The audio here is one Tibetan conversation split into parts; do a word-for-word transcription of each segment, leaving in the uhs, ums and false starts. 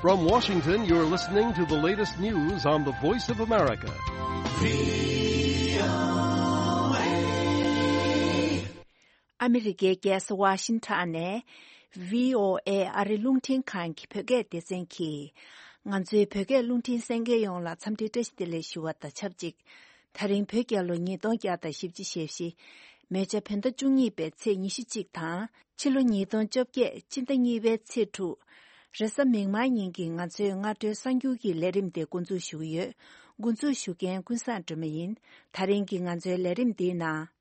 From Washington, you're listening to the latest news on the Voice of America. ཨ་མི་རི་ཀའི་རྒྱལ་ས་ཝ་ཤིང་ཊོན་ནས་བྷི་ཨོ་ཨེ་ཨ་རི་རླུང་འཕྲིན་ཁང་གི་བོད་སྐད་སྡེ་ཚན་གྱིས། ང་ཚོའི་བོད་སྐད་རླུང་འཕྲིན་གསན་མཁན་ཡོངས་ལ་འཚམས་འདྲི་བཀྲ་ཤིས་བདེ་ལེགས་ཞུ་བ་དང་ཆབས་ཅིག་ད་རིང་བོད་རྒྱལ་ལོ་ཉིས་སྟོང་བརྒྱ་དང་བཞི་བཅུ་ཞེ་བཞི། མེ་བྱ་བོད་ཟླ་བཅུ་གཉིས་པའི་ཚེས་ཉི་ཤུ་གཅིག་དང་། ཕྱི་ལོ་ཉིས་སྟོང་བཅོ་བརྒྱད་སྤྱི་ཟླ་གཉིས་པའི་ཚེས་དྲུག་རེས་གཟའ་མིག་དམར་ཉིན་གྱི་ང་ཚོའི་སྔ་དྲོའི་གསར་འགྱུར་གྱི་ལས་རིམ་དེ་འགོ་འཛུགས་ཞུ་གི་ཡོད། འགོ་འཛུགས་ཞུ་མཁན་ཀུན་བཟང་སྒྲོལ་མ་ཡིན། ད་རིང་གི་ང་ཚོའི་ལས་རིམ་འདིའི་ནང་།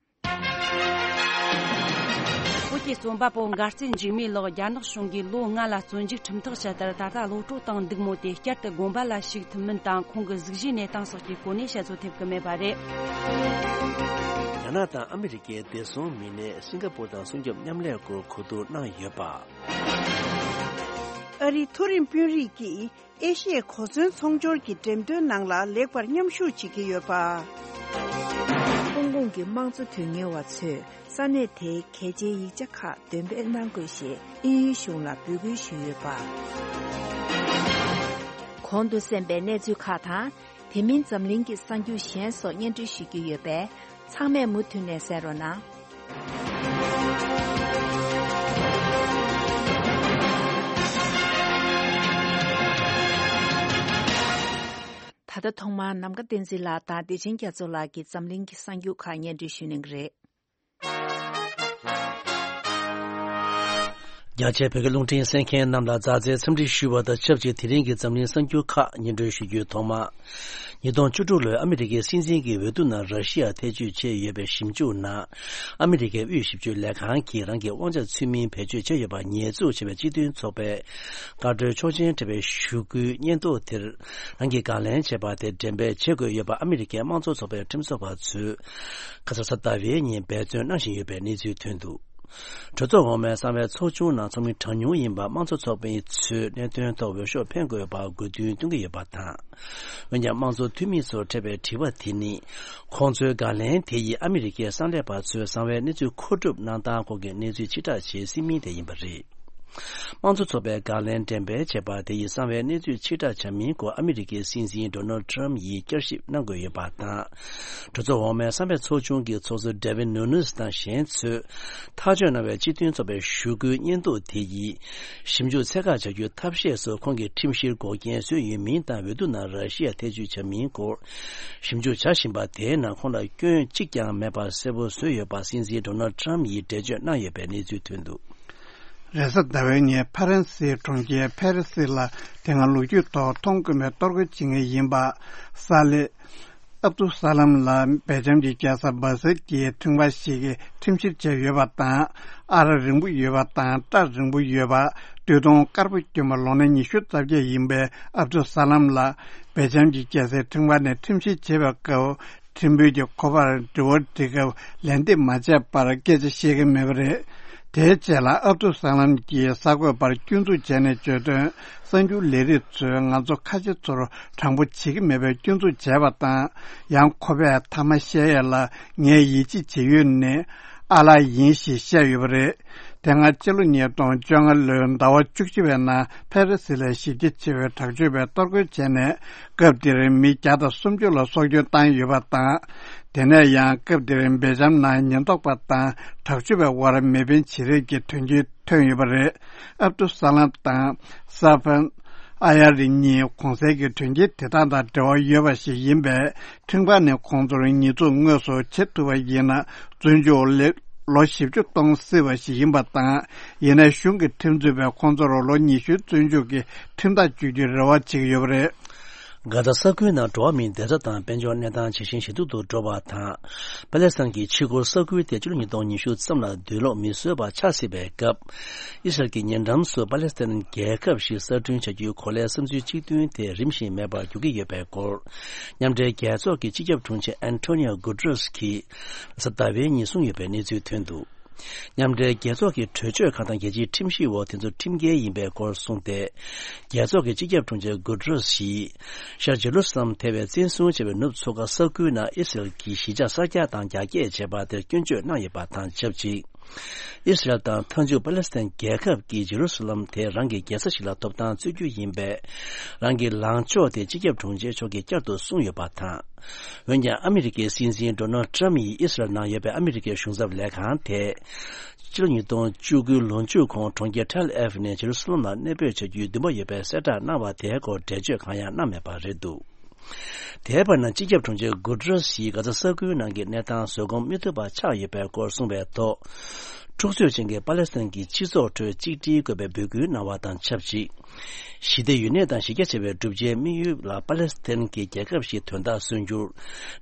བོད་ཀྱི་རྩོམ་པ་པོ་མགར་བསྟན་འཇིགས་མེད་ལགས་རྒྱ་ནག་གཞུང་གིས་ལོ་ལྔ་ལ་བཙོན་འཇུག་ཁྲིམས་ཐག་བཅད་མཐར་ད་ལྟ་གློད་གྲོལ་བཏང་འདུག་མོད། དེ་བསྐྱར་དུ་དགོན་པ་ལ་ཞུགས་ཐུབ་མིན་དང་ཁོང་གི་གཟུགས་གཞིའི་གནས་སྟངས་སོགས་ཀྱི་སྐོར་ནས་དཔྱད་བཟོ་ཐེབས་ཀྱི་མེད་པ་རེད། རྒྱ་ནག་དང་ཨ་མི་རི་ཀའི་བདེ་སྲུང་མི་སྣས་སིང་ག་པུར་དང་སྲུང་སྐྱོབ་མཉམ་ལས་སྐོར་གོ་བསྡུར་གནང་ཡོད་པ། ཨ་རིའི་མཐོ་རིམ་དཔོན་རིགས་ཀྱིས་ཨེ་ཤི་ཡའི་གོ་མཚོན་ཚོང་སྦྱོར་གྱི་འགྲེམས་སྟོན་ནང་ལ་ལེགས་པར་མཉམ་ཞུགས་བྱེད་ཀྱི་ཡོད་པ། ཧོང་ཀོང་གི་དམངས་གཙོ་དོན་གཉེར་བ་ཚོས་ས་གནས་དེའི་གལ་ཆེའི་ཡིག་ཆ་ཁག་འདོན་སྤེལ་གནང་དགོས་ཞེས་དབྱིན་ཡུལ་གཞུང་ལ་འབོད་སྐུལ་ཞུས་ཡོད་པ། གོང་དུ་གསན་པའི་གནས་ཚུལ་ཁག་དང་། དེ་མིན་འཛམ་གླིང་གི་གསར་འགྱུར་གཞན་སོགས་སྙན་སྒྲོན་ཞུ་རྒྱུ་ཡོད་པས། ཚང་མས་མུ་མཐུད་ནས་གསན་རོགས་གནང་། ད་ལྟ་ཐོག་མར་ནམ་མཁའ་བསྟན་འཛིན་ལགས་དང་བདེ་ཆེན་རྒྱ་མཚོ་ལགས་ཀྱིས་འཛམ་གླིང་གི་གསར་འགྱུར་ཁག་སྙན་སྒྲོན་ཞུ་གནང་གི་རེད། རྒྱ་ཆེའི་བོད་སྐད་རླུང་འཕྲིན་གསན་མཁན་རྣམས་ལ་མཛའ་བརྩེའི་འཚམས་འདྲི་ཞུ་བ་དང་ཆབས་ཅིག་དེ་རིང་གི་འཛམ་གླིང་གསར་འགྱུར་ཁག་སྙན་སྒྲོན་ཞུ་རྒྱུའི་ཐོག་མ། ཉིས་སྟོང་བཅུ་དྲུག་ལོའི་ཨ་མི་རི་ཀའི་སྲིད་འཛིན་གྱི་འོས་བསྡུ་ནང་ར་ཤི་ཡ་ཐེ་བྱུས་བྱས་ཡོད་པའི་ཞིབ་འཇུག་ནང་། ཨ་མི་རི་ཀའི་དབུས་ཞིབ་དཔྱོད་ལས་ཁང་གིས་རང་གི་དབང་ཆ་ཚུལ་མིན་བེད་སྤྱོད་བྱས་ཡོད་པར་ཉེས་འཛུགས་བྱས་པའི་སྤྱི་མཐུན་ཚོགས་པའི་བཀའ་འཁྲོལ་ཆོག་མཆན་སྤྲད་པའི་ཞུ་སྐུལ་སྙན་ཐོ་དེར་རང་གིས་དགག་ལན་བྱས་པ་དེ་འགྲེམས་སྤེལ་བྱེད་དགོས་ཡོད་པ་ཨ་མི་རི་ཀའི་དམངས་གཙོ་ཚོགས་པའི་ཁྲིམས་བཟོ་བ་ཚོས་ཁ་སང་གཟའ་ཟླ་བའི་ཉིན་འབད་བརྩོན་གནང་བཞིན་ཡོད་པའི་གནས་ཚུལ་ཐོན་འདུག་གྲོས་ཚོགས་འོག་མའི་གསང་བའི་ཚོགས་ཆུང་ནང་ཚོགས་མི་གྲངས་ཉུང་ཡིན་པ་དམངས་གཙོ་ཚོགས་པའི་ཚོས་གནད་དོན་ཐོག་འོས་ཤོག་འཕེན་དགོས་པར་དགོས་འདུན་བཏོན་གྱི་ཡོད་པ་དང་། འོན་ཀྱང་དམངས་གཙོ་འཐུས་མི་ཚོར་འཕྲད་པའི་དྲི་བ་དེ་ནི། ཁོང་ཚོའི་དགག་ལན་དེ་ཡིས་ཨ་མི་རི་ཀའི་གསང་ལས་པ་ཚོས་གསང་བའི་གནས་ཚུལ་མཁོ་སྒྲུབ་གནང་སྟངས་སྐོར་གྱི་གནས་ཚུལ་ཕྱིར་བསྒྲགས་བྱེད་སྲིད་མིན་དེ་ཡིན་པ་རེད། དམངས་གཙོ་ཚོགས་པའི་དགག་ལན་འགྲེམས་སྤེལ་བྱས་པ་དེ་ཡིས་གསང་བའི་གནས་ཚུལ་ཕྱིར་བསྒྲགས་བྱ་མིན་སྐོར་ཨ་མི་རི་ཀའི་སྲིད་འཛིན་ཌོ་ནལ་ཌི་ཊརམ་ཕི་ཡིས་བསྐྱར་ཞིབ་གནང་དགོས་ཡོད་པ་དང་། གྲོས་ཚོགས་འོག་མའི་གསང་བའི་ཚོགས་ཆུང་གི་ཚོགས་གཙོ་ཌེ་ཝིཌ་ནུ་ནིས་དང་གཞན་ཚོས་ཐག་གཅོད་གནང་བའི་སྤྱི་མཐུན་ཚོགས་པའི་ཞུ་སྐུལ་སྙན་ཐོ་དེ་ཡིས་ཞིབ་འཇུག་ཚད་བཀག་བྱ་རྒྱུའི་ཐབས་ཤེས་སུ་ཁོང་གི་ཁྲིམས་གཞིར་འགོག་རྐྱེན་བཟོས་ཡོད་མིན་དང་འོས་བསྡུ་ནང་ར་ཤི་ཡ་ཐེ་བྱུས་བྱ་མིན་སྐོར་ཞིབ་འཇུག་བྱ་བཞིན་པ་དེའི་ནང་ཁོང་ལ་སྐྱོན་གཅིག་ཀྱང་མེད་པ་གསལ་པོ་བཟོས་ཡོད་པ་སྲིད་འཛིན་ཌོ་ནལ་ཌི་ཊརམ་ཕི་ཡིས་འགྲེལ་བརྗོད་གནང་ཡོད་པའི་གནས་ཚུལ་ཐོན་འདུག་རེས་གཟའ་ཟླ་བའི་ཉིན་ཕ་རན་སིའི་གྲོང་ཁྱེར་ཕ་རི་སི་ལ་དེ་སྔ་ལོ་རྒྱུས་ཐོག་མཐོང་དཀོན་པའི་གཏོར་རྒོལ་བྱེད་མཁན་ཡིན་པ་ས་ལེ་ཨབ་དུ་ས་ལམ་ལ་སྦེལ་ཇམ་གྱི་རྒྱལ་ས་སྦ་སེལ་གྱི་ཁྲིམས་ཁང་ཞིག་གིས་ཁྲིམས་བཤེར་བྱས་ཡོད་པ་དང་། ཨ་རག་རིང་པོ་ཡོད་པ་དང་སྐྲ་རིང་པོ་ཡོད་པ། སྟོད་ཐུང་དཀར་པོ་གྱོན་པ་ལོ་ན་ཉི་ཤུ་རྩ་བརྒྱད་ཡིན་པའི་ཨབ་དུ་ས་ལམ་ལ་སྦེལ་ཇམ་གྱི་རྒྱལ་སའི་ཁྲིམས་ཁང་ནས་ཁྲིམས་བཤེར་བྱེད་པའི་སྐབས། ཁྲིམས་དཔོན་གྱིས་ཁོ་པར་དྲི་བ་འདྲི་སྐབས་ལན་འདེབས་མ་བྱས་པར་སྐད་ཆ་བཤད་ཀྱི་མེད་པ་རེད། དེའི་རྗེས་ལ་ཨབ་དུ་ས་ལམ་གྱིས་གསར་འགོད་པར་སྐྱོན་འཛུགས་བྱས་ནས་བརྗོད་དོན། གསར་འགྱུར་ལས་རིགས་ཚོས་ང་ཚོ་ཁ་ཆེ་ཚོར་དྲང་པོ་བྱེད་ཀྱི་མེད་པའི་སྐྱོན་འཛུགས་བྱས་པ་དང་། ཡང་ཁོ་པས་མཐའ་མ་བཤད་ཡས་ལ་ངས་ཡིད་ཆེས་བྱེད་ཡུལ་ནི་ཨ་ལགས་ཡིན་ཞེས་བཤད་ཡོད་པ་རེད། དེ་སྔ་ཕྱི་ལོ་ཉིས་སྟོང་བཅོ་ལྔ་ལོའི་ཟླ་བ་བཅུ་གཅིག་པའི་ནང་ཕ་རི་སི་ལ་གཞི་རྒྱ་ཆེ་བའི་དྲག་སྤྱོད་པས་གཏོར་རྒོལ་བྱས་ནས། སྐབས་དེར་མི་བརྒྱ་དང་སུམ་ཅུ་ལ་སྲོག་སྐྱོན་བཏང་ཡོད་པ་དང་། དེ་ནས་ཡང་སྐབས་དེར་སྦེལ་ཇམ་ནང་ཉེན་རྟོག་པ་དང་དྲག་སྤྱོད་པའི་དབར་མེ་འཕེན་བྱེད་རེས་ཀྱི་དོན་རྐྱེན་ཐོན་ཡོད་པ་རེད། ཨབ་ཏུ་ས་ལམ་དང་ས་ཕན། ཨ་ཡ་རི་གཉིས་གོང་གསལ་གྱི་དོན་རྐྱེན་དེ་དག་དང་འབྲེལ་བ་ཡོད་པ་ཞིག་ཡིན་པས། ཁྲིམས་ཁང་ནས་ཁོང་ཚོར་ཉེས་འཛུགས་དངོས་སུ་བྱེད་ཐུབ་པ་ཡིན་ན། བཙོན་འཇུག་ལོ་བཞི་བཅུ་གཏོང་སྲིད་པ་ཞིག་ཡིན་པ་དང་། ཡིན་ནའི་གཞུང་གི་ཁྲིམས་རྩོད་པས་ཁོང་ཚོར་ལོ་ཉི་ཤུའི་བཙོན་འཇུག་གི་ཁྲིམས་ཐག་གཅོད་རྒྱུའི་རེ་བ་བྱེད་ཀྱི་ཡོད་པ་རེད། གྷ་ཟ་ས་ཁུལ་ནང་འགྲོ་བ་མིའི་བདེ་འཇགས་དང་དཔལ་འབྱོར་གནས་སྟངས་ཇེ་ཞན་ཞེ་སྡུག་ཏུ་འགྲོ་བ་དང་། པ་ལེ་སི་ཐན་གྱི་ཆུ་འགོ་ས་ཁུལ་དེ་ཕྱི་ལོ་ཉིས་སྟོང་ཉི་ཤུ་ཙམ་ལ་དུག་ལོག་མི་བཟོ་བ་ཆགས་སྲིད་པའི་སྐབས། ཨི་སི་རལ་གྱིས་ཉེ་འགྲམ་སུ་པ་ལེ་སི་ཐན་རྒྱལ་ཁབ་ཞིག་གསར་སྐྲུན་བྱ་རྒྱུའི་གོ་ལའི་བསམ་ཚུལ་གཅིག་མཐུན་དེ་རིམ་བཞིན་མེད་པར་འགྱུར་གྱི་ཡོད་པའི་སྐོར། མཉམ་འབྲེལ་རྒྱལ་ཚོགས་ཀྱི་སྤྱི་ཁྱབ་དྲུང་ཆེ་ཨན་ཐོ་ནི་ཡོ་གུ་ཏྲེ་སི་གིས་གཟའ་ཟླ་བའི་ཉིན་གསུངས་ཡོད་པའི་གནས་ཚུལ་ཐོན་འདུག་མཉམ་འབྲེལ་རྒྱལ་ཚོགས་ཀྱི་གྲོས་ཆོད་ཁག་དང་རྒྱལ་སྤྱིའི་ཁྲིམས་གཞི་འོག་དེ་ཚོ་ཁྲིམས་འགལ་ཡིན་པའི་སྐོར་གསུངས་ཏེ། རྒྱལ་ཚོགས་ཀྱི་སྤྱི་ཁྱབ་དྲུང་ཆེ་གུ་ཏྲེ་སི་ཡིས། ཤར་ཇེ་རུ་སཱ་ལམ་ཐེ་བའི་བཙན་བཟུང་བྱས་པའི་ནུབ་མཚོ་ཁ་ས་ཁུལ་ནང་ཨི་སི་རལ་གྱིས་གཞིས་ཆགས་གསར་རྒྱག་དང་རྒྱ་སྐྱེད་བྱས་པ་དེར་སྐྱོན་བརྗོད་གནང་ཡོད་པ་དང་ཆབས་ཅིག་ཨི་སི་རལ་དང་མཐའ་མཇུག་པ་ལེ་སི་ཐན་རྒྱལ་ཁབ་ཀྱིས་ཇེ་རུ་སི་ལམ་དེ་རང་གི་རྒྱལ་ས་ཞིག་ལ་ཐོབ་ཐང་རྩོད་རྒྱུ་ཡིན་པས། རང་གི་ལངས་ཕྱོགས་དེ་སྤྱི་ཁྱབ་དྲུང་ཆེ་མཆོག་གིས་བསྐྱར་དུ་གསུངས་ཡོད་པ་དང་། འོན་ཀྱང་ཨ་མི་རི་ཀའི་སྲིད་འཛིན་ཌོ་ནལ་ཊྲམ་ཡིས་ཨི་སི་རལ་ནང་ཡོད་པའི་ཨ་མི་རི་ཀའི་གཞུང་ཚབ་ལས་ཁང་དེ། ཕྱི་ལོ་ཉིས་སྟོང་བཅུ་དགུའི་ལོ་མཇུག་གོང་གྲོང་ཁྱེར་ཐལ་ཨེ་ཝི་ནས་ཇེ་རུ་སི་ལམ་ལ་གནས་སྤོས་བྱ་རྒྱུའི་འདུན་པ་ཡོད་པའི་གསལ་བསྒྲགས་གནང་བ་དེའི་སྐོར་འགྲེལ་བརྗོད་གང་ཡང་གནང་མེད་པ་རེད་འདུག་དེའི་བར་ན་སྤྱི་ཁྱབ་དྲུང་ཆེ་གུ་ཏྲེ་སི་ཡིས་གྷ་ཛ་ས་ཁུལ་ནང་གི་གནས་སྟངས་བཟོད་སྒོམ་མི་ཐུབ་པ་ཆགས་ཡོད་པའི་སྐོར་གསུངས་པའི་ཐོག་འཁྲུག་རྩོད་ཅན་གྱི་པ་ལེ་སི་ཐན་གྱི་སྤྱི་ཚོགས་ཁྲོད་གཅིག་སྒྲིལ་དགོས་པའི་འབོད་སྐུལ་གནང་བ་དང་ཆབས་ཅིག་ཞི་བདེ་ཡུན་གནས་དང་གཞི་རྒྱ་ཆེ་བའི་གྲུབ་ཆའི་དམིགས་ཡུལ་ལ་པ་ལེ་སི་ཐན་གྱི་རྒྱལ་ཁབ་ཞིག་དོན་དག་སོན་རྒྱུར།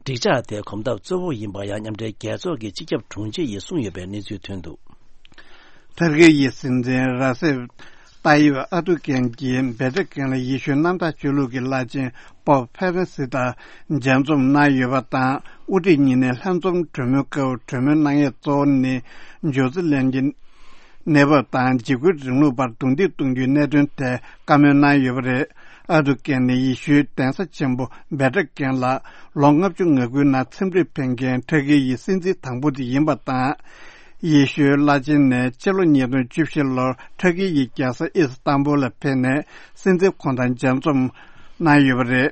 འགྲིག་འཇགས་དེ་གོམ་སྟབས་གཙོ་བོ་ཡིན་པ་ཡང་མཉམ་འབྲེལ་རྒྱལ་ཚོགས་ཀྱི་སྤྱི་ཁྱབ་དྲུང་ཆེ་ཡིས་གསུངས་ཡོད་པའི་གནས་ཚུལ་ཐོན་འདུག་ཐར་ཀི་ཡི་སྲིད་འཛིན་ར་སེབ་ཏཱ་ཡིབ་ཨ་ཏུ་ཀན་གྱིས་བྷེ་ཏྲ་ཀན་ལ་ཡེ་ཤུའི་གནམ་བདག་ཆོས་ལུགས་ཀྱི་བླ་ཆེན་པོབ་ཕེ་རན་སི་དང་མཇལ་འཛོམས་གནང་ཡོད་པ་དང་། དབུ་ཁྲིད་གཉིས་ནས་ལྷན་འཛོམས་གྲོས་མོལ་སྐབས་གྲོས་མོལ་གནང་ཡས་གཙོ་བོ་ནི་ཇོ་ཛི་ལན་གྱི་གནས་བབ་དང་འཇིགས་སྐུལ་རིང་ལུགས་བར་རྡུང་རྡེག་གཏོང་རྒྱུའི་གནད་དོན་ཐད་བཀའ་མོལ་གནང་ཡོད་པ་རེད། ཨ་ཏུ་ཀན་ནི་ཡེ་ཤུའི་གདན་ས་ཆེན་པོ་བྷེ་ཏྲ་ཀན་ལ་ལོ་ལྔ་བཅུ་ང་དགུའི་ནང་འཚམས་འདྲིར་ཕེབས་མཁན་ཐར་ཀི་ཡི་སྲིད་འཛིན་དང་པོ་དེ་ཡིན་པ་དང་། ཡེ་ཤུའི་བླ་ཆེན་ནས་ཕྱི་ལོ་ཉིས་སྟོང་བཅུ་བཞི་ལོར་ཐར་ཀི་ཡི་རྒྱལ་ས་ཨི་སི་ཏན་བུལ་ལ་ཕེབས་ནས་སྲིད་འཛིན་ཁོང་དང་མཇལ་འཛོམས་གནང་ཡོད་པ་རེད།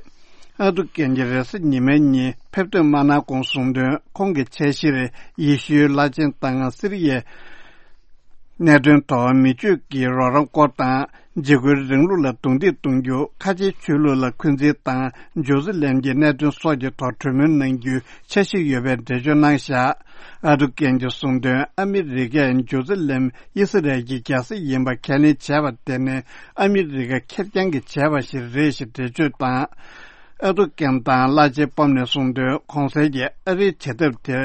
ཨ་ཏུ་ཀན་གྱིས་རེས་གཟའ་ཉི་མའི་ཉིན་ཕེབས་ཐོན་མ་གནང་གོང་གསུངས་དོན། ཁོང་གི་འཆར་གཞིར་ཡེ་ཤུའི་བླ་ཆེན་དང་སི་རི་ཡའི་གནད་དོན་ཐོག་མི་ཆོས་ཀྱི་རོགས་རམ་སྐོར་དང་། འཇིགས་སྐུལ་རིང་ལུགས་ལ་རྡུང་རྡེག་གཏོང་རྒྱུ། ཁ་ཆེའི་ཆོས་ལུགས་ལ་འཁོན་འཛིན་དང་། ཇོ་ཛི་ལན་གྱི་གནད་དོན་སོགས་ཀྱི་ཐོག་གྲོས་མོལ་གནང་རྒྱུའི་འཆར་གཞི་ཡོད་པའི་འགྲེལ་བརྗོད་གནང་བཞག་ཨ་ཏུ་ཀན་གྱིས་གསུངས་དོན། ཨ་མི་རི་ཀས་ཇོ་ཛི་ལན་ཨི་སི་རལ་གྱི་རྒྱལ་ས་ཡིན་པ་ཁས་ལེན་བྱས་པ་དེ་ནི་ཨ་མི་རི་ཀ་ཁེར་རྐྱང་གིས་བྱས་པ་ཞིག་རེད་ཞེས་འགྲེལ་བརྗོད་དང་། ཨ་ཏུ་ཀན་དང་བླ་ཆེན་པོབ་ནས་གསུངས་དོན། གོང་གསལ་གྱི་ཨ་རིའི་བྱེད་ཐབས་དེ།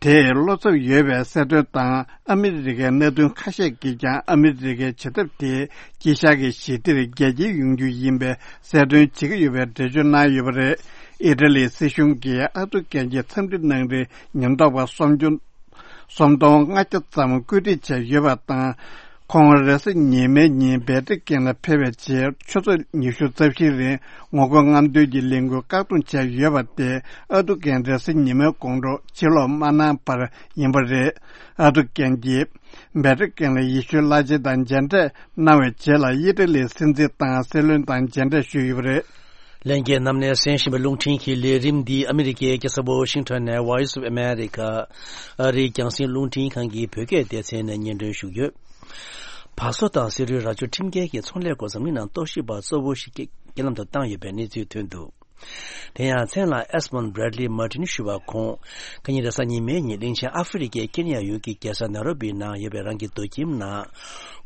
དེས་བློ་འཚབ་ཡོད་པའི་གསལ་སྟོན་དང་། ཨ་མི་རི་ཀའི་གནད་དོན་ཁ་ཤས་ཀྱིས་ཀྱང་ཨ་མི་རི་ཀའི་བྱེད་ཐབས་དེས་དཀྱིལ་ཤར་གྱི་ཞི་བདེར་རྒྱལ་སྐྱེལ་ཡོང་རྒྱུ་ཡིན་པའི་གསལ་སྟོན་བྱེད་ཀྱི་ཡོད་པའི་འགྲེལ་བརྗོད་གནང་ཡོད་པ་རེད། ཨི་ཊ་ལིའི་སྲིད་གཞུང་གིས་ཨ་ཏུ་ཀན་གྱི་འཚམས་འདྲི་གནང་རིང་ཉེན་རྟོག་པ་སུམ་སྟོང་ལྔ་བརྒྱ་ཙམ་བཀོད་སྒྲིག་བྱས་ཡོད་པ་དང་། ཁོང་རེས་གཟའ་ཉི་མའི་ཉིན་བྷེ་ཏྲ་ཀན་ལ་ཕེབས་པའི་རྗེས་ཆུ་ཚོད་ཉི་ཤུ་རྩ་བཞིའི་རིང་ངོ་རྒོལ་རྔམ་སྟོན་གྱི་ལས་འགུལ་བཀག་སྡོམ་བྱས་ཡོད་པ་དེ་ཨ་ཏུ་ཀན་རེས་གཟའ་ཉི་མའི་དགོང་དྲོ་ཕྱིར་ལོག་མ་གནང་བར་ཡིན་པ་རེད། ཨ་ཏུ་ཀན་གྱིས་བྷེ་ཏྲ་ཀན་ལ་ཡེ་ཤུའི་བླ་ཆེན་དང་མཇལ་འཕྲད་གནང་བའི་རྗེས་ལ་ཨི་ཊ་ལིའི་སྲིད་འཛིན་དང་སྲིད་བློན་དང་མཇལ་འཕྲད་ཞུས་ཡོད་པ་རེད། ལྷན་རྒྱས་རྣམས་ནས་གསན་བཞིན་པའི་རླུང་འཕྲིན་གྱི་ལས་རིམ་འདི་ཨ་མི་རི་ཀའི་རྒྱལ་ས་ཝ་ཤིང་ཊོན་ནས་Voice of America ཨ་རིའི་རྒྱང་སྲིང་རླུང་འཕྲིན་ཁང་གི་བོད་སྐད་སྡེ་ཚན་ནས་སྙན་སྒྲོན་ཞུས་ཡོད། བ་སོ་དང་སེ་རུའི་རྭ་ཅོ་ཁྲིམས་འགལ་གྱི་ཚོང་ལས་སྐོར་འཛམ་གླིང་ནང་རྟོག་ཞིབ་པ་གཙོ་བོ་ཞིག་རྐྱེན་ལམ་དུ་བཏང་ཡོད་པའི་གནས་ཚུལ་ཐོན་འདུག་དེ་ཡང་མཚན་ལ་Esmond Bradley Martin ཞུ་བ་ཁོང་ཁ་ཉིན་རེས་གཟའ་ཉི་མའི་ཉིན་གླིང་ཆེན་ཨ་ཧྥེ་རི་ཁའི་ཀེན་ཡ་ཡུལ་གྱི་རྒྱལ་ས་ནེ་རོ་བི་ནང་ཡོད་པའི་རང་གི་སྡོད་ཁྱིམ་ནང་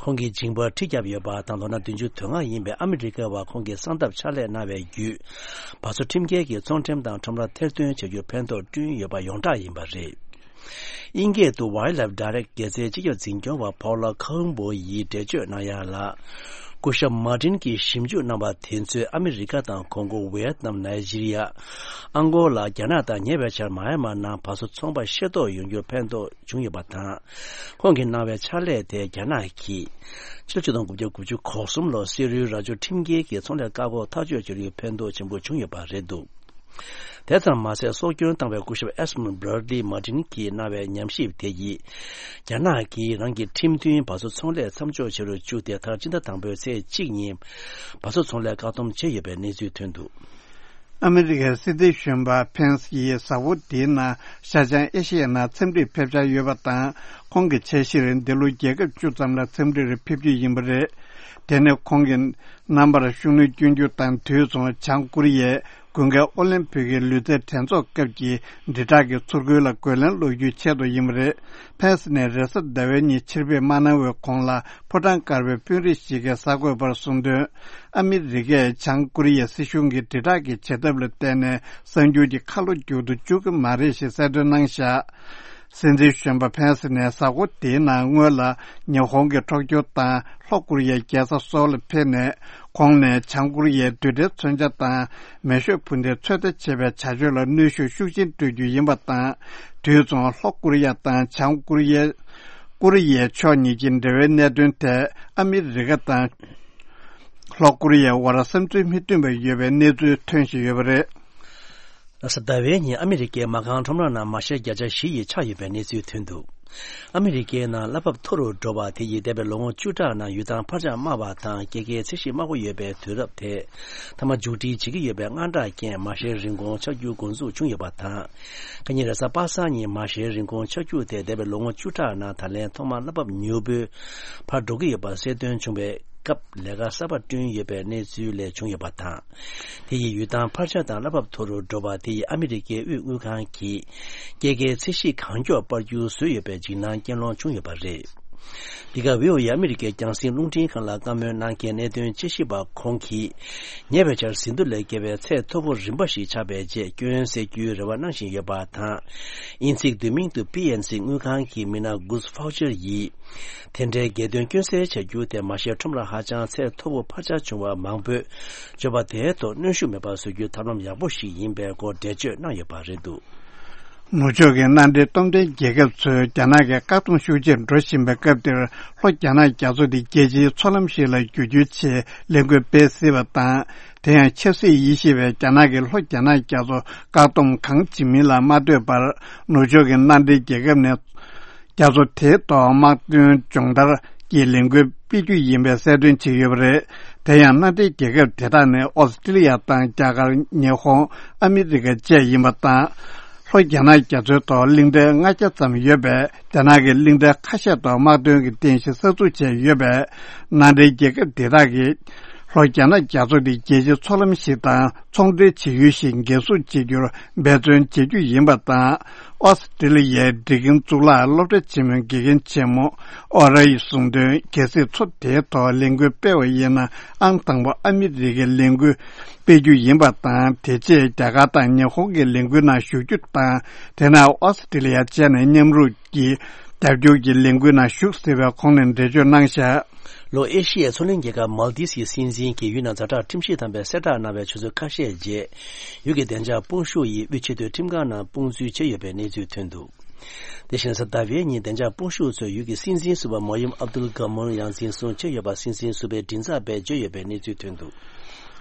ཁོང་གི་མཇིང་པར་གྲི་བརྒྱབ་ཡོད་པ་དང་། ལོ་ན་བདུན་ཅུ་དོན་ལྔ་ཡིན་པའི་ཨ་མི་རི་ཀ་བ་ཁོང་གི་གསང་སྟབས་ཕྱག་ལས་གནང་བའི་བརྒྱུད། བ་སོ་ཁྲིམས་འགལ་གྱི་ཚོང་ཁྲོམ་དང་ཁྲོམ་ར་ཐེར་འདོན་བྱ་རྒྱུར་ཕན་ཐོགས་བསྐྲུན་ཡོད་པ་ཡོངས་གྲགས་ཡིན་པ་རེད། དབྱིན་སྐད་དུ་Wildlife Direct རྒྱལ་སའི་སྤྱི་ཁྱབ་འཛིན་སྐྱོང་བ་Paula Campbell ཡིས་འགྲེལ་བརྗོད་གནང་ཡ་ལ། སྐུ་ཞབས་མར་ཏིན་གྱིས་ཞིབ་འཇུག་གནང་བ་དེ་ཚོས་ཨ་མི་རི་ཀ་དང་གོང་གོ། ཝི་ཡེད་ནམ། ནཱི་ཇི་རི་ཡ། ཨང་གོ་ལ། རྒྱ་ནག་དང་ཉེ་བའི་ཆར་མ་ཡ་མར་ནང་བ་སོ་ཚོང་པ་ཤེས་རྟོགས་ཡོང་རྒྱུར་ཕན་ཐོགས་བྱུང་ཡོད་པ་དང་། ཁོང་གིས་གནང་བའི་ཕྱག་ལས་དེས་རྒྱ་ནག་གིས་ཕྱི་ལོ་ཆིག་སྟོང་དགུ་བརྒྱ་དགུ་བཅུ་གོ་གསུམ་ལོར་སེ་རུའི་རྭ་ཅོ་ཁྲིམས་འགལ་གྱི་ཚོང་ལས་བཀག་འགོག་ཐག་གཅོད་བྱ་རྒྱུར་ཕན་ཐོགས་ཆེན་པོ་བྱུང་ཡོད་པ་རེད་འདུག་དེ་ཙམ་མ་ཟད། སྲོག་སྐྱོན་བཏང་བའི་སྐུ་ཞབས་Esmond Bradley Martin གྱིས་གནང་བའི་ཉམས་ཞིབ་དེ་ཡིས། རྒྱ་ནག་གིས་རང་གི་ཁྲིམས་མཐུན་བ་སོ་ཚོང་ལས་མཚམས་འཇོག་བྱེད་རུ་བཅུག་སྟེ། མཐར་སྤྱི་ཟླ་དང་པོའི་ཚེས་གཅིག་ཉིན་བ་སོ་ཚོང་ལས་བཀག་སྡོམ་བྱས་ཡོད་པའི་གནས་ཚུལ་ཐོན་འདུག་ཨ་མི་རི་ཀའི་སྲིད་འཛིན་གཞོན་པ་ཕེན་སི་ཡིས་གཟའ་འཁོར་འདིའི་ནང་ཤར་བྱང་ཨེ་ཤི་ཡའི་ནང་འཚམས་འདྲིར་ཕེབས་འཆར་ཡོད་པ་དང་། ཁོང་གི་འཆར་གཞིར་འདི་ལོ་རྒྱལ་ཁབ་བཅུ་ཙམ་ལ་འཚམས་འདྲིར་ཕེབས་རྒྱུ་ཡིན་པ་རེད། དེ་ནི་ཁོང་གི་རྣམ་པར་ཤུགས་སྣོན་སྐྱོན་རྒྱུ་དང་། དུས་མཚུངས་བྱང་ཀོ་རི་ཡས་དགུན་ཁའི་ཨོ་ལིམ་ཕིག་གི་ལུས་རྩལ་འགྲན་ཚོགས་སྐབས་ཀྱི་དྲིལ་བསྒྲགས་ཀྱི་ཚུར་རྒོལ་ལ་རྒོལ་ལན་སློག་རྒྱུའི་ཆེད་དུ་ཡིན་པ་རེད། ཕེན་སི་ནས་རེས་གཟའ་ཟླ་བའི་ཉིན་ཕྱིར་ཕེབས་མ་གནང་བའི་གོང་ལ། ཕོ་བྲང་དཀར་པོའི་དཔོན་རིགས་ཤིག་གིས་གསར་འགོད་པར་གསུངས་དོན། ཨ་མི་རི་ཀས་བྱང་ཀོ་རི་ཡའི་སྲིད་གཞུང་གི་དྲིལ་བསྒྲགས་ཀྱི་བྱེད་ཐབས་ལ་བརྟེན་ནས་གསར་འགྱུར་གྱི་ཁ་ལོ་མཇུག་ཏུ་བཅུག་གི་མ་རེད་ཞེས་གསལ་སྟོན་གནང་བཞག་སྲིད་འཛིན་གཞོན་པ་ཕེན་སི་ནས་གཟའ་འཁོར་དེའི་ནང་སྔོན་ལ་ཉི་ཧོང་གི་ཊོ་ཀྱོ་དང་ལྷོ་ཀོ་རི་ཡའི་རྒྱལ་ས་སོལ་ལ་ཕེབས་ནས། ཁོང་ནས་བྱང་ཀོ་རི་ཡའི་རྡུལ་ཕྲན་མཚོན་ཆ་དང་མེ་ཤོག་འཕུར་མདེལ་ཚོད་ལྟ་བྱེད་པའི་བྱ་སྤྱོད་ལ་གནོན་ཤུགས་ཤུགས་ཆེན་སྤྲོད་རྒྱུ་ཡིན་པ་དང་། དུས་མཚུངས་ལྷོ་ཀོ་རི་ཡ་དང་བྱང་ཀོ་རི་ཡའི་ཀོ་རི་ཡའི་ཕྱོགས་གཉིས་ཀྱི་འབྲེལ་བའི་གནད་དོན་ཐད་ཨ་མི་རི་ཀ་དང་ལྷོ་ཀོ་རི་ཡའི་དབར་བསམ་ཚུལ་མི་མཐུན་པ་ཡོད་པའི་གནས་ཚུལ་ཐོན་བཞིན་ཡོད་པ་རེད། རེས་གཟའ་ཟླ་བའི་ཉིན་ཨ་མི་རི་ཀའི་མ་རྐང་ཁྲོམ་ར་ནང་མ་ཤེར་བརྒྱ་ཆ་བཞི་ཡིས་ཆག་ཡོད་པའི་གནས་ཚུལ་ཐོན་འདུག་ཨ་མི་རི་ཀའི་ནང་གླ་འབབ་མཐོ་རུ་འགྲོ་བ་དེ་ཡིས་འདས་པའི་ལོ་ངོ་བཅུ་ཕྲག་ནང་ཡུལ་ཐང་འཕར་ཆག་དམའ་བ་དང་སྐྱེད་ཀའི་ཚད་གཞི་དམའ་པོ་ཡོད་པའི་དུས་རབས་དེ་མཐའ་མ་མཇུག་སྒྲིལ་བྱེད་ཀྱི་ཡོད་པའི་དངངས་སྐྲག་རྐྱེན་མ་ཤེར་རིན་གོང་ཆག་རྒྱུ་འགོ་འཛུགས་བྱུང་ཡོད་པ་དང་། ཁ་ཉིན་རེས་གཟའ་པ་སངས་ཉིན་མ་ཤེར་རིན་གོང་ཆག་རྒྱུ་དེ་འདས་པའི་ལོ་ངོ་བཅུ་ཕྲག་ནང་ད་ལན་ཐོག་མར་གླ་འབབ་མྱུར་པོའི་འཕར་འགྲོ་གི་ཡོད་པ་གསལ་སྟོན་བྱུང་བའི་སྐབས་ལས་ཀ་གསར་པ་བསྐྲུན་ཡོད་པའི་གནས་ཚུལ་ལས་བྱུང་ཡོད་པ་དང་། དེ་ཡིས་ཡུལ་ཐང་འཕར་ཆག་དང་གླ་འབབ་མཐོ་རུ་འགྲོ་བ་དེ་ཡིས་ཨ་མི་རི་ཀའི་དབུས་དངུལ་ཁང་གིས་སྐྱེད་ཀའི་ཚད་གཞི་གང་མགྱོགས་སྤར་རྒྱུ་བཟོས་ཡོད་པའི་འཇིགས་སྣང་སྐྱེ་སློང་བྱུང་ཡོད་པ་རེད། འདི་ག་ཝི་ཨོ་ཨེ་ཨ་མི་རི་ཀའི་རྒྱང་སྲིང་རླུང་འཕྲིན་ཁང་ལ་བཀའ་མོལ་གནང་མཁན་གནད་དོན་དཔྱད་ཞིབ་པ་ཁོང་གིས། ཉེ་བའི་ཆར་ཟིན་ཐོ་ལས་བརྒལ་བའི་ཚད་མཐོ་པོ་རིམ་པ་ཞིག་ཆགས་པའི་རྗེས་སྐྱོན་སེལ་རྒྱུའི་རེ་བ་གནང་བཞིན་ཡོད་པ་དང་། དབྱིན་ཚིག་བསྡུས་མིང་དུ་པི་ཨེན་སི་དངུལ་ཁང་གི་མི་སྣ་Gus Faucher ཡིས། དེ་འདྲའི་རྒྱལ་དོན་སྐྱོན་སེལ་བྱ་རྒྱུ་དེ་མ་ཤེས་ཁྲོམ་ར་ཧ་ཅང་ཚད་མཐོ་པོ་འཕར་ཆག་བྱུང་བ་མང་པོས་སྤྱོད་པ་དེའི་ཐོག་གནོན་ཤུགས་མེད་པ་བཟོ་རྒྱུའི་ཐབས་ལམ་ཡག་པོ་ཞིག་ཡིན་པའི་སྐོར་འགྲེལ་བརྗོད་གནང་ཡོད་པ་རེད་འདུག། ནུབ་ཕྱོགས་ཀྱི་མནའ་འབྲེལ་སྟོབས་ལྡན་རྒྱལ་ཁབ་ཚོས་རྒྱ་ནག་གི་བཀག་སྡོམ་ཤུགས་ཆེར་འགྲོ་བཞིན་པའི་སྐབས་འདིར། ལྷོ་རྒྱ་ནག་རྒྱ་མཚོ་འདི་རྒྱལ་སྤྱིའི་མཚོ་ལམ་ཞིག་ལ་བསྒྱུར་རྒྱུའི་ཆེད་ལས་འགུལ་སྤེལ་སྲིད་པ་དང་། དེ་ཡང་ཆབ་སྲིད་དབྱེ་ཞིབ་པས་རྒྱ་ནག་གིས་ལྷོ་རྒྱ་ནག་རྒྱ་མཚོ་བཀག་སྡོམ་གང་བྱེད་མིན་ལ་མ་ལྟོས་པར། ནུབ་ཕྱོགས་ཀྱི་མནའ་འབྲེལ་རྒྱལ་ཁབ་ནས། རྒྱ་མཚོ་དེའི་ཐོག་དམག་དོན་སྦྱོང་བརྡར་གྱི་ལས་འགུལ་སྤེལ་རྒྱུ་ཡིན་པའི་གསལ་སྟོན་བྱས་ཡོད་པ་རེད། དེ་ཡང་མནའ་འབྲེལ་རྒྱལ་ཁབ་དེ་དག་ནི་ཨོ་སི་ཀྲི་ལི་ཡ་དང་རྒྱ་གར། ཉི་ཧོང་། ཨ་མི་རི་ཀ་བཅས་ཡིན་པ་དང་། ལྷོ་རྒྱ་ནག་རྒྱ་མཚོའི་ཐོག་གླིང་ཕྲན་ལྔ་བརྒྱ་ཙམ་ཡོད་པས། རྒྱ་ནག་གིས་གླིང་ཕྲན་ཁ་ཤས་ཐོག་དམག་དོན་གྱི་རྟེན་གཞི་གསར་འཛུགས་བྱས་ཡོད་པས། མནའ་འབྲེལ་རྒྱལ་ཁབ་དེ་དག་གིས། ལྷོ་རྒྱ་ནག་རྒྱ་མཚོ་འདི་རྒྱལ་སྤྱིའི་མཚོ་ལམ་ཞིག་དང་ཚོང་འབྲེལ་བྱེད་ཡུལ་ཞིག་འགན་སྲུང་བྱེད་རྒྱུར་འབད་བརྩོན་བྱེད་རྒྱུ་ཡིན་པ་དང་། ཨོ་སི་ཀྲི་ལི་ཡའི་འགྲིག་མཁན་གཙུག་ལག་སློབ་གྲྭ་ཆེན་མོའི་དགེ་རྒན་ཆེན་མོ་ཨོ་ར་ཡིས་གསུངས་དོན། གལ་སྲིད་མཚོ་དེའི་ཐོག་ལས་འགུལ་སྤེལ་བ་ཡིན་ན། ཨང་དང་པོ་ཨ་མི་རི་ཀའི་ལས་འགུལ་སྤེལ་རྒྱུ་ཡིན་པ་དང་། དེ་རྗེས་རྒྱ་གར་དང་ཉི་ཧོང་གི་ལས་འགུལ་ནང་ཞུགས་རྒྱུ་དང་། དེ་ནས་ཨོ་སི་ཀྲི་ལི་ཡ་བཅས་ནས་མཉམ་རུབ་ཀྱིས་རྒྱབ་སྐྱོར་གྱི་ལས་འགུལ་ནང་ཞུགས་སྲིད་པའི་ཁོང་ནས་འགྲེལ་བརྗོད་གནང་བཞག། ལྷོ་ཨེ་ཤི་ཡའི་མཚོ་གླིང་རྒྱལ་ཁབ་མཱལ་དིབ་ཀྱི་སྲིད་འཛིན་གྱིས་ཡུལ་ནང་ཛ་དྲག་ཁྲིམས་ཞིབ་དམ་པས་གསལ་བསྒྲགས་གནང་བའི་ཆུ་ཚོད་ཁ་ཤས་རྗེས། ཡུལ་གྱི་བདེ་འཇགས་དཔུང་ཤུགས་ཡིས་དབུས་ཆེས་མཐོའི་ཁྲིམས་ཁང་ནང་དཔུང་འཛུལ་བྱས་ཡོད་པའི་གནས་ཚུལ་ཐོན་འདུག། དེ་བཞིན་གཟའ་ཟླ་བའི་ཉིན་བདེ་འཇགས་དཔུང་ཤུགས་ཚོས་ཡུལ་གྱི་སྲིད་འཛིན་ཟུར་པ་མོ་ཡུམ་ཨབ་དུལ་གྷ་མོན་ཡང་འཛིན་བཟུང་བྱས་ཡོད་པ། སྲིད་འཛིན་ཟུར་པའི་མགྲིན་ཚབ་པས་བརྗོད་ཡོད་པའི་གནས་ཚུལ་ཐོན་འདུག།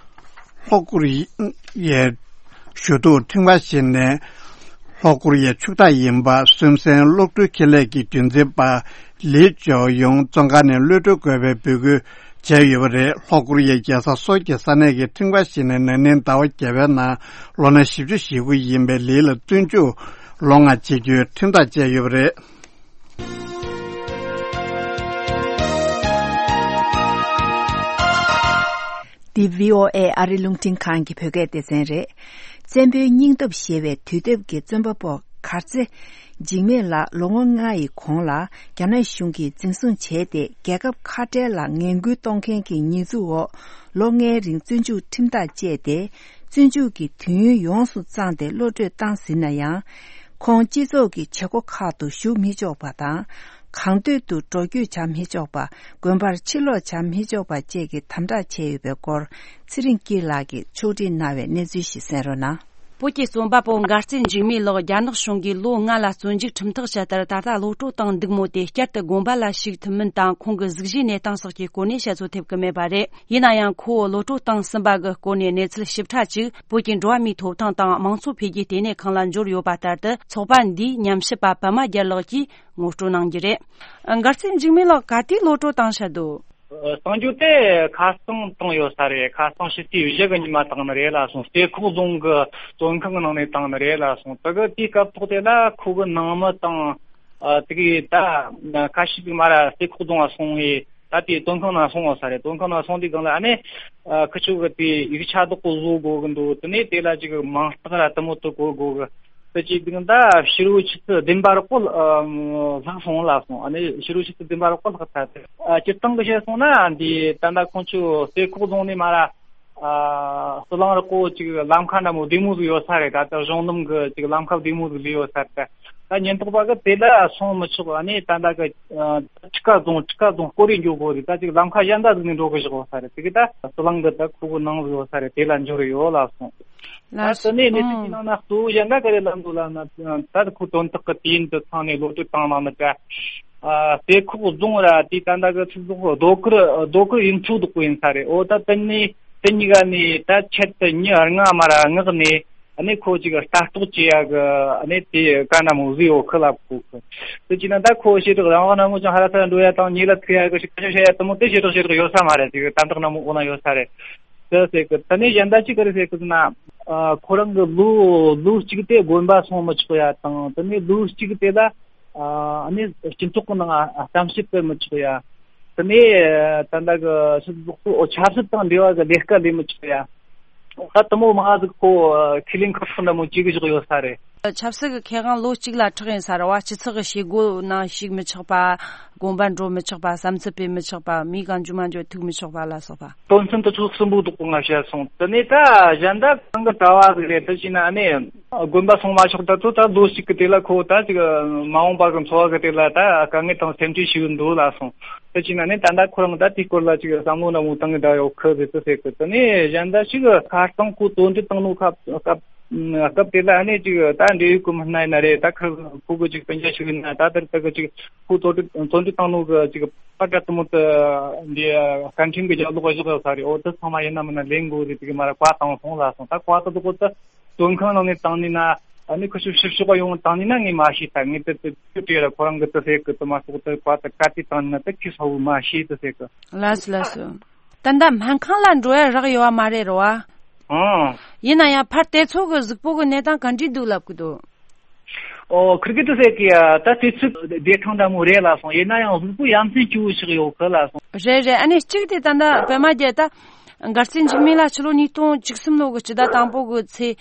ལྷོ་ཀོ་རི་ཡའི་ཞུ་གཏུག་ཁྲིམས་ཁང་ཞིག་ནས། ལྷོ་ཀོ་རི་ཡའི་ཕྱུག་བདག་ཡིན་པ་སུན་སན་གློག་འཕྲུལ་ཁེ་ལས་ཀྱི་རྒྱུན་འཛིན་པ་ལི་ཅོ་ཡུང་བཙོན་ཁང་ནས་གློད་གྲོལ་དགོས་པའི་འབོད་སྐུལ་བྱས་ཡོད་པ་རེད། ལྷོ་ཀོ་རི་ཡའི་རྒྱལ་ས་སོལ་གྱི་ས་གནས་ཀྱི་ཁྲིམས་ཁང་ཞིག་ནས་ན་ནིང་ཟླ་བ་བརྒྱད་པའི་ནང་ལོ་ན་བཞི་བཅུ་ཞེ་དགུ་ཡིན་པའི་ལི་ལ་བཙོན་འཇུག་ལོ་ལྔ་བྱེད་རྒྱུའི་ཁྲིམས་ཐག་བཅད་ཡོད་པ་རེད། འདི་བྷི་ཨོ་ཨེ་ཨ་རི་རླུང་འཕྲིན་ཁང་གི་བོད་སྐད་སྡེ་ཚན་རེད། བཙན་པོའི་སྙིང་སྟོབས་ཞེས་པའི་དུས་དེབ་ཀྱི་བཙོན་པ་པོ་གར་རྩེ་འཇིགས་མེད་ལགས་ལོ་ངོ་ལྔ་ཡི་གོང་ལ་རྒྱ་ནག་གཞུང་གིས་འཛིན་བཟུང་བྱས་ཏེ། རྒྱལ་ཁབ་ཁ་བྲལ་ལ་ངན་སྐུལ་གཏོང་མཁན་གྱི་ཉེས་འཛུགས་འོག་ལོ་ལྔའི་རིང་བཙོན་འཇུག་ཁྲིམས་ཐག་བཅད་དེ། བཙོན་འཇུག་གི་དུས་ཡུན་ཡོངས་སུ་བཙངས་ཏེ་གློད་གྲོལ་བཏང་ཟིན་ན་ཡང་། ཁོང་སྤྱི་ཚོགས་ཀྱི་བྱེད་སྒོ་ཁག་ཏུ་ཞུགས་མི་ཆོག་པ་དང་། གང་འདོད་དུ་འགྲོ་སྐྱོད་བྱ་མི་ཆོག་པ། དགོན་པར་ཕྱིར་ལོག་བྱ་མི་ཆོག་པ་བཅས་ཀྱི་དམ་དྲག་བྱས་ཡོད་པའི་སྐོར། ཚེ་རིང་སྐྱིད་ལགས་ཀྱིས་ཕྱོགས་སྒྲིག་གནང་བའི་གནས་ཚུལ་ཞིག་གསན་རོགས་གནང་། བོད་ཀྱི་རྩོམ་པ་པོ་མགར་རྩེ་འཇིགས་མེད་ལགས་རྒྱ་ནག་གཞུང་གིས་ལོ་ལྔ་ལ་བཙོན་འཇུག་ཁྲིམས་ཐག་བཅད་མཐར། ད་ལྟ་གློད་གྲོལ་བཏང་འདུག་མོད། དེ་བསྐྱར་དུ་དགོན་པ་ལ་ཞུགས་ཐུབ་མིན་དང་། ཁོང་གི་གཟུགས་གཞིའི་གནས་སྟངས་སོགས་ཀྱི་སྐོར་ནས་བཤད་ཚོད་ཐེབས་ཀྱི་མེད་པ་རེད། ཡིན་ན་ཡང་། ཁོ་བོ་གློད་གྲོལ་བཏང་ཟིན་པ་གི་སྐོར་ནས་གནས་ཚུལ་ཞིབ་ཕྲ་ཅིག་བོད་ཀྱི་འགྲོ་བ་མིའི་ཐོབ་ཐང་དང་མང་གཙོ་འཕེལ་རྒྱས་ལྟེ་གནས་ཁང་ལ་འབྱོར་ཡོད་པ་ལྟར་དུ། ཚོགས་པ་འདིའི་ཉམས་ཞིབ་པ་པད་མ་རྒྱལ་ལགས་ཀྱིས་ངོ་སྤྲོད་གནང་རྒྱུ་རེད། མགར་རྩེ་འཇིགས་མེད་ལགས་ག་དུས་གློད་གྲོལ་བཏང་བཞག་འདུག། ཨ། གཏོང་རྒྱུ་དེ་ཁ་སང་བཏང་ཡོད་ས་རེད། ཁ་སང་ཕྱི་ཚེས་བཞི་གི་ཉི་མ་བཏང་ནི་རེད་ལ་སོང་། རྩེ་ཁོག་རྫོང་གི་བཙོན་ཁང་གི་ནང་ནས་བཏང་ནི་རེད་ལ་སོང་། དེ་གི་དེའི་སྐབས་ཐོག་དེ་ལ་ཁོ་གི་ནང་མི་དང་། ཨ། དེ་གི་ད་ཁ་ཤས་ཅིག་མར་ར་རྩེ་ཁོག་རྫོང་ལ་སོང་བས། ད་དེ་བཙོན་ཁང་ནང་སོང་ཡོད་ས་རེད། བཙོན་ཁང་ནང་སོང་དུས་སྒང་ལ་ཨ་ནི། ཨ། ཁི་ཆོ་གི་དེ་ཡིག་ཆ་བདག་པོ་བཟོ་དགོས་གི་འདུག། དེ་ནས་དེ་ལ་ཅིག་མིང་རྟགས་ར་དེ་མོ་དེ་བཀོད་དགོས་གི། དེ་བྱས་དུས་ད་ཕྱི་རུ་ཆུ་ཚོད་བདུན་པ་རོགས་པོ་ལྷག་སོང་ལ་སོང་། ཨ་ནི་ཕྱི་རུ་ཆུ་ཚོད་བདུན་པ་རོགས་པོ་ལྷག་ཚར་ཏེ། ཨ། སྤྱིར་བཏང་གི་བཤད་སོང་ན་འདི་ད་ལྟ་ཁོང་ཚོ་རྩེ་ཁོག་རྫོང་ནས་མར་ར། ཨ། ཟི་ལིང་རི་ཀོ་ཅིག་ལམ་ཁ་འདྲ་མོ་བདེ་མོ་ཟིག་ཡོད་ས་རེད། ད་ལྟ་གཞུང་ལམ་གི་ཅིག་ལམ་ཁ་བདེ་མོ་ཟིག་ལས་ཡོད་ས་རེད། ད་ཉེན་རྟོག་པ་གི་དེ་ལ་སོང་མི་ཆོག། ཨ་ནི་ད་ལྟ་གི། ཨ། ཁྲི་ཀ་རྫོང་ཁྲི་ཀ་རྫོང་སྐོར་རེ་འགྱོ་དགོས་རེད། ད་ཅིག་ལམ་ཁ་གཞན་དག་ཟིག་ནས་འགྲོ་གི་བཞག་ཡོད་ས་རེད། དེ་གི་ད་ཟི་ལིང་གི་ད་ཁོ་གི་ནང་ཟིག་ཡོད་ས་རེད། དེ་ལ་འབྱོར་ཡོད་ལ་སོང་། ལགས་སོ། ད་དེ་ནས་གནས་ཚུལ་ཨང་གྱི་ནང་ན་གཙོ་བོ་གཞན་དག་ག་རེ་ལབ་འདུག་ལབ་ན། ད་ཁོ་དོན་དག་གི་དུས་ཡུན་དུ་ཚང་ནས་གློད་གྲོལ་བཏང་གནང་ནི་ཀ། ཨ། རྩེ་ཁོག་རྫོང་ར་དེ་ད་ལྟ་གི་ཚིག་ཐོག་རྡོ་དཀར་རྡོ་དཀར་ཡུལ་ཚོ་འདུག་པོ་ཡིན་ས་རེད། འོ་ད་དེ་ནས་དེ་གཉིས་ཀ་ནས་ད་ཆེད་དུ་མྱི་ལྔ་མར་ར་མངགས་ནས། ཨ་ནི་ཁོ་ཅིག་ལྟ་རྟོག་བྱེད་ཡ་གི་ཨ་ནི་དེ་ག་ན་མོ་བཟོས་ཡོད་ཁི་ལབ་གོ་གི། དེ་བྱས་ན་ད་ཁོ་བྱེ་བྲག་རང་དབང་ན་མོ་ཅང་ཧ་ར་ས་འགྲོ་ཡ་དང་ཉེ་ལ་ཐུག་ཡ་གི་ཞིག་ཁ་ཤས་བཤད་ཡ་དེ་མོ་དེ་བྱེ་བྲག་བྱེ་བྲག་ཡོད་ས་མ་རེད། ཅིག་དམ་དྲག་ན་མོ་འོ་ན་ཡོད་ས་རེད། དེ་ཟེར་གི། དེ་ནས་གཞན་དག་ཅིག་ག་རེ་ཟེར་གི་ཟེར་ན། ཨ་ཁོ་རང་གི་ལོ་ལོ་གཅིག་དེ་དགོན་པ་སོང་མི་ཆོག་ཡ་དང་། དེ་ནས་ལོ་གཅིག་དེ་ལ་ཨ་ནི་སྤྱི་ཚོགས་ཀྱི་ནང་ཨ་གཏམ་བཤད་སྤེལ་མི་ཆོག་ཡ། དེ་ནས་ད་ལྟ་གི་ཕྱི་ཚོགས་སུ་ཆབ་སྲིད་དང་འབྲེལ་བ་གི་ལས་ཀ་ལས་མི་ཆོག་ཡ། ད་དེ་མོ་མང་ཟིག་ཁོ་ཁས་ལེན་ཁག་ཁག་འདྲ་མོ་བྱེད་གི་བཞག་ཡོད་ས་རེད། ཆབ་སྲིད་ཀྱི་ཁེ་དབང་ལོ་གཅིག་ལ་ཕྲག་ཡིན་ས་རེད་བ། སྤྱི་ཚོགས་ཀྱི་བྱེད་སྒོ་ནང་ཞུགས་མི་ཆོག་པ། དགོན་པ་འགྲོ་མི་ཆོག་པ། བསམ་ཚུལ་སྤེལ་མི་ཆོག་པ། མིའི་གང་འཇུ་མ་འཇུ་ཐུག་མི་ཆོག་པ་ལ་སོགས་པ། དོན་ཚན་དེ་ཚོ་གསུམ་པོ་དག་པོ་ང་བཤད་སོང་། དེ་ནས་ད་གཞན་དག་གང་གི་གྲྭ་བ་ཟིག་རེད། དེ་བྱས་ན་ཨ་ནི་དགོན་པ་སོང་མ་ཆོག་ད་ཚོ་ད་ལོ་གཅིག་གི་དེ་ལ་ཁོ་ད་ཅིག་མ་འོངས་པ་གི་འཚོ་བ་གི་དེ་ལ་ད་དཀའ་ངལ་དང་སེམས་ཁྲལ་ཞིག་འདུག་ལ་སོང་། དེ་བྱས་ན་ནི་ད་ལྟ་ཁོ་རང་ད་དེའི་སྐོར་ལ་ཅིག་བསམ་བློ་ནང་མོ་བཏང་གི་བསྡད་ཡོད་ཁི་རེད་དེ་ཟེར་གི། དེ་ནས་གཞན་ད་ཅིག་ཁ་རྟིང་ཁོ་བཙོན་འཇུག་བཏང་ནོ་ཁ་སྐབས་སྐབས་དེ་ལ་ཨ་ནི་ཅིག་ད་འབྲེལ་ཡོད་གི་མི་སྣ་ཡིན་ན་རེད། ད་ཁི་ཁོ་གི་ཅིག་སྤུན་ཀྱག་ཞིག་ཡིན་ན་ད་དེར་ད་གི་ཅིག་ཁོ་བཙོན་འཇུག་བཙོན་འཇུག་བཏང་ནོ་གི་ཅིག་པར་སྐྲ་དེ་མོ་དེ་འདི་སྐད་འཕྲིན་གི་རྒྱབ་ལོགས་བཞག་ཡོད་ས་རེད། འོ་དེ་ཚང་མ་ཡིན་ན་མིན་ན་ལེན་དགོས་རེད། དེ་གི་མ་ར་བཀའ་བཏང་སོང་ལ་སོང་། ད་བཀའ་དེ་དག་གོ་ད་བཙོན་ཁང་ནང་ནས་བཏང་ནས་ན་ཨ་ནི་ཁུ་ཤུ་ཕྱིར་ཕྱོགས་ཡོང་བཏང་ནས་ན་ངས་མ་ཤེས། ད་ངས་དེ་དེ་དེ་དེ་ར་ཁོ་རང་གི་དེ་ཟེར་གི། དེ་མ་གཏོགས་དེ་བཀའ་དེ་ག་དུས་བཏང་ནས་ན་དེ་ཁྱི་ས་བོ་མ་ཤེས་དེ་ཟེར་གི། ལགས་སོ་ལགས་སོ། ད་ལྟ་སྨན་ཁང་ལ་འགྲོ་ཡ་རག་ཡོད་བ་མ་རེད་རོ་བ། ཨང་། ཡིན་ན་ཡང་ཕར་དེ་ཚོ་གི་གཟུགས་པོ་གི་གནས་སྟངས་ག་འདྲ་འདུག་ལབ་གི་འདུག། ཨོ་ཁིར་གི་དུ་ཟེར་གི་ཡ། ད་དུས་ཚོད་བདེ་ཐང་འདྲ་མོ་རེད་ལ་སོང་། ཡིན་ན་ཡང་གཟུགས་པོ་ཡ་མཚན་སྐྱོ་བོ་ཞིག་ཡོད་གི་ལ་སོང་། རེད་རེད། ཨ་ནི་གཅིག་དེ་ད་ལྟ་པད་མ་རྒྱལ་ད་མགར་རྩེ་འཇིགས་མེད་ལ་ཕྱི་ལོ་ཉིས་སྟོང་བཅུ་གསུམ་ལོ་གི་སྤྱི་ཟླ་དང་པོ་གི་ཚེས་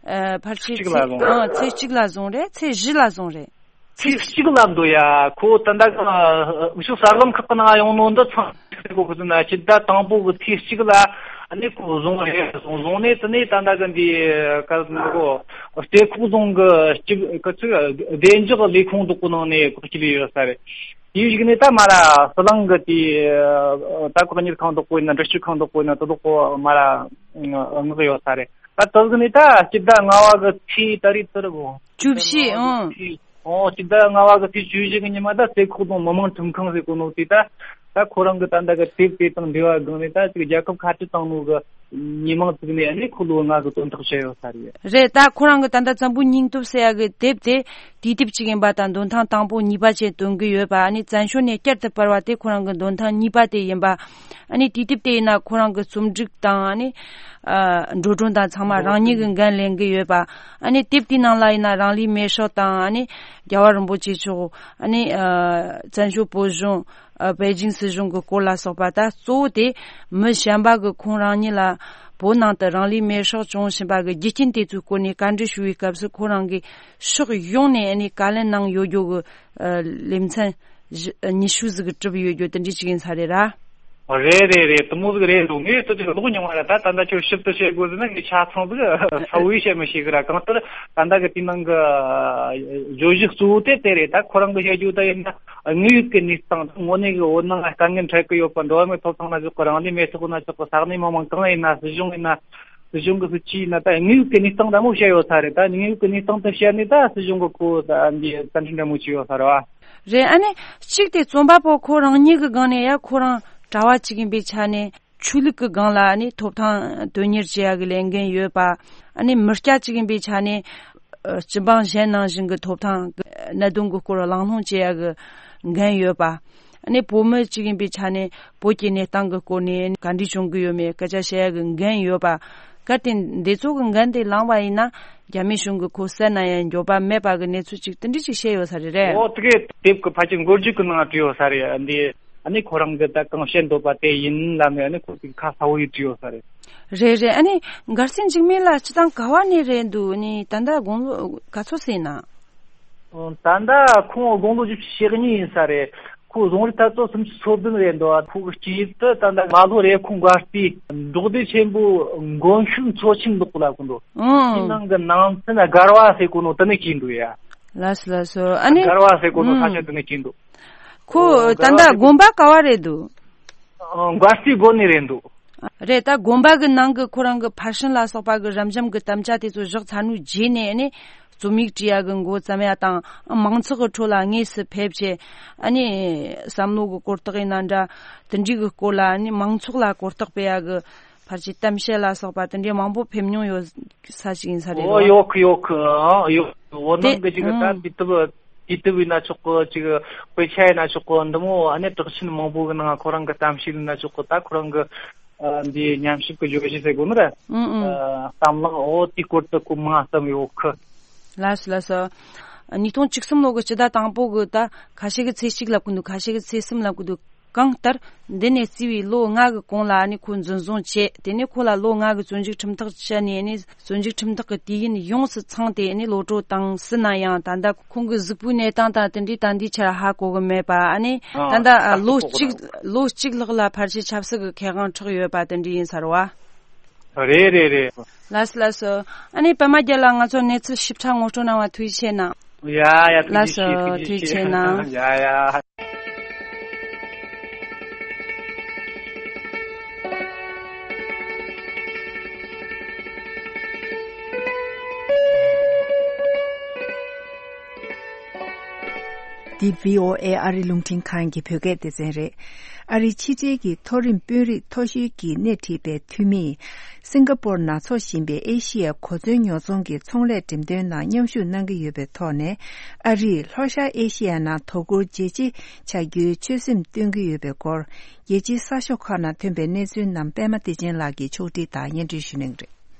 ཨ་ཕལ་ཆེར་གཅིག་ལ་ཚེས་བཟུང་། ཨང་ཚེས་གཅིག་ལ་བཟུང་རེད། ཚེས་བཞི་ལ་བཟུང་རེད། ཚེས་གཅིག་ལ་འདུག་ཡ། ཁོ་ད་ལྟ་གི་འུ་ཆོ་གསར་ལམ་ཁག་གི་ནང་ཡོང་ནོ་འདི་ཚང་ཟེར་གོ་གི་ཟེར་ན། སྤྱི་ཟླ་དང་པོ་གི་ཚེས་གཅིག་ལ་ཨ་ནི་ཁོ་བཟུང་རེད། བཟུང་བཟུང་ནས་དེ་ནས་ད་ལྟ་གི་འདི་ག་ཟེར་གོ་རྩེ་ཁོག་རྫོང་གི་སྤྱི་གི་ཚིག་བདེ་འཇགས་ལས་ཁུངས་དག་པོ་ནང་ནས་ཁོ་སྐྱེལ་ཡོད་ས་རེད། དེའི་གཞུག་ནས་ད་མ་ར་ཟི་ལིང་གི་དེ་ད་ཁོ་གཉེར་ཁང་དག་པོ་ཡིན་ན། འདྲི་གཅོད་ཁང་དག་པོ་ཡིན་ན། དེ་དག་པོ་མ་ར་མངགས་ཡོད་ས་རེད། ད་དེ་གི་ནས་ད་སྤྱི་ཟླ་ལྔ་བ་གི་ཚེས་ད་རེས་དེ་རེད་གོ། བཅུ་བཞི། ཨང་། ཨོ་སྤྱི་ཟླ་ལྔ་བ་གི་ཚེས་བཅུ་བཞི་གི་ཉི་མ་ད་རྩེ་ཁོག་རྫོང་མི་དམངས་ཁྲིམས་ཁང་ཟེར་གོ་ནོ་དེ་ད་ད་ཁོ་རང་གི་ད་ད་གི་དེབ་དེ་དང་འབྲེལ་བ་སྒང་ནས་ད་ཅིག་རྒྱལ་ཁབ་ཁ་བྲལ་བཏང་ནོ་གི་ཉེས་མིང་བཙུགས་ནས་ཨ་ནི་ཁོ་ལོ་ལྔ་གི་དོན་ཐག་བཅད་ཡོད་ས་རེད། རེད། ད་ཁོ་རང་གི་ད་ད་བཙན་པོའི་སྙིང་སྟོབས་ཟེར་ཡ་གི་དེབ་དེ་དུས་དེབ་ཅིག་ཡིན་པ་དང་། འདོན་ཐེངས་དང་པོ་གཉིས་པ་བྱས་འདོན་གི་ཡོད་པ། ཨ་ནི་བཙན་བྱོལ་ནས་བསྐྱར་དུ་སྤེལ་བ་དེ་ཁོ་རང་གི་འདོན་ཐེངས་གཉིས་པ་དེ་ཡིན་པ། ཨ་ནི་དུས་དེབ་དེ་ཡིན་ན་ཁོ་རང་གི་རྩོམ་སྒྲིག་དང་། ཨ་ནི་ཨ་འགྲོ་གྲོན་དང་ཚང་མ་རང་ཉིད་ཀྱིས་འགན་ལེན་གི་ཡོད་པ། ཨ་ནི་དེབ་དེའི་ནང་ལ་ཡིན་ན་རང་ལུས་མེར་སྲེག་དང་། ཨ་ནི་རྒྱལ་བ་རིན་པོ་ཆེ་མཆོག་ཨ་ནི་ཨ་བཙན་བྱོལ་བོད་གཞུང་། ཨ་པེ་ཅིང་སྲིད་གཞུང་གི་སྐོར་ལ་སོགས་པ། ད་གཙོ་བོ་དེ་མི་གཞན་པ་གིས་ཁོང་རང་ཉིད་ལ་བོད་ནང་དུ་རང་ལུས་མེར་སྲེག་བྱུང་བཞིན་པ་གི་རྒྱུ་རྐྱེན་དེ་ཚོའི་སྐོར་ནས་བཀའ་འདྲི་ཞུ་བའི་སྐབས་སུ་ཁོ་རང་གིས་ཕྱོགས་ཡོངས་ནས་ཨ་ནི་བཀའ་ལན་གནང་ཡོད་རྒྱུ་གི་ཨ་ལེ་ཚན་བཞི་ཉི་ཤུ་ཟིག་གི་གྲུབ་ཡོད་རྒྱུ་དེ་འདྲ་ཅིག་ཡིན་ས་རེད་ར། རེད་རེད་རེད། དེ་མོ་ཟིག་རེད་འདུག། ངས་ལྟོས་དུས་ལོག་མྱོང་བ་རེད། ད་ད་ལྟ་ཁྱོད་ཞིབ་ཏུ་བཤད་དགོས་ཟེར་ན་ངས་ཆ་ཚང་ཟིག་གསལ་བོ་བཤད་མི་ཤེས་གི་ར། གང་ལྟར་ད་ལྟ་གི་དེའི་ནང་གི་བརྗོད་གཞི་གཙོ་བོ་དེ་དེ་རེད། ད་ཁོ་རང་གི་བཤད་རྒྱུ་ད་ཡིན་ན་དངོས་ཡོད་ཀྱི་གནས་སྟངས། དངོས་གནས་གི་བོད་ནང་ལ་དཀའ་ངལ་འཕྲད་ཀྱི་ཡོད་པ། འགྲོ་བ་མིའི་ཐོབ་ཐང་ན་ཆོག་གི། རང་ལུས་མེར་སྲེག་ན་ཆོག་གི། ས་གནས་མི་མང་གང་ཡིན་ན། སྲིད་གཞུང་ཡིན་ན། སྲིད་གཞུང་གི་སྲིད་ཇུས་ཡིན་ན། ད་དངོས་ཡོད་ཀྱི་གནས་སྟངས་འདྲ་མོ་བཤད་ཡོད་ས་རེད། ད་དངོས་ཡོད་ཀྱི་གནས་སྟངས་དེ་བཤད་ནས་ད་སྲིད་གཞུང་གི་ཁོ་ད་འདི་བཙན་ཁྲིད་འདྲ་མོ་བྱས་ཡོད་ས་རེད་བ། རེད། ཨ་ནི་གཅིག་དེ་རྩོམ་པ་པོ་ཁོ་རང་ཉིད་ཀྱི་སྒང་ནས་ཡ་ཁོ་རང་གྲྭ་བ་གཅིག་ཡིན་པའི་ཆ་ནས་ཆོས་ལུགས་ཀྱི་སྒང་ལ་ཨ་ནི་ཐོབ་ཐང་དོན་གཉེར་བྱེད་ཡ་གི་ལས་འགན་ཡོད་པ། ཨ་ནི་མི་སྐྱ་གཅིག་ཡིན་པའི་ཆ་ནས་ཨ་སྤྱི་འབངས་གཞན་ནང་བཞིན་གྱི་ཐོབ་ཐང་གི་གནད་དོན་གྱི་སྐོར་གླེང་སློང་བྱེད་ཡ་གི་འགན་ཡོད་པ། ཨ་ནི་བོད་མི་གཅིག་ཡིན་པའི་ཆ་ནས་བོད་ཀྱི་གནས་སྟངས་ཀྱི་སྐོར་ནས་ག་འདྲ་བྱུང་གི་ཡོད་མེད་སྐད་ཆ་བཤད་ཡ་གི་འགན་ཡོད་པ། གལ་ཏེ་འདི་ཚོ་གི་འགན་དེ་བླངས་པ་ཡིན་ན་རྒྱ་མི་གཞུང་གིས་ཁོ་བསད་ན་ཡང་འགྱོད་པ་མེད་པ་གི་གནས་ཚུལ་ཅིག་དེ་འདྲ་ཅིག་བཤད་ཡོད་ས་རེད། རེད། ཨོ་དེ་གའི་དེབ་ཀྱི་ཕལ་ཆེར་མགོ་མཇུག་གི་ནང་བྲིས་ཡོད་ས་རེད། འདི་ཨ་ནི་ཁོ་རང་གི་ད་གང་བཤད་འདོད་པ་དེ་ཡིན་ལབ་ནས་ཨ་ནི་ཁོ་ཅིག་ཁ་གསལ་བོ་ཡིས་བྲིས་ཡོད་ས་རེད། རེད་རེད། ཨ་ནི་མགར་རྩེ་འཇིགས་མེད་ལགས་སྤྱིར་བཏང་ག་བ་ནས་རེད་འདུག། ཨ་ནི་ད་ལྟ་དགུང་ལོ་ག་ཚོད་ཟིན་ན། ད་ལྟ་ཁོང་དགུང་ལོ་བཞི་བཅུ་ཞེ་གཉིས་ཡིན་ས་རེད། ཁོ་རྫོང་རིགས་ཐད་གཏོགས་སུམ་ཅུ་སོ་བདུན་རེད་འདུག། ཁོ་གི་སྐྱེས་ཡུལ་དུ་ད་ལྟ་རྨ་ལྷོ་རེབ་གོང་མགར་རྩེ་འབྲོག་སྡེ་ཆེན་པོ་མགོན་ཤུགས་མཚོ་ཆེན་ལོག་ལ་གོ་འདུག། ཨང་། དེའི་ནང་གི་ནང་ཚན་སྒར་བ་ཟེར་གོ་ནོ་དེ་ནས་སྐྱེས་འདུག་ཡ། ལགས་སོ་ལགས་སོ། ཨ་ནི་སྒར་བ་ཟེར་གོ་ནོ་ས་ཆ་དེ་ནས་སྐྱེས་འདུག། ཁོ་ཨོ་ད་ལྟ་དགོན་པ་ག་བ་རེད་འདུག། ཨོ་མགར་རྩེ་དགོན་ནས་རེད་འདུག། རེད། ད་དགོན་པ་གི་ནང་གི་ཁོ་རང་གི་ཕར་ཕྱིན་ལ་སོགས་པ་གི་རབ་འབྱམས་གི་དམ་བཅའ་དེ་ཚོ་བཞག་ཚར་ནོའི་རྗེས་ནས་ནི་རྩོམ་ཡིག་བྲིས་ཡ་གི་འགོ་བརྩམས་ཡ་དང་། མང་ཚོགས་གི་ཁྲོད་ལ་དངོས་སུ་ཕེབས་བྱས་ཨ་ནི་བསམ་བློ་གི་གོ་རྟོགས་ཡིན་ན་འདྲ། དེ་འདྲའི་གི་སྐོར་ལ་ཨ་ནི་མང་ཚོགས་ལ་གོ་རྟོགས་སྤེལ་ཡ་གི་ ཕལ་ཆེར་གཏམ་བཤད་ལ་སོགས་པ་དེ་འདྲའི་མང་པོ་ཕེབས་མྱོང་ཡོད་ས་ཞིག་ཡིན་ས་རེད་བ། ཨོ་ཡོད་གི་ཡོད་གི། ཨ་ཡོད། འོ་དེ་ནང་གི་ཅིག་ད་ཨང་། དུས་དེབ་དུས་དེབ་ཡིན་ན་ཆོག་གི། ཅིག་དཔེ་ཆ་ཡིན་ན་ཆོག་གི། འདི་མོ་ཨ་ནི་གྲགས་ཆེན་མང་པོ་གི་ནང་ཁོ་རང་གི་གཏམ་བཤད་ཡིན་ན་ཆོག་གི། ད་ཁོ་རང་གི་ཨ་འདི་ཉམས་ཞིབ་གི་བརྗོད་གཞི་ཟེར་དགོས་ནི་རེད། ཨང་ཨང་། ཨ་གཏམ་གླེང་འོ་དེའི་སྐོར་དུ་གོ་མང་བཏང་ཡོད་གི། ལགས་སོ་ལགས་སོ། ཉིས་སྟོང་བཅུ་གསུམ་ལོ་གི་སྤྱི་ཟླ་དང་པོ་གི་ད་ཁ་ཤས་ཀྱིས་ཚེས་གཅིག་ལབ་གི་འདུག་ཁ་ཤས་ཀྱིས་ཚེས་གསུམ་ལབ་གི་འདུག་གང་ལྟར་འདི་ནས་བརྩིས་པའི་ལོ་ལྔ་གི་གོང་ལ་ཨ་ནི་ཁོ་འཛིན་བཟུང་བྱས། དེ་ནས་ཁོ་ལ་ལོ་ལྔ་གི་བཙོན་འཇུག་ཁྲིམས་ཐག་བཅད་ནས། ཨ་ནི་བཙོན་འཇུག་ཁྲིམས་ཐག་གི་དུས་ཡུན་ཡོངས་སུ་ཚང་སྟེ། ཨ་ནི་གློད་གྲོལ་བཏང་ཟིན་ན་ཡང་། ད་ལྟ་ཁོང་གི་གཟུགས་པོའི་གནས་སྟངས་དང་དེ་འདྲའི་ད་ལྟའི་ཆར་ཧ་གོ་གི་མེད་པ། ཨ་ནི་ཨ་ད་ལྟ་ཨ་ལོ་གཅིག་ལོ་གཅིག་ལྷག་ལ་ཕལ་ཆེར་ཆབ་སྲིད་ཀྱི་ཁེ་དབང་འཕྲོག་ཡོད་པ་དེ་འདྲ་ཡིན་ས་རེད་བ། རེད་རེད་རེད། ལགས་སོ་ལགས་སོ། ཨ་ནི་པད་མ་རྒྱལ་ལགས། ང་ཚོ་གནས་ཚུལ་ཞིབ་ཕྲ་ངོ་སྤྲོད་གནང་བ་ཐུགས་རྗེ་ཆེ་གནང་། ཡ་ཡ། ཐུགས་རྗེ་ཆེ། ལགས་སོ། ཐུགས་རྗེ་ཆེ་གནང་། ཡ་ཡ། འདི་བྷི་ཨོ་ཨེ་ཨ་རི་རླུང་འཕྲིན་ཁང་གི་བོད་སྐད་སྡེ་ཚན་རེད། ཨ་རིའི་ཕྱི་འབྲེལ་གྱི་མཐོ་རིམ་དཔོན་རིགས་མཐོ་ཤོས་ཀྱིས་སྣེ་ཁྲིད་པའི་འཐུས་མིས། སིང་ག་པོར་ནང་འཚོགས་བཞིན་པའི་ཨེ་ཤི་ཡའི་གོ་མཚོན་ཉོ་ཚོང་གི་ཚོང་ལས་འགྲེམས་སྟོན་ནང་མཉམ་ཞུགས་གནང་གི་ཡོད་པའི་ཐོག་ནས། ཨ་རིས་ལྷོ་ཤར་ཨེ་ཤི་ཡའི་ནང་དོ་ཁུར་ཇེ་ཆེ་བྱ་རྒྱུའི་ཆོད་སེམས་བཏོན་གྱི་ཡོད་པའི་སྐོར། རྒྱལ་སྤྱིའི་གསར་ཤོག་ཁག་ནང་ཐོན་པའི་གནས་ཚུལ་རྣམས་པད་མ་བདེ་ཆེན་ལགས་ཀྱིས་ཕྱོགས་སྒྲིག་དང་སྙན་སྒྲོན་ཞུ་གནང་གི་རེད།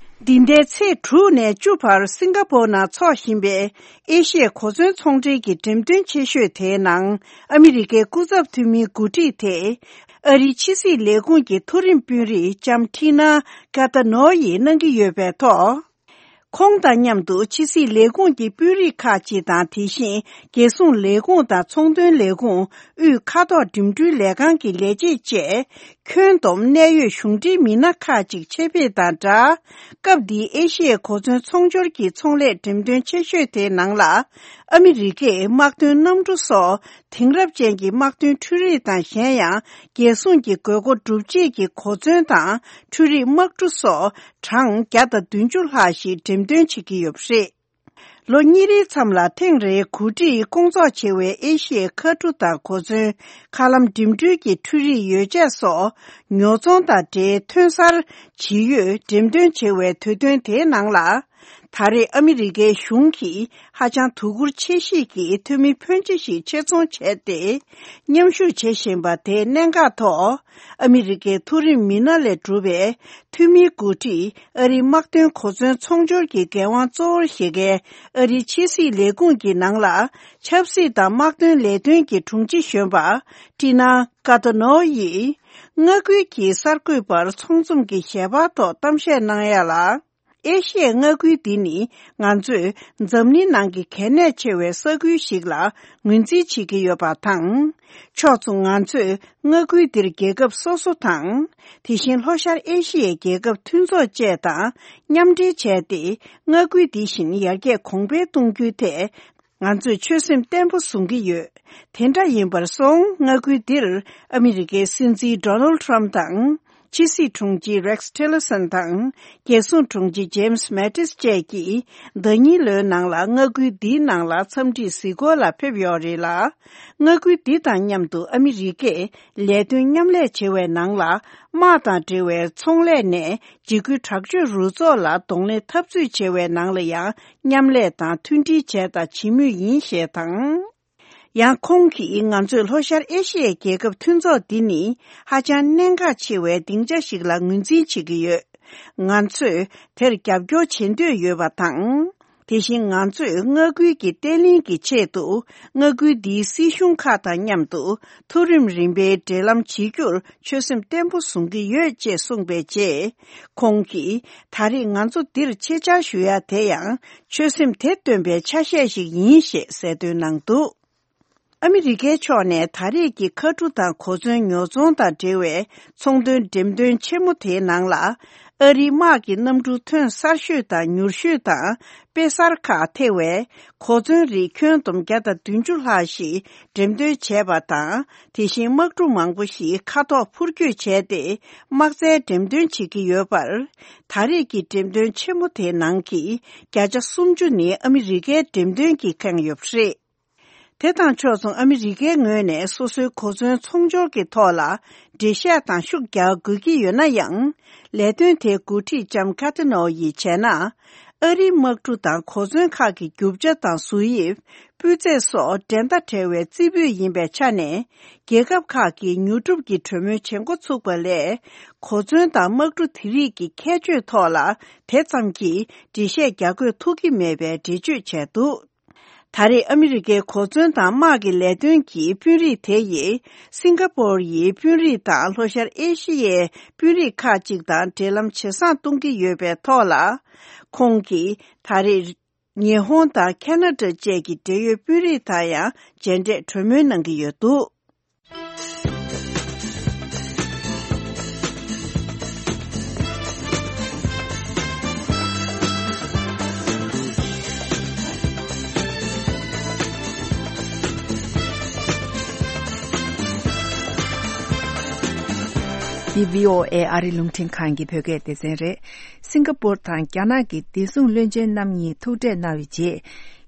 འདི་ཟླའི་ཚེས་དྲུག་ནས་བཅུ་བར་སིང་ག་པོར་ནང་འཚོགས་བཞིན་པའི་ཨེ་ཤི་ཡའི་གོ་མཚོན་ཚོང་འབྲེལ་གྱི་འགྲེམས་སྟོན་ཆེ་ཤོས་དེའི་ནང་། ཨ་མི་རི་ཀའི་སྐུ་ཚབ་འཐུས་མིའི་འགོ་ཁྲིད་དེ། ཨ་རིའི་ཕྱི་སྲིད་ལས་ཁུངས་ཀྱི་མཐོ་རིམ་དཔོན་རིགས་ལྕམ་ཁྲི་ན་ཀ་ཏ་ནོ་ཡིས་གནང་གི་ཡོད་པའི་ཐོག་ཁོང་དང་མཉམ་དུ་ཕྱི་སྲིད་ལས་ཁུངས་ཀྱི་དཔོན་རིགས་ཁག་ཅིག་དང་། དེ་བཞིན་རྒྱལ་སྲུང་ལས་ཁུངས་དང་ཚོང་དོན་ལས་ཁུངས། དབུས་མཁའ་ཐོག་འགྲིམ་འགྲུལ་ལས་ཁང་གི་ལས་བྱེད་བཅས། ཁྱོན་བསྡོམས་གནད་ཡོད་གཞུང་འབྲེལ་མི་སྣ་ཁག་ཅིག་ཆེད་ཕེབས་དང་སྦྲགས། སྐབས་འདིའི་ཨེ་ཤི་ཡའི་གོ་མཚོན་ཚོང་སྦྱོར་གྱི་ཚོང་ལས་འགྲེམས་སྟོན་ཆེ་ཤོས་དེའི་ནང་ལ། ཨ་མི་རི་ཀས་དམག་དོན་གནམ་གྲུ་སོགས་དེང་རབས་ཅན་གྱི་དམག་དོན་འཕྲུལ་རིག་དང་། གཞན་ཡང་རྒྱལ་སྲུང་གི་དགོས་མཁོ་སྒྲུབ་བྱེད་ཀྱི་གོ་མཚོན་དང་། འཕྲུལ་རིག་དམག་གྲུ་སོགས་གྲངས་བརྒྱ་དང་བདུན་ཅུ་ལྷག་ཞིག་འགྲེམས་སྟོན་བྱེད་ཀྱི་ཡོད་པ་རེད། ལོ་གཉིས་རེའི་མཚམས་ལ་ཐེངས་རེའི་གོ་སྒྲིག་སྐོང་ཚོགས་བྱེད་པའི་ཨེ་ཤི་ཡའི་མཁའ་གྲུ་དང་གོ་མཚོན། མཁའ་ལམ་འགྲིམ་འགྲུལ་གྱི་འཕྲུལ་རིག་ཡོ་བྱད་སོགས་ཉོ་ཚོང་དང་འབྲེལ་ཐོན་གསར་ཇི་ཡོད་འགྲེམས་སྟོན་བྱེད་པའི་དུས་སྟོན་དེའི་ནང་ལ། ད་རེས་ཨ་མི་རི་ཀའི་གཞུང་གིས་ཧ་ཅང་དོ་ཁུར་ཆེ་བཞེས་ཀྱིས་འཐུས་མི་ཕོན་ཆེ་ཞིག་ཆེད་ཚོང་བྱས་ཏེ། མཉམ་ཞུགས་བྱེད་བཞིན་པ་དེའི་གནད་འགག་ཐོག་ཨ་མི་རི་ཀའི་མཐོ་རིམ་མི་སྣ་ལས་གྲུབ་པའི་འཐུས་མིའི་འགོ་ཁྲིད། ཨ་རིའི་དམག་དོན་གོ་མཚོན་ཚོང་སྦྱོར་གྱི་འགན་དབང་གཙོ་བོར་བཞེས་མཁན་ཨ་རིའི་ཕྱི་སྲིད་ལས་ཁུངས་ཀྱི་ནང་ལ། ཆབ་སྲིད་དང་དམག་དོན་ལས་དོན་གྱི་དྲུང་ཆེ་གཞོན་པ་ཀྲི་ན་ཀ་ཏོ་ནོ་ཡིས། མངའ་ཁུལ་གྱི་གསར་འགོད་པར་ཚོང་འཛོམས་ཀྱི་ཞལ་པར་ཐོག་གཏམ་བཤད་གནང་ཡ་ལ། ཨེ་ཤི་ཡའི་མངའ་ཁུལ་འདི་ནི་ང་ཚོས་འཛམ་གླིང་ནང་གི་གལ་གནད་ཆེ་བའི་ས་ཁུལ་ཞིག་ལ་ངོས་འཛིན་བྱེད་ཀྱི་ཡོད་པ་དང་། ཕྱོགས་མཚུངས་ང་ཚོས་མངའ་ཁུལ་འདིར་རྒྱལ་ཁབ་སོ་སོ་དང་། དེ་བཞིན་ལྷོ་ཤར་ཨེ་ཤི་ཡའི་རྒྱལ་ཁབ་མཐུན་ཚོགས་བཅས་དང་མཉམ་འབྲེལ་བྱས་ཏེ། མངའ་ཁུལ་འདི་བཞིན་ཡར་རྒྱས་གོང་འཕེལ་གཏོང་རྒྱུའི་ཐད། ང་ཚོས་ཆོད་སེམས་བརྟན་པོ་བཟུང་གི་ཡོད། དེ་འདྲ་ཡིན་པར་སོང་། མངའ་ཁུལ་འདིར་ཨ་མི་རི་ཀའི་སྲིད་འཛིན་ཌོ་ནལ་ཊམ་དང་། ཕྱི་སྲིད་དྲུང་ཆེ་རེག་སི་ཊི་ལར་སན་དང་། རྒྱལ་སྲུང་དྲུང་ཆེ་ཇེམ་སི་མེ་ཏིས་བཅས་ཀྱིས་ཟླ་ཉིན་ལོའི་ནང་ལ་མངའ་ཁུལ་འདིའི་ནང་ལ་འཚམས་འདྲིའི་གཟིགས་སྐོར་ལ་ཕེབས་ཡོད་རེད་ལ། མངའ་ཁུལ་འདི་དང་མཉམ་དུ་ཨ་མི་རི་ཀས་ལས་དོན་མཉམ་ལས་བྱེད་པའི་ནང་ལ། དམག་དང་འབྲེལ་བའི་ཚོང་ལས་ནས། འཇིགས་སྐུལ་དྲག་སྤྱོད་རུ་ཚོགས་ལ་གདོང་ལེན་འཐབ་རྩོད་བྱེད་པའི་ནང་ལ་ཡང་མཉམ་ལས་དང་མཐུན་སྒྲིལ་བྱས་དང་བྱེད་མུས་ཡིན་ཞེས་དང་། ཡང་ཁོང་གིས་ང་ཚོས་ལྷོ་ཤར་ཨེ་ཤི་ཡའི་རྒྱལ་ཁབ་མཐུན་ཚོགས་འདི་ནི་ཧ་ཅང་གནད་འགག་ཆེ་བའི་སྡིངས་ཆ་ཞིག་ལ་ངོས་འཛིན་བྱེད་ཀྱི་ཡོད། ང་ཚོས་དེར་རྒྱབ་སྐྱོར་བྱེད་འདོད་ཡོད་པ་དང་། དེ་བཞིན་ང་ཚོས་མངའ་ཁུལ་གྱི་བརྟན་ལྷིང་གི་ཆེད་དུ། མངའ་ཁུལ་འདིའི་སྲིད་གཞུང་ཁག་དང་མཉམ་དུ་མཐོ་རིམ་རིམ་པའི་འབྲེལ་ལམ་བྱེད་རྒྱུར་ཆོད་སེམས་བརྟན་པོ་བཟུང་གི་ཡོད་ཅེས་གསུངས་པའི་རྗེས། ཁོང་གིས། ད་རེས་ང་ཚོ་འདིར་ཆེད་བཅར་ཞུ་ཡ་དེ་ཡང་ཆོད་སེམས་དེ་སྟོན་པའི་ཆ་ཤས་ཤིག་ཡིན་ཞེས་གསལ་སྟོན་གནང་འདུག། ཨ་མི་རི་ཀའི་ཕྱོགས་ནས་ད་རེས་ཀྱི་མཁའ་གྲུ་དང་གོ་མཚོན་ཉོ་ཚོང་དང་འབྲེལ་བའི་ཚོང་དོན་འགྲེམས་སྟོན་ཆེན་མོ་དེའི་ནང་ལ། ཨ་རིའི་དམག་གི་གནམ་གྲུ་ཐོན་གསར་ཤོས་དང་མྱུར་ཤོས་དང་དཔེ་གསར་ཁག་ཐེ་བའི་གོ་མཚོན་རིགས་ཁྱོན་བསྡོམས་བརྒྱ་དང་བདུན་ཅུ་ལྷག་ཞིག་འགྲེམས་སྟོན་བྱས་པ་དང་། དེ་བཞིན་དམག་གྲུ་མང་པོ་ཞིག་མཁའ་ཐོག་འཕུར་སྐྱོད་བྱས་ཏེ་དམག་རྩལ་འགྲེམས་སྟོན་བྱེད་ཀྱི་ཡོད་པར། ད་རེས་ཀྱི་འགྲེམས་སྟོན་ཆེན་མོ་དེའི་ནང་གི་བརྒྱ་ཆ་སུམ་ཅུ་ནི་ཨ་མི་རི་ཀའི་འགྲེམས་སྟོན་གྱིས་ཁེངས་ཡོད་པ་རེད། དེ་དང་ཕྱོགས་མཚུངས་ཨ་མི་རི་ཀའི་ངོས་ནས་སོ་སོའི་གོ་མཚོན་ཚོང་སྦྱོར་གྱི་ཐོག་ལ་འགྲེལ་བཤད་དང་ཤུགས་རྒྱག་དགོས་ཀྱི་ཡོད་ན་ཡང་། ལས་དོན་དེའི་འགོ་ཁྲིད་ལྕམ་ཁ་ཏི་ནོ་ཡིས་བྱས་ན། ཨ་རིའི་དམག་གྲུ་དང་གོ་མཚོན་ཁག་གི་རྒྱུ་ཆ་དང་བཟོ་དབྱིབས། སྤུས་ཚད་སོགས་འགྲན་ཟླ་བྲལ་བའི་རྩེ་ཕུད་ཡིན་པའི་ཆ་ནས། རྒྱལ་ཁབ་ཁག་གིས་ཉོ་སྒྲུབ་ཀྱི་གྲོས་མོལ་བྱེད་འགོ་ཚུགས་པ་ལས། གོ་མཚོན་དང་དམག་གྲུ་དེ་རིགས་ཀྱི་ཁྱད་ཆོས་ཐོག་ལ་དེ་ཙམ་གྱིས་འགྲེལ་བཤད་རྒྱག་དགོས་ཐུག་གི་མེད་པའི་འགྲེལ་བརྗོད་བྱས་འདུག་ད་རེས་ཨ་མི་རི་ཀའི་གོ་མཚོན་དང་དམག་གི་ལས་དོན་གྱི་དཔོན་རིགས་དེ་ཡིས་སིང་ག་པོར་ཡི་དཔོན་རིགས་དང་ལྷོ་ཤར་ཨེ་ཤི་ཡའི་དཔོན་རིགས་ཁག་ཅིག་དང་འབྲེལ་ལམ་ཇེ་བཟང་གཏོང་གི་ཡོད་པའི་ཐོག་ལ། ཁོང་གིས་ད་རེས་ཉི་ཧོང་དང་ཁེ་ན་ཌ་བཅས་ཀྱི་འབྲེལ་ཡོད་དཔོན་རིགས་དང་ཡང་མཇལ་འཕྲད་གྲོས་མོལ་གནང་གི་ཡོད་འདུག་འདི་བྷི་ཨོ་ཨེ་ཨ་རི་རླུང་འཕྲིན་ཁང་གི་བོད་སྐད་སྡེ་ཚན་རེད། སིང་ག་པོར་དང་རྒྱ་ནག་གི་བདེ་སྲུང་བློན་ཆེན་རྣམ་གཉིས་ཐུག་འཕྲད་གནང་བའི་རྗེས།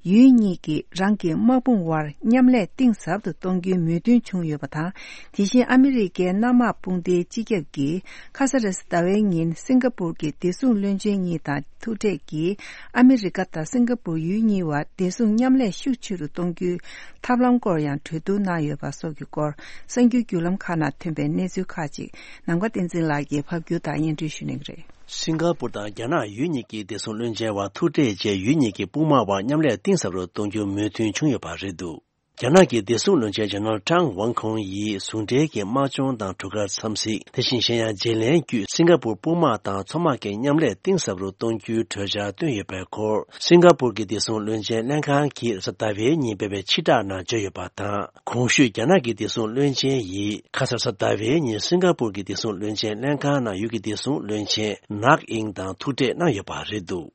ཡུལ་གཉིས་ཀྱིས་རང་གི་དམག་དཔུང་དབར་མཉམ་ལས་གཏིང་ཟབ་ཏུ་གཏོང་རྒྱུའི་མོས་མཐུན་བྱུང་ཡོད་པ་དང་། དེ་བཞིན་ཨ་མི་རི་ཀའི་གནམ་དམག་དཔུང་སྡེའི་སྤྱི་ཁྱབ་ཀྱིས་ཁ་ས་རེས་ཟླ་བའི་ཉིན་སིང་ག་པུར་གྱི་བདེ་སྲུང་བློན་ཆེན་གཉིས་དང་ཐུག་འཕྲད་ཀྱིས། ཨ་མི་རི་ཀ་དང་སིང་ག་པུར་ཡུལ་གཉིས་བར་བདེ་སྲུང་མཉམ་ལས་ཤུགས་ཆེ་རུ་གཏོང་རྒྱུའི་ཐབས་ལམ་སྐོར་ཡང་གྲོས་བསྡུར་གནང་ཡོད་པ་སོགས་ཀྱི་སྐོར། གསར་འགྱུར་བརྒྱུད་ལམ་ཁག་ནང་ཐོན་པའི་གནས་ཚུལ་ཁག་ཅིག་ནམ་མཁའ་བསྟན་འཛིན་ལགས་ཀྱིས་ཕབ་སྒྱུར་དང་སྙན་སྒྲོན་ཞུ་གནང་གི་རེད། སིང་ག་པུར་དང་རྒྱ་ནག་ཡུལ་གཉིས་ཀྱི་བདེ་སྲུང་བློན་ཆེན་བར་ཐུག་འཕྲད་རྗེས། ཡུལ་གཉིས་ཀྱི་དཔུང་དམག་བར་མཉམ་ལས་གཏིང་ཟབ་རུ་གཏོང་རྒྱུའི་མོས་མཐུན་བྱུང་ཡོད་པ་རེད་འདུག་རྒྱ་ནག་གི་བདེ་སྲུང་བློན་ཆེན་ཇེ་ནེ་རལ་ཀྲང་ཝང་ཁུང་ཡིས་ཟུང་འབྲེལ་གྱི་དམག་སྦྱོང་དང་གྲུ་ཁར་འཚམས་གཟིགས། དེ་བཞིན་གཞན་ཡང་བརྗེ་ལེན་བརྒྱུད་སིང་ག་པུར་དཔུང་དམག་དང་མཚོ་དམག་གི་མཉམ་ལས་གཏིང་ཟབ་རུ་གཏོང་རྒྱུའི་གྲོས་འཆར་བཏོན་ཡོད་པའི་སྐོར། སིང་ག་པུར་གྱི་བདེ་སྲུང་བློན་ཆེན་ལྷན་ཁང་གིས་གཟའ་ཟླ་བའི་ཉིན་སྤེལ་བའི་ཕྱིར་བསྒྲགས་ནང་བརྗོད་ཡོད་པ་དང་། གོང་ཞུས་རྒྱ་ནག་གི་བདེ་སྲུང་བློན་ཆེན་ཡིས་ཁ་སང་གཟའ་ཟླ་བའི་ཉིན་སིང་ག་པུར་གྱི་བདེ་སྲུང་བློན་ཆེན་ལྷན་ཁང་ནང་ཡུལ་གྱི་བདེ་སྲུང་བློན་ཆེན་ནག་ཨིང་དང་ཐུག་འཕྲད་གནང་ཡོད་པ་རེད་འདུག་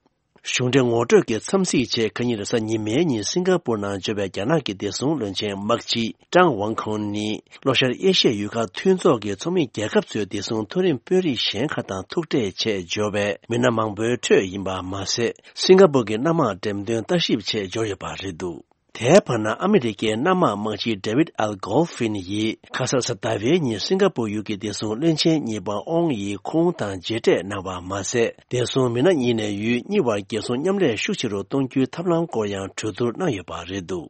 གཞུང་འབྲེལ་ངོ་སྤྲོད་ཀྱི་འཚམས་གཟིགས་ཆེད་ཁ་ཉིན་རེས་གཟའ་ཉི་མའི་ཉིན་སིང་ག་པུར་ནང་འབྱོར་བའི་རྒྱ་ནག་གི་བདེ་སྲུང་བློན་ཆེན་དམག་སྤྱི་ཀྲང་ཝང་ཁུང་ནི། ལྷོ་ཤར་ཨེ་ཤི་ཡའི་ཡུལ་ཁག་མཐུན་ཚོགས་ཀྱི་ཚོགས་མི་རྒྱལ་ཁབ་ཚོའི་བདེ་སྲུང་མཐོ་རིམ་དཔོན་རིགས་གཞན་ཁག་དང་ཐུག་འཕྲད་ཆེད་འབྱོར་བའི་མི་སྣ་མང་པོའི་ཁྲོད་ཡིན་པ་མ་ཟད། སིང་ག་པུར་གྱི་གནམ་དམག་འགྲེམས་སྟོན་ལྟ་ཞིབ་ཆེད་འབྱོར་ཡོད་པ་རེད་འདུག་དེའི་བར་ན་ཨ་མི་རི་ཀའི་གནམ་དམག་དམག་སྤྱི་ཌེ་ཝིད་ཨལ་གོལ་ཧྥིན་ཡིས་ཁ་སང་གཟའ་ཟླ་བའི་ཉིན་སིང་ག་པུར་ཡུལ་གྱི་བདེ་སྲུང་བློན་ཆེན་གཉིས་པ་ཨོང་ཡིས་ཁོང་དང་མཇལ་འཕྲད་གནང་བ་མ་ཟད། བདེ་སྲུང་མི་སྣ་གཉིས་ནས་ཡུལ་གཉིས་བར་རྒྱལ་སྲུང་མཉམ་ལས་ཤུགས་ཆེ་རུ་གཏོང་རྒྱུའི་ཐབས་ལམ་སྐོར་ཡང་གྲོས་བསྡུར་གནང་ཡོད་པ་རེད་འདུག་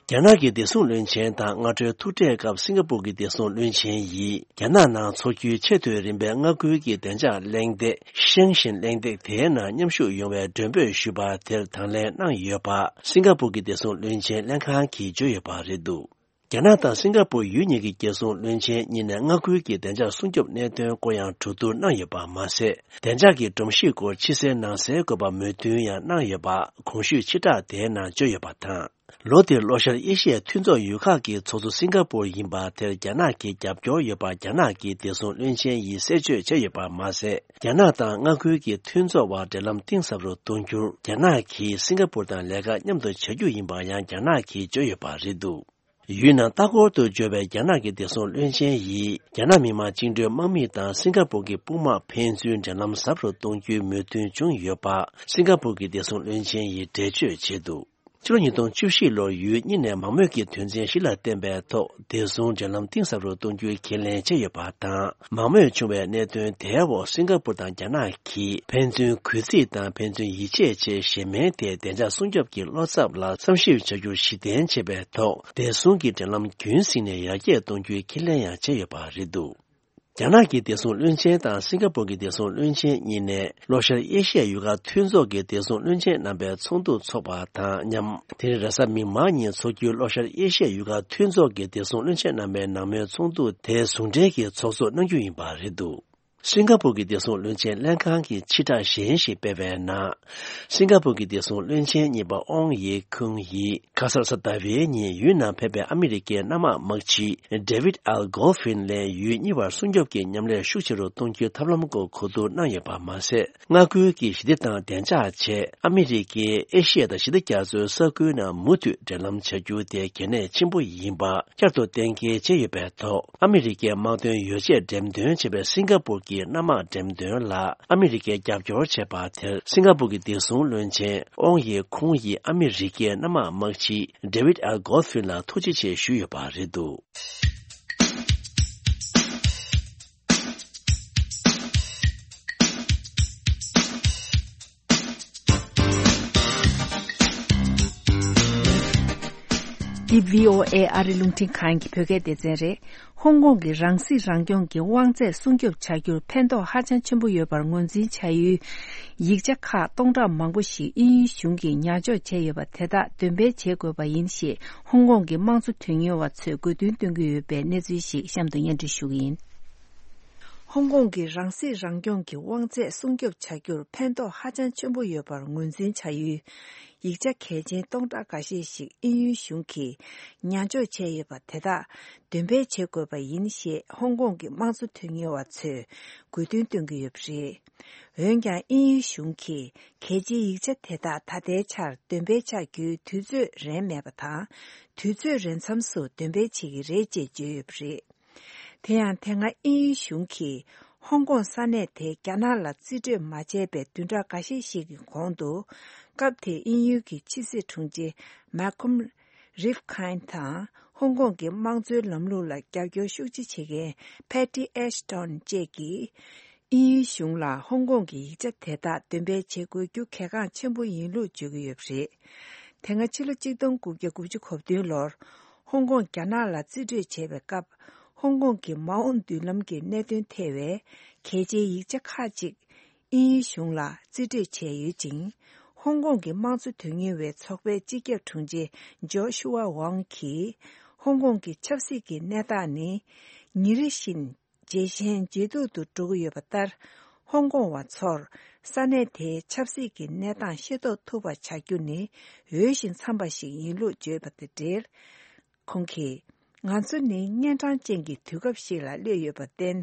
རྒྱ་ནག་གི་བདེ་སྲུང་བློན་ཆེན་དང་སྔ་དྲོའི་ཐུག་འཕྲད་སྐབས་སིང་ག་པུར་གྱི་བདེ་སྲུང་བློན་ཆེན་ཡིས། རྒྱ་ནག་ནང་འཚོགས་རྒྱུའི་ཆེས་མཐོའི་རིམ་པའི་མངའ་ཁུལ་གྱི་བདེ་འཇགས་གླེང་སྟེགས་ཤེང་ཞིན་གླེང་སྟེགས་དེའི་ནང་མཉམ་ཞུགས་ཡོང་བའི་མགྲོན་འབོད་ཞུས་པ་དེར་དང་ལེན་གནང་ཡོད་པ། སིང་ག་པུར་གྱི་བདེ་སྲུང་བློན་ཆེན་ལྷན་ཁང་གིས་བརྗོད་ཡོད་པ་རེད་འདུག་རྒྱ་ནག་དང་སིང་ག་པུར་ཡུལ་གཉིས་ཀྱི་རྒྱལ་སྲུང་བློན་ཆེན་གཉིས་ནས་མངའ་ཁུལ་གྱི་བདེ་འཇགས་སྲུང་སྐྱོབ་གནད་དོན་སྐོར་ཡང་གྲོས་བསྡུར་གནང་ཡོད་པ་མ་ཟད། བདེ་འཇགས་ཀྱི་སྒྲོམ་གཞི་སྐོར་ཕྱི་གསལ་ནང་གསལ་དགོས་པ་མོས་མཐུན་ཡང་གནང་ཡོད་པ་གོང་ཞུས་ཕྱིར་བསྒྲགས་དེའི་ནང་བརྗོད་ཡོད་པ་དང་། ལོ་འདིར་ལྷོ་ཤར་ཨེ་ཤི་ཡའི་མཐུན་ཚོགས་ཡུལ་ཁག་གི་ཚོགས་གཙོ་སིང་ག་པུར་ཡིན་པ་དེར་རྒྱ་ནག་གི་རྒྱབ་སྐྱོར་ཡོད་པ་རྒྱ་ནག་གི་བདེ་སྲུང་བློན་ཆེན་ཡིས་གསལ་བརྗོད་བྱས་ཡོད་པ་མ་ཟད། རྒྱ་ནག་དང་མངའ་ཁུལ་གྱི་མཐུན་ཚོགས་བར་འབྲེལ་ལམ་གཏིང་ཟབ་རུ་གཏོང་རྒྱུར་རྒྱ་ནག་གིས་སིང་ག་པུར་དང་ལས་ཀ་མཉམ་དུ་བྱ་རྒྱུ་ཡིན་པ་ཡང་རྒྱ་ནག་གིས་བརྗོད་ཡོད་པ་རེད་འདུག་ཡུལ་ནང་ལྟ་སྐོར་དུ་འབྱོར་བའི་རྒྱ་ནག་གི་བདེ་སྲུང་བློན་ཆེན་ཡིས་རྒྱ་ནག་མི་དམངས་བཅིངས་འགྲོལ་དམག་མི་དང་སིང་ག་པུར་གྱི་དཔུང་དམག་ཕན་ཚུན་འབྲེལ་ལམ་ཟབ་རུ་གཏོང་རྒྱུའི་མོས་མཐུན་བྱུང་ཡོད་པ་སིང་ག་པུར་གྱི་བདེ་སྲུང་བློན་ཆེན་ཡིས་འགྲེལ་བརྗོད་བྱས་འདུག་ཕྱི་ལོ་ཉིས་སྟོང་བཅུ་བཞི་ལོར་ཡུལ་གཉིས་ནས་མང་མོས་ཀྱི་དོན་ཚན་བཞི་ལ་བརྟེན་པའི་ཐོག་བདེ་སྲུང་འབྲེལ་ལམ་གཏིང་ཟབ་རུ་གཏོང་རྒྱུའི་ཁས་ལེན་བྱས་ཡོད་པ་དང་། མང་མོས་བྱུང་བའི་གནད་དོན་དེའི་འོག་སིང་ག་པུར་དང་རྒྱ་ནག་གིས་ཕན་ཚུན་གུས་བརྩི་དང་ཕན་ཚུན་ཡིད་ཆེས་བྱེད་ཤེས་མིན་ཐད་བདེ་འཇགས་སྲུང་སྐྱོབ་ཀྱི་བློ་འཚབ་ལ་བསམ་ཞིབ་བྱ་རྒྱུར་གཞི་རྟེན་བྱས་པའི་ཐོག་བདེ་སྲུང་གི་འབྲེལ་ལམ་རྒྱུན་བསྲིངས་ནས་ཡར་རྒྱས་གཏོང་རྒྱུའི་ཁས་ལེན་ཡང་བྱས་ཡོད་པ་རེད་འདུག་རྒྱ་ནག་གི་བདེ་སྲུང་བློན་ཆེན་དང་སིང་ག་པུར་གྱི་བདེ་སྲུང་བློན་ཆེན་གཉིས་ནས་ལྷོ་ཤར་ཨེ་ཤི་ཡའི་ཡུལ་ཁག་མཐུན་ཚོགས་ཀྱི་བདེ་སྲུང་བློན་ཆེན་རྣམ་པའི་ཚོགས་འདུ་འཚོགས་པ་དང་མཉམ། དེ་རིང་རེས་གཟའ་མིག་དམར་ཉིན་འཚོགས་རྒྱུའི་ལྷོ་ཤར་ཨེ་ཤི་ཡའི་ཡུལ་ཁག་མཐུན་ཚོགས་ཀྱི་བདེ་སྲུང་བློན་ཆེན་རྣམ་པའི་ནང་མོལ་ཚོགས་འདུ་དེ་ཟུང་འབྲེལ་གྱིས་ཚོགས་གཙོ་གནང་རྒྱུ་ཡིན་པ་རེད་འདུག་སིང་ག་པུར་གྱི་བདེ་སྲུང་བློན་ཆེན་ལྷན་ཁང་གིས་ཕྱིར་བསྒྲགས་གཞན་ཞིག་སྤེལ་བའི་ནང་། སིང་ག་པུར་གྱི་བདེ་སྲུང་བློན་ཆེན་གཉིས་པ་ཨོང་ཡེ་ཁུང་ཡིས་ཁ་སང་གཟའ་ཟླ་བའི་ཉིན་ཡུལ་ནང་ཕེབས་པའི་ཨ་མི་རི་ཀའི་གནམ་དམག་དམག་སྤྱི་ཌེ་ཝིད་ཨལ་གོལ་ཧྥིན་ལ་ཡུལ་གཉིས་བར་སྲུང་སྐྱོབ་ཀྱི་མཉམ་ལས་ཤུགས་ཆེ་རུ་གཏོང་རྒྱུའི་ཐབས་ལམ་སྐོར་གོ་བསྡུར་གནང་ཡོད་པ་མ་ཟད། མངའ་ཁུལ་གྱི་ཞི་བདེ་དང་བདེ་འཇགས་ཆེད་ཨ་མི་རི་ཀས་ཨེ་ཤི་ཡ་དང་ཞི་བདེ་རྒྱ་མཚོའི་ས་ཁུལ་ནང་མུ་མཐུད་འབྲེལ་ལམ་བྱ་རྒྱུ་དེ་གལ་གནད་ཆེན་པོ་ཡིན་པ་བསྐྱར་དུ་གཏན་འཁེལ་བྱས་ཡོད་པའི་ཐོག་ཨ་མི་རི་ཀའི་དམག་དོན་ཡོ་བྱད་འགྲེམས་སྟོན་བྱས་པའི་སིང་ག་པུར་གྱི་གི་གནམ་དམག་འགྲེམས་སྟོན་ལ་ཨ་མི་རི་ཀས་རྒྱབ་སྐྱོར་བྱས་པ་དེར་སིང་ག་པུར་གྱི་བདེ་སྲུང་བློན་ཆེན་ཨོང་ཡེ་ཁུང་ཡིས་ཨ་མི་རི་ཀའི་གནམ་དམག་དམག་སྤྱི་David L Goldfein ལ་ཐུགས་རྗེ་ཆེ་ཞུས་ཡོད་པ་རེད་འདུག། འདི་བྷི་ཨོ་ཨེ་ཨ་རི་རླུང་འཕྲིན་ཁང་གི་བོད་སྐད་སྡེ་ཚན་རེད། ཧོང་ཀོང་གི་རང་སྲིད་རང་སྐྱོང་གི་དབང་ཚད་སྲུང་སྐྱོབ་བྱ་རྒྱུར་ཕན་ཐོགས་ཧ་ཅང་ཆེན་པོ་ཡོད་པར་ངོས་འཛིན་བྱ་ཡུལ་ཡིག་ཆ་ཁག་སྟོང་ཕྲག་མང་པོ་ཞིག་དབྱིན་ཡུལ་གཞུང་གིས་ཉར་འཇོག་བྱས་ཡོད་པ་དེ་དག་འདོན་སྤེལ་བྱེད་དགོས་པ་ཡིན་ཞེས་ཧོང་ཀོང་གི་དམངས་གཙོ་དོན་གཉེར་བ་ཚོས་དགོས་འདུན་བཏོན་གྱི་ཡོད་པའི་གནས་ཚུལ་ཞིག་གཤམ་དུ་སྙན་སྒྲོན་ཞུ་གི་ཡིན། ཧོང་ཀོང་གི་རང་སྲིད་རང་སྐྱོང་གི་དབང་ཚད་སྲུང་སྐྱོབ་བྱ་རྒྱུར་ཕན་ཐོགས་ཧ་ཅང་ཆེན་པོ་ཡོད་པར་ངོས་འཛིན་བྱ་ཡུལ་ཡིག་ཆ་གལ་ཆེན་སྟོང་ཕྲག་འགའ་ཤས་ཤིག་དབྱིན་ཡུལ་གཞུང་གིས་ཉར་འཇོག་བྱས་ཡོད་པ་དེ་དག་འདོན་སྤེལ་བྱེད་དགོས་པ་ཡིན་ཞེས་ཧོང་ཀོང་གི་དམངས་གཙོ་དོན་གཉེར་བ་ཚོས་དགོས་འདུན་བཏོན་གྱི་ཡོད་པ་རེད། འོན་ཀྱང་དབྱིན་ཡུལ་གཞུང་གིས་གལ་ཆེའི་ཡིག་ཆ་དེ་དག་ད་ལྟའི་ཆར་འདོན་སྤེལ་བྱ་རྒྱུའི་དུས་ཚོད་རན་མེད་པ་དང་། དུས་ཚོད་རན་མཚམས་སུ་འདོན་སྤེལ་བྱེད་ཀྱི་རེད་ཅེས་བརྗོད་ཡོད་པ་རེད། དེ་ཡང་དེ་སྔ་དབྱིན་ཡུལ་གཞུང་གིས་ཧོང་ཀོང་ས་གནས་དེ་རྒྱ་ནག་ལ་རྩིས་སྤྲོད་མ་བྱས་པའི་བདུན་ཕྲག་འགའ་ཤས་ཤིག་གི་གོང་དུ། སྐབས་དེའི་དབྱིན་ཡུལ་གྱི་ཕྱི་སྲིད་དྲུང་ཆེ་མཱ་ཁོམ་རིབ་ཁཱན་དང་ཧོང་ཀོང་གི་དམངས་གཙོའི་ལམ་ལུགས་ལ་རྒྱབ་སྐྱོར་ཤུགས་ཆེ་བྱེད་མཁན་ཕེ་ཏི་ཨེ་ཤི་ཏོན་བཅས་ཀྱིས། དབྱིན་ཡུལ་གཞུང་ལ་ཧོང་ཀོང་གི་ཡིག་ཆ་དེ་དག་འདོན་སྤེལ་བྱེད་དགོས་རྒྱུ་གལ་འགངས་ཆེན་པོ་ཡིན་ལུགས་བརྗོད་ཀྱི་ཡོད་པ་རེད། དེ་སྔ་ཕྱི་ལོ་གཅིག་སྟོང་དགུ་བརྒྱ་དགུ་བཅུ་གོ་བདུན་ལོར་ཧོང་ཀོང་རྒྱ་ནག་ལ་རྩིས་སྤྲོད་བྱས་པའི་སྐབས། ཧོང་ཀོང་གི་མ་འོངས་མདུན་ལམ་གྱི་གནད་དོན་ཐེ་བའི་གལ་ཆེའི་ཡིག་ཆ་ཁག་ཅིག་དབྱིན་ཡུལ་གཞུང་ལ་རྩིས་སྤྲོད་བྱས་ཡོད་ཅིང་། ཧོང་ཀོང་གི་དམངས་གཙོ་དོན་གཉེར་བའི་ཚོགས་པའི་སྤྱི་ཁྱབ་དྲུང་ཆེ་ཇོ་ཤུ་ཝ་ཝང་གིས། ཧོང་ཀོང་གི་ཆབ་སྲིད་ཀྱི་གནས་སྟངས་ནི་ཉིན་རེ་བཞིན་ཇེ་ཞན་ཇེ་སྡུག་ཏུ་འགྲོ་གི་ཡོད་པ་ལྟར། ཧོང་ཀོང་བ་ཚོར་ས་གནས་དེའི་ཆབ་སྲིད་ཀྱི་གནས་སྟངས་ཤེས་རྟོགས་ཐུབ་པ་བྱ་རྒྱུ་ནི་འོས་ཤིང་འཚམ་པ་ཞིག་ཡིན་ལུགས་བརྗོད་པ་དང་འབྲེལ། ཁོང་གིས། ང་ཚོ་ནི་གཉན་འཕྲང་ཅན་གྱི་དུས་སྐབས་ཤིག་ལ་སླེབས་ཡོད་པར་བརྟེན།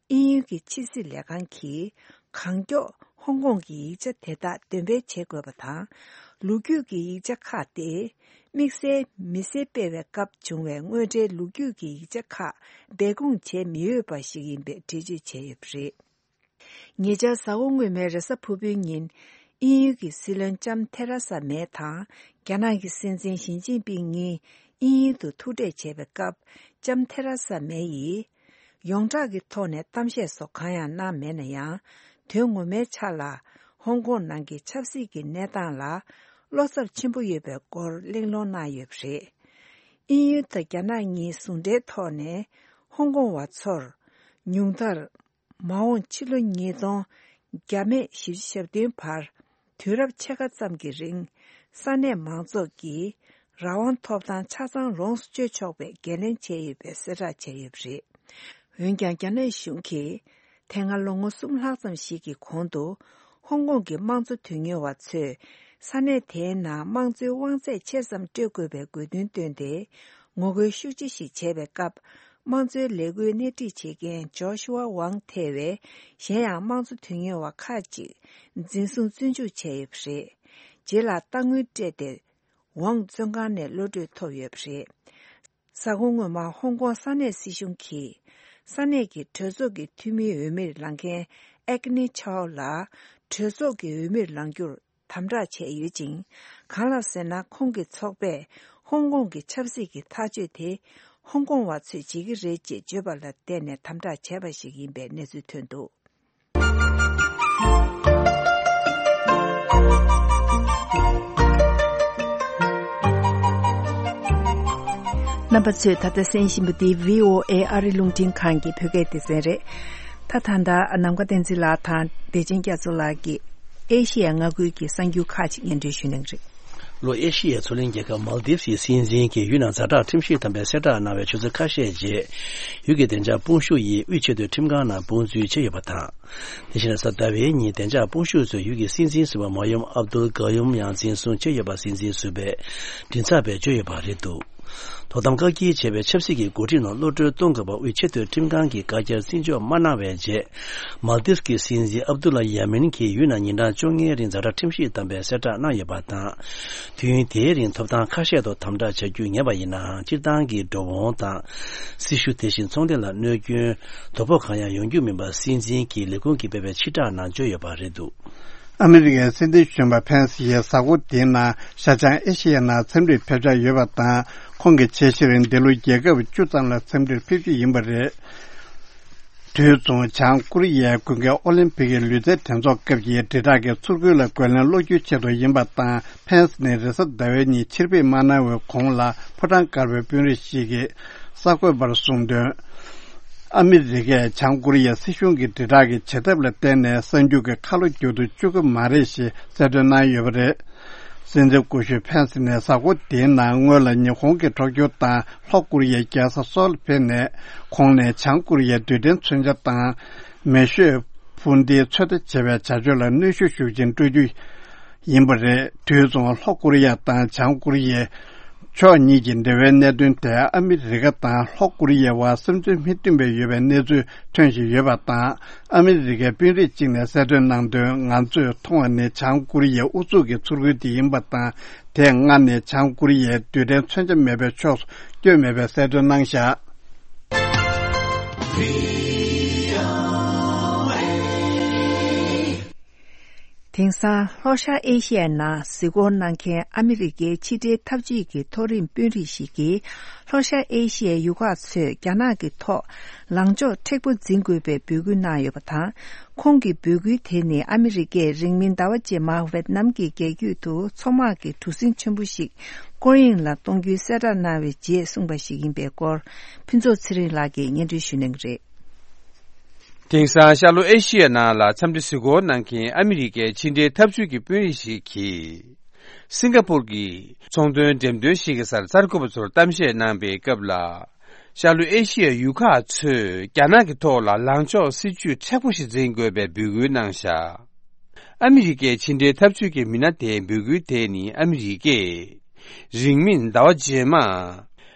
དབྱིན་ཡུལ་གྱི་ཕྱི་སྲིད་ལས་ཁང་གིས་གང་མགྱོགས་ཧོང་ཀོང་གི་ཡིག་ཆ་དེ་དག་འདོན་སྤེལ་བྱེད་དགོས་པ་དང་། ལོ་རྒྱུས་ཀྱི་ཡིག་ཆ་ཁག་སྟེ། དམིགས་བསལ་མི་སེར་སྤེལ་བའི་སྐབས་བྱུང་བའི་དངོས་འབྲེལ་ལོ་རྒྱུས་ཀྱི་ཡིག་ཆ་ཁག་སྦས་སྐུང་བྱས་མི་འོས་པ་ཞིག་ཡིན་པའི་འགྲེལ་བརྗོད་བྱས་ཡོད་པ་རེད། ཉེ་ཆར་གཟའ་འཁོར་སྔོན་མའི་རེས་གཟའ་ཕུར་བུའི་ཉིན། དབྱིན་ཡུལ་གྱི་སྲིད་བློན་ལྕམ་ཐེ་ར་ས་མེ་དང་། རྒྱ་ནག་གི་སྲིད་འཛིན་ཞི་ཅིན་ཕིང་གཉིས་དབྱིན་ཡུལ་དུ་ཐུག་འཕྲད་བྱས་པའི་སྐབས། ལྕམ་ཐེ་ར་ས་མེ་ཡིས། ཡོངས་གྲགས་ཀྱི་ཐོག་ནས་གཏམ་བཤད་སོགས་གང་ཡང་གནང་མེད་ན་ཡང་། དོན་ངོ་མའི་ཆ་ལ། ཧོང་ཀོང་ནང་གི་ཆབ་སྲིད་ཀྱི་གནས་སྟངས་ལ། བློ་འཚབ་ཆེན་པོ་ཡོད་པའི་སྐོར་གླེང་སློང་གནང་ཡོད་པ་རེད། དབྱིན་ཡུལ་དང་རྒྱ་ནག་གཉིས་ཟུང་འབྲེལ་ཐོག་ནས། ཧོང་ཀོང་བ་ཚོར། ཉུང་མཐར། མ་འོངས་ཕྱི་ལོ་ཉིས་སྟོང་བརྒྱ་མེད་བཞི་བཅུ་ཞེ་བདུན་བར། དུས་རབས་ཕྱེད་ཀ་ཙམ་གྱི་རིང་། ས་གནས་མང་ཚོགས་ཀྱི་རང་དབང་ཐོབ་ཐང་ཆ་ཚང་ལོངས་སུ་སྤྱོད་ཆོག་པའི་འགན་ལེན་བྱས་ཡོད་པའི་གསལ་བསྒྲགས་བྱས་ཡོད་པ་རེད། འོན་ཀྱང་། རྒྱ་ནག་གཞུང་གིས། དེ་སྔ་ལོ་ངོ་གསུམ་ལྷག་ཙམ་ཞིག་གི་གོང་དུ། ཧོང་ཀོང་གི་དམངས་གཙོ་དོན་གཉེར་བ་ཚོས། ས་གནས་དེའི་ནང་དམངས་གཙོའི་དབང་ཚད་ཆེ་ཙམ་སྤྲོད་དགོས་པའི་དགོས་འདུན་བཏོན་ཏེ། ངོ་རྒོལ་ཤུགས་ཆེ་ཞིག་བྱས་པའི་སྐབས། དམངས་གཙོའི་ལས་འགུལ་སྣེ་ཁྲིད་བྱེད་མཁན་ཇོ་ཤུ་ཝ་ཝང་ཐེ་བའི་གཞན་ཡང་དམངས་གཙོ་དོན་གཉེར་བ་ཁག་ཅིག་འཛིན་བཟུང་བཙོན་འཇུག་བྱས་ཡོད་པ་རེད། རྗེས་ལ་རྟ་དངུལ་སྤྲད་དེ། ཝང་བཙོན་ཁང་ནས་གློད་གྲོལ་ཐོབ་ཡོད་པ་རེད། གཟའ་འཁོར་སྔོན་མ་ཧོང་ཀོང་ས་གནས་སྲིད་གཞུང་གིས། ས་གནས་ཀྱི་གྲོས་ཚོགས་ཀྱི་འཐུས་མིའི་འོས་མིར་ལངས་མཁན་ཨེག་ནི་ཆའོ་ལ། གྲོས་ཚོགས་ཀྱི་འོས་མིར་ལངས་རྒྱུར། དམ་དྲག་བྱས་ཡོད་ཅིང་། གང་ལགས་ཟེར་ན། ཁོང་གི་ཚོགས་པས་ཧོང་ཀོང་གི་ཆབ་སྲིད་ཀྱི་ཐག་གཅོད་དེ། ཧོང་ཀོང་བ་ཚོས་བྱེད་ཀྱི་རེད་ཅེས་བརྗོད་པ་ལ་བརྟེན་ནས་དམ་དྲག་བྱས་པ་ཞིག་ཡིན་པའི་གནས་ཚུལ་ཐོན་འདུག། རྣམ་པ་ཚོས་ད་ལྟ་གསན་བཞིན་པ་འདི་བྷི་ཨོ་ཨེ་ཨ་རི་རླུང་འཕྲིན་ཁང་གི་བོད་སྐད་སྡེ་ཚན་རེད། ད་ད་ལྟ་ནམ་མཁའ་བསྟན་འཛིན་ལགས་དང་བདེ་ཆེན་རྒྱ་མཚོ་ལགས་ཀྱིས་ཨེ་ཤི་ཡ་མངའ་ཁུལ་གྱི་གསར་འགྱུར་ཁག་ཅིག་སྙན་སྒྲོན་ཞུ་གནང་གི་རེད། ལྷོ་ཨེ་ཤི་ཡའི་མཚོ་གླིང་རྒྱལ་ཁབ་མཱལ་དིབ་སི་སྲིད་འཛིན་གྱིས་ཡུལ་ནང་ཛ་དྲག་ཁྲིམས་གཞི་དམ་པའི་གསལ་བསྒྲགས་གནང་བའི་ཆུ་ཚོད་ཁ་ཤས་རྗེས། ཡུལ་གྱི་བདེ་འཇགས་དཔུང་ཤུགས་ཡིས་དབུས་ཆེས་མཐོའི་ཁྲིམས་ཁང་ནང་དཔུང་འཛུལ་བྱས་ཡོད་པ་དང་། དེ་བཞིན་གཟའ་ཟླ་བའི་ཉིན་བདེ་འཇགས་དཔུང་ཤུགས་ཚོས་ཡུལ་གྱི་སྲིད་འཛིན་ཟུར་པ་མ་ཡུམ་ཨབ་དུལ་ག་ཡུམ་ཡང་འཛིན་བཟུང་བྱས་ཡོད་པ་སྲིད་འཛིན་ཟུར་པས་མགྲིན་ཚབ་པས་བརྗོད་ཡོད་པ་རེད་འདུག། དོ་དམ་བཀག་སྐྱིལ་བྱས་པའི་ཆབ་སྲིད་ཀྱི་འགོ་ཁྲིད་རྣམས་གློད་བཀྲོལ་གཏོང་དགོས་པ་དབུས་ཆེས་མཐུན་ཁྲིམས་ཁང་གིས་བཀའ་རྒྱར་བརྩི་འཇོག་མ་གནང་བའི་རྗེས། མཱལ་དིབ་ཀྱི་སྲིད་འཛིན་ཨབ་དུ་ལ་ཡ་མིན་གྱིས་ཡུལ་ནང་ཉིན་གྲངས་བཅོ་ལྔའི་རིང་ཛ་དྲག་ཁྲིམས་གཞི་བསྡམས་པའི་གསལ་བསྒྲགས་གནང་ཡོད་པ་དང་། དུས་ཡུན་དེའི་རིང་ཐོབ་ཐང་ཁ་ཤས་ཐོག་དམ་དྲག་བྱ་རྒྱུ་ངེས་པ་ཡིན་ནའང་། སྤྱིར་བཏང་གི་འགྲོ་འོང་དང་། སྲི་ཞུ། དེ་བཞིན་ཚོང་སྡེ་ལ་གནོད་སྐྱོན། དོ་ཕོག་གང་ཡང་ཡོང་རྒྱུ་མིན་པ་སྲིད་འཛིན་གྱི་ལས་ཁུངས་ཀྱིས་སྤེལ་བའི་ཕྱིར་བསྒྲགས་ནང་བརྗོད་ཡོད་པ་རེད་འདུག། ཨ་མི་རི་ཀའི་སྲིད་འཛིན་གཞོན་པ་ཕེན་སི་ཡིས་གཟའ་འཁོར་འདིའི་ནང་ཤར་བྱང་ཨེ་ཤི་ཡའི་ནང་འཚམས་འདྲིར་ཕེབས་འཆར་ཡོད་པ་དང་། ཁོང་གི་ཆེད་གཞིར་འདི་ལོ་རྒྱལ་ཁབ་བཅུ་ཙམ་ལ་འཚམས་འདྲིར་ཕེབས་རྒྱུ་ཡིན་པ་རེད། དུས་མཚུངས་བྱང་ཀོ་རི་ཡའི་དགུན་ཁའི་ཨོ་ལིམ་ཕིག་གི་ལུས་རྩལ་འགྲན་ཚོགས་སྐབས་ཀྱི་དྲིལ་བསྒྲགས་ཀྱི་ཚུར་རྒོལ་ལ་རྒོལ་ལན་སློག་རྒྱུའི་ཆེད་དུ་ཡིན་པ་དང་། ཕེན་སི་ནས་རེས་གཟའ་ཟླ་བའི་ཉིན་ཕྱིར་ཕེབས་མ་གནང་བའི་གོང་ལ་ཕོ་བྲང་དཀར་པོའི་དཔོན་རིགས་ཤིག་གིས་གསར་འགོད་པར་གསུངས་དོན། ཨ་མི་རི་ཀས་བྱང་ཀོ་རི་ཡའི་སྲིད་གཞུང་གི་དྲིལ་བསྒྲགས་ཀྱི་བྱེད་ཐབས་ལ་བརྟེན་ནས་གསར་འགྱུར་གྱི་ཁ་ལོ་བསྒྱུར་དུ་བཅུག་གི་མ་རེད་ཞེས་གསལ་སྟོན་གནང་ཡོད་པ་རེད། སྲིད་འཛིན་སྐུ་ཞབས་ཕེན་སི་ནས་གཟའ་འཁོར་འདིའི་ནང་སྔོན་ལ་ཉི་ཧོང་གི་གྲོགས་ཁྱོར་དང་ལྷོ་ཀོ་རི་ཡའི་རྒྱལ་ས་སོལ་ཕེབས་ནས། ཁོང་ནས་བྱང་ཀོ་རི་ཡའི་རྡུལ་ཕྲན་མཚོན་ཆ་དང་མེ་ཤོད་འཕུར་མདེལ་ཚོད་ལྟ་བྱེད་པའི་བྱ་སྤྱོད་ལ་གནོན་ཤུགས་ཤུགས་ཆེན་སྤྲོད་རྒྱུ་ཡིན་པ་རེད། དུས་མཚུངས་ལྷོ་ཀོ་རི་ཡ་དང་བྱང་ཀོ་རི་ཡའི་ཕྱོགས་གཉིས་ཀྱི་འབྲེལ་བའི་གནད་དོན་དེ་ཨ་མི་རི་ཀ་དང་ལྷོ་ཀོ་རི་ཡའི་བར་བསམ་ཚུལ་མི་མཐུན་པ་ཡོད་པའི་གནས་ཚུལ་ཐོན་བཞིན་ཡོད་པ་དང་། ཨ་མི་རི་ཀའི་དཔོན་རིགས་གཅིག་ནས་གསལ་སྟོན་གནང་དོན། ང་ཚོས་མཐོང་བ་ནི་བྱང་ཀོ་རི་ཡའི་ཨུ་ཚུགས་ཀྱི་ཚུར་རྒོལ་དེ་ཡིན་པ་དང་། དེས་སྔར་ནས་བྱང་ཀོ་རི་ཡའི་རྡུལ་ཕྲན་མཚོན་ཆ་མེད་པའི་ཕྱོགས་སུ་བསྐྱོད་མེད་པའི་གསལ་སྟོན་གནང་བཞག། དེང་སང་ལྷོ་ཤར་ཨེ་ཤི་ཡའི་ནང་གཟིགས་སྐོར་གནང་མཁན་ཨ་མི་རི་ཀའི་ཕྱི་འབྲེལ་འཐབ་ཇུས་ཀྱི་མཐོ་རིམ་དཔོན་རིགས་ཤིག་གིས། ལྷོ་ཤར་ཨེ་ཤི་ཡའི་ཡུལ་ཁག་ཚོས་རྒྱ་ནག་གི་ཐོག་ལངས་ཕྱོགས་མཁྲེགས་པོ་འཛིན་དགོས་པའི་འབོད་སྐུལ་གནང་ཡོད་པ་དང་། ཁོང་གི་འབོད་སྐུལ་དེ་ནི་ཨ་མི་རི་ཀས་རིང་མིན་ཟླ་བ་རྗེས་མར་ཝེད་ནམ་གྱི་རྒྱལ་རྒྱུད་དུ་མཚོ་དམག་གི་གྲུ་གཟིངས་ཆེན་པོ་ཞིག་སྐོར་གཡེང་ལ་གཏོང་རྒྱུའི་གསལ་བསྒྲགས་གནང་བའི་རྗེས་གསུངས་པ་ཞིག་ཡིན་པའི་སྐོར། ཕུན་ཚོགས་ཚེ་རིང་ལགས་ཀྱིས་སྙན་སྒྲོན་ཞུ་གནང་གི་རེད། དེང་སང་ཤར་ལྷོ་ཨེ་ཤི་ཡའི་ནང་ལ་འཚམས་འདྲི་གཟིགས་སྐོར་གནང་མཁན་ཨ་མི་རི་ཀའི་ཕྱི་འབྲེལ་འཐབ་ཇུས་ཀྱི་དཔོན་རིགས་ཤིག་གིས། སིང་ག་པུར་གྱི་ཚོང་དོན་འགྲེམས་སྟོན་ཞིག་གི་སར་གསར་འགོད་པ་ཚོར་གཏམ་བཤད་གནང་པའི་སྐབས་ལ། ཤར་ལྷོ་ཨེ་ཤི་ཡའི་ཡུལ་ཁག་ཚོས་རྒྱ་ནག་གི་ཐོག་ལ་ལངས་ཕྱོགས་སྲིད་ཇུས་མཁྲེགས་པོ་ཞིག་འཛིན་དགོས་པའི་འབོད་སྐུལ་གནང་བཞག། ཨ་མི་རི་ཀའི་ཕྱི་འབྲེལ་འཐབ་ཇུས་ཀྱི་མི་སྣ་དེའི་འབོད་སྐུལ་དེ་ནི་ཨ་མི་རི་ཀས། རིང་མིན་ཟླ་བ་རྗེས་མ།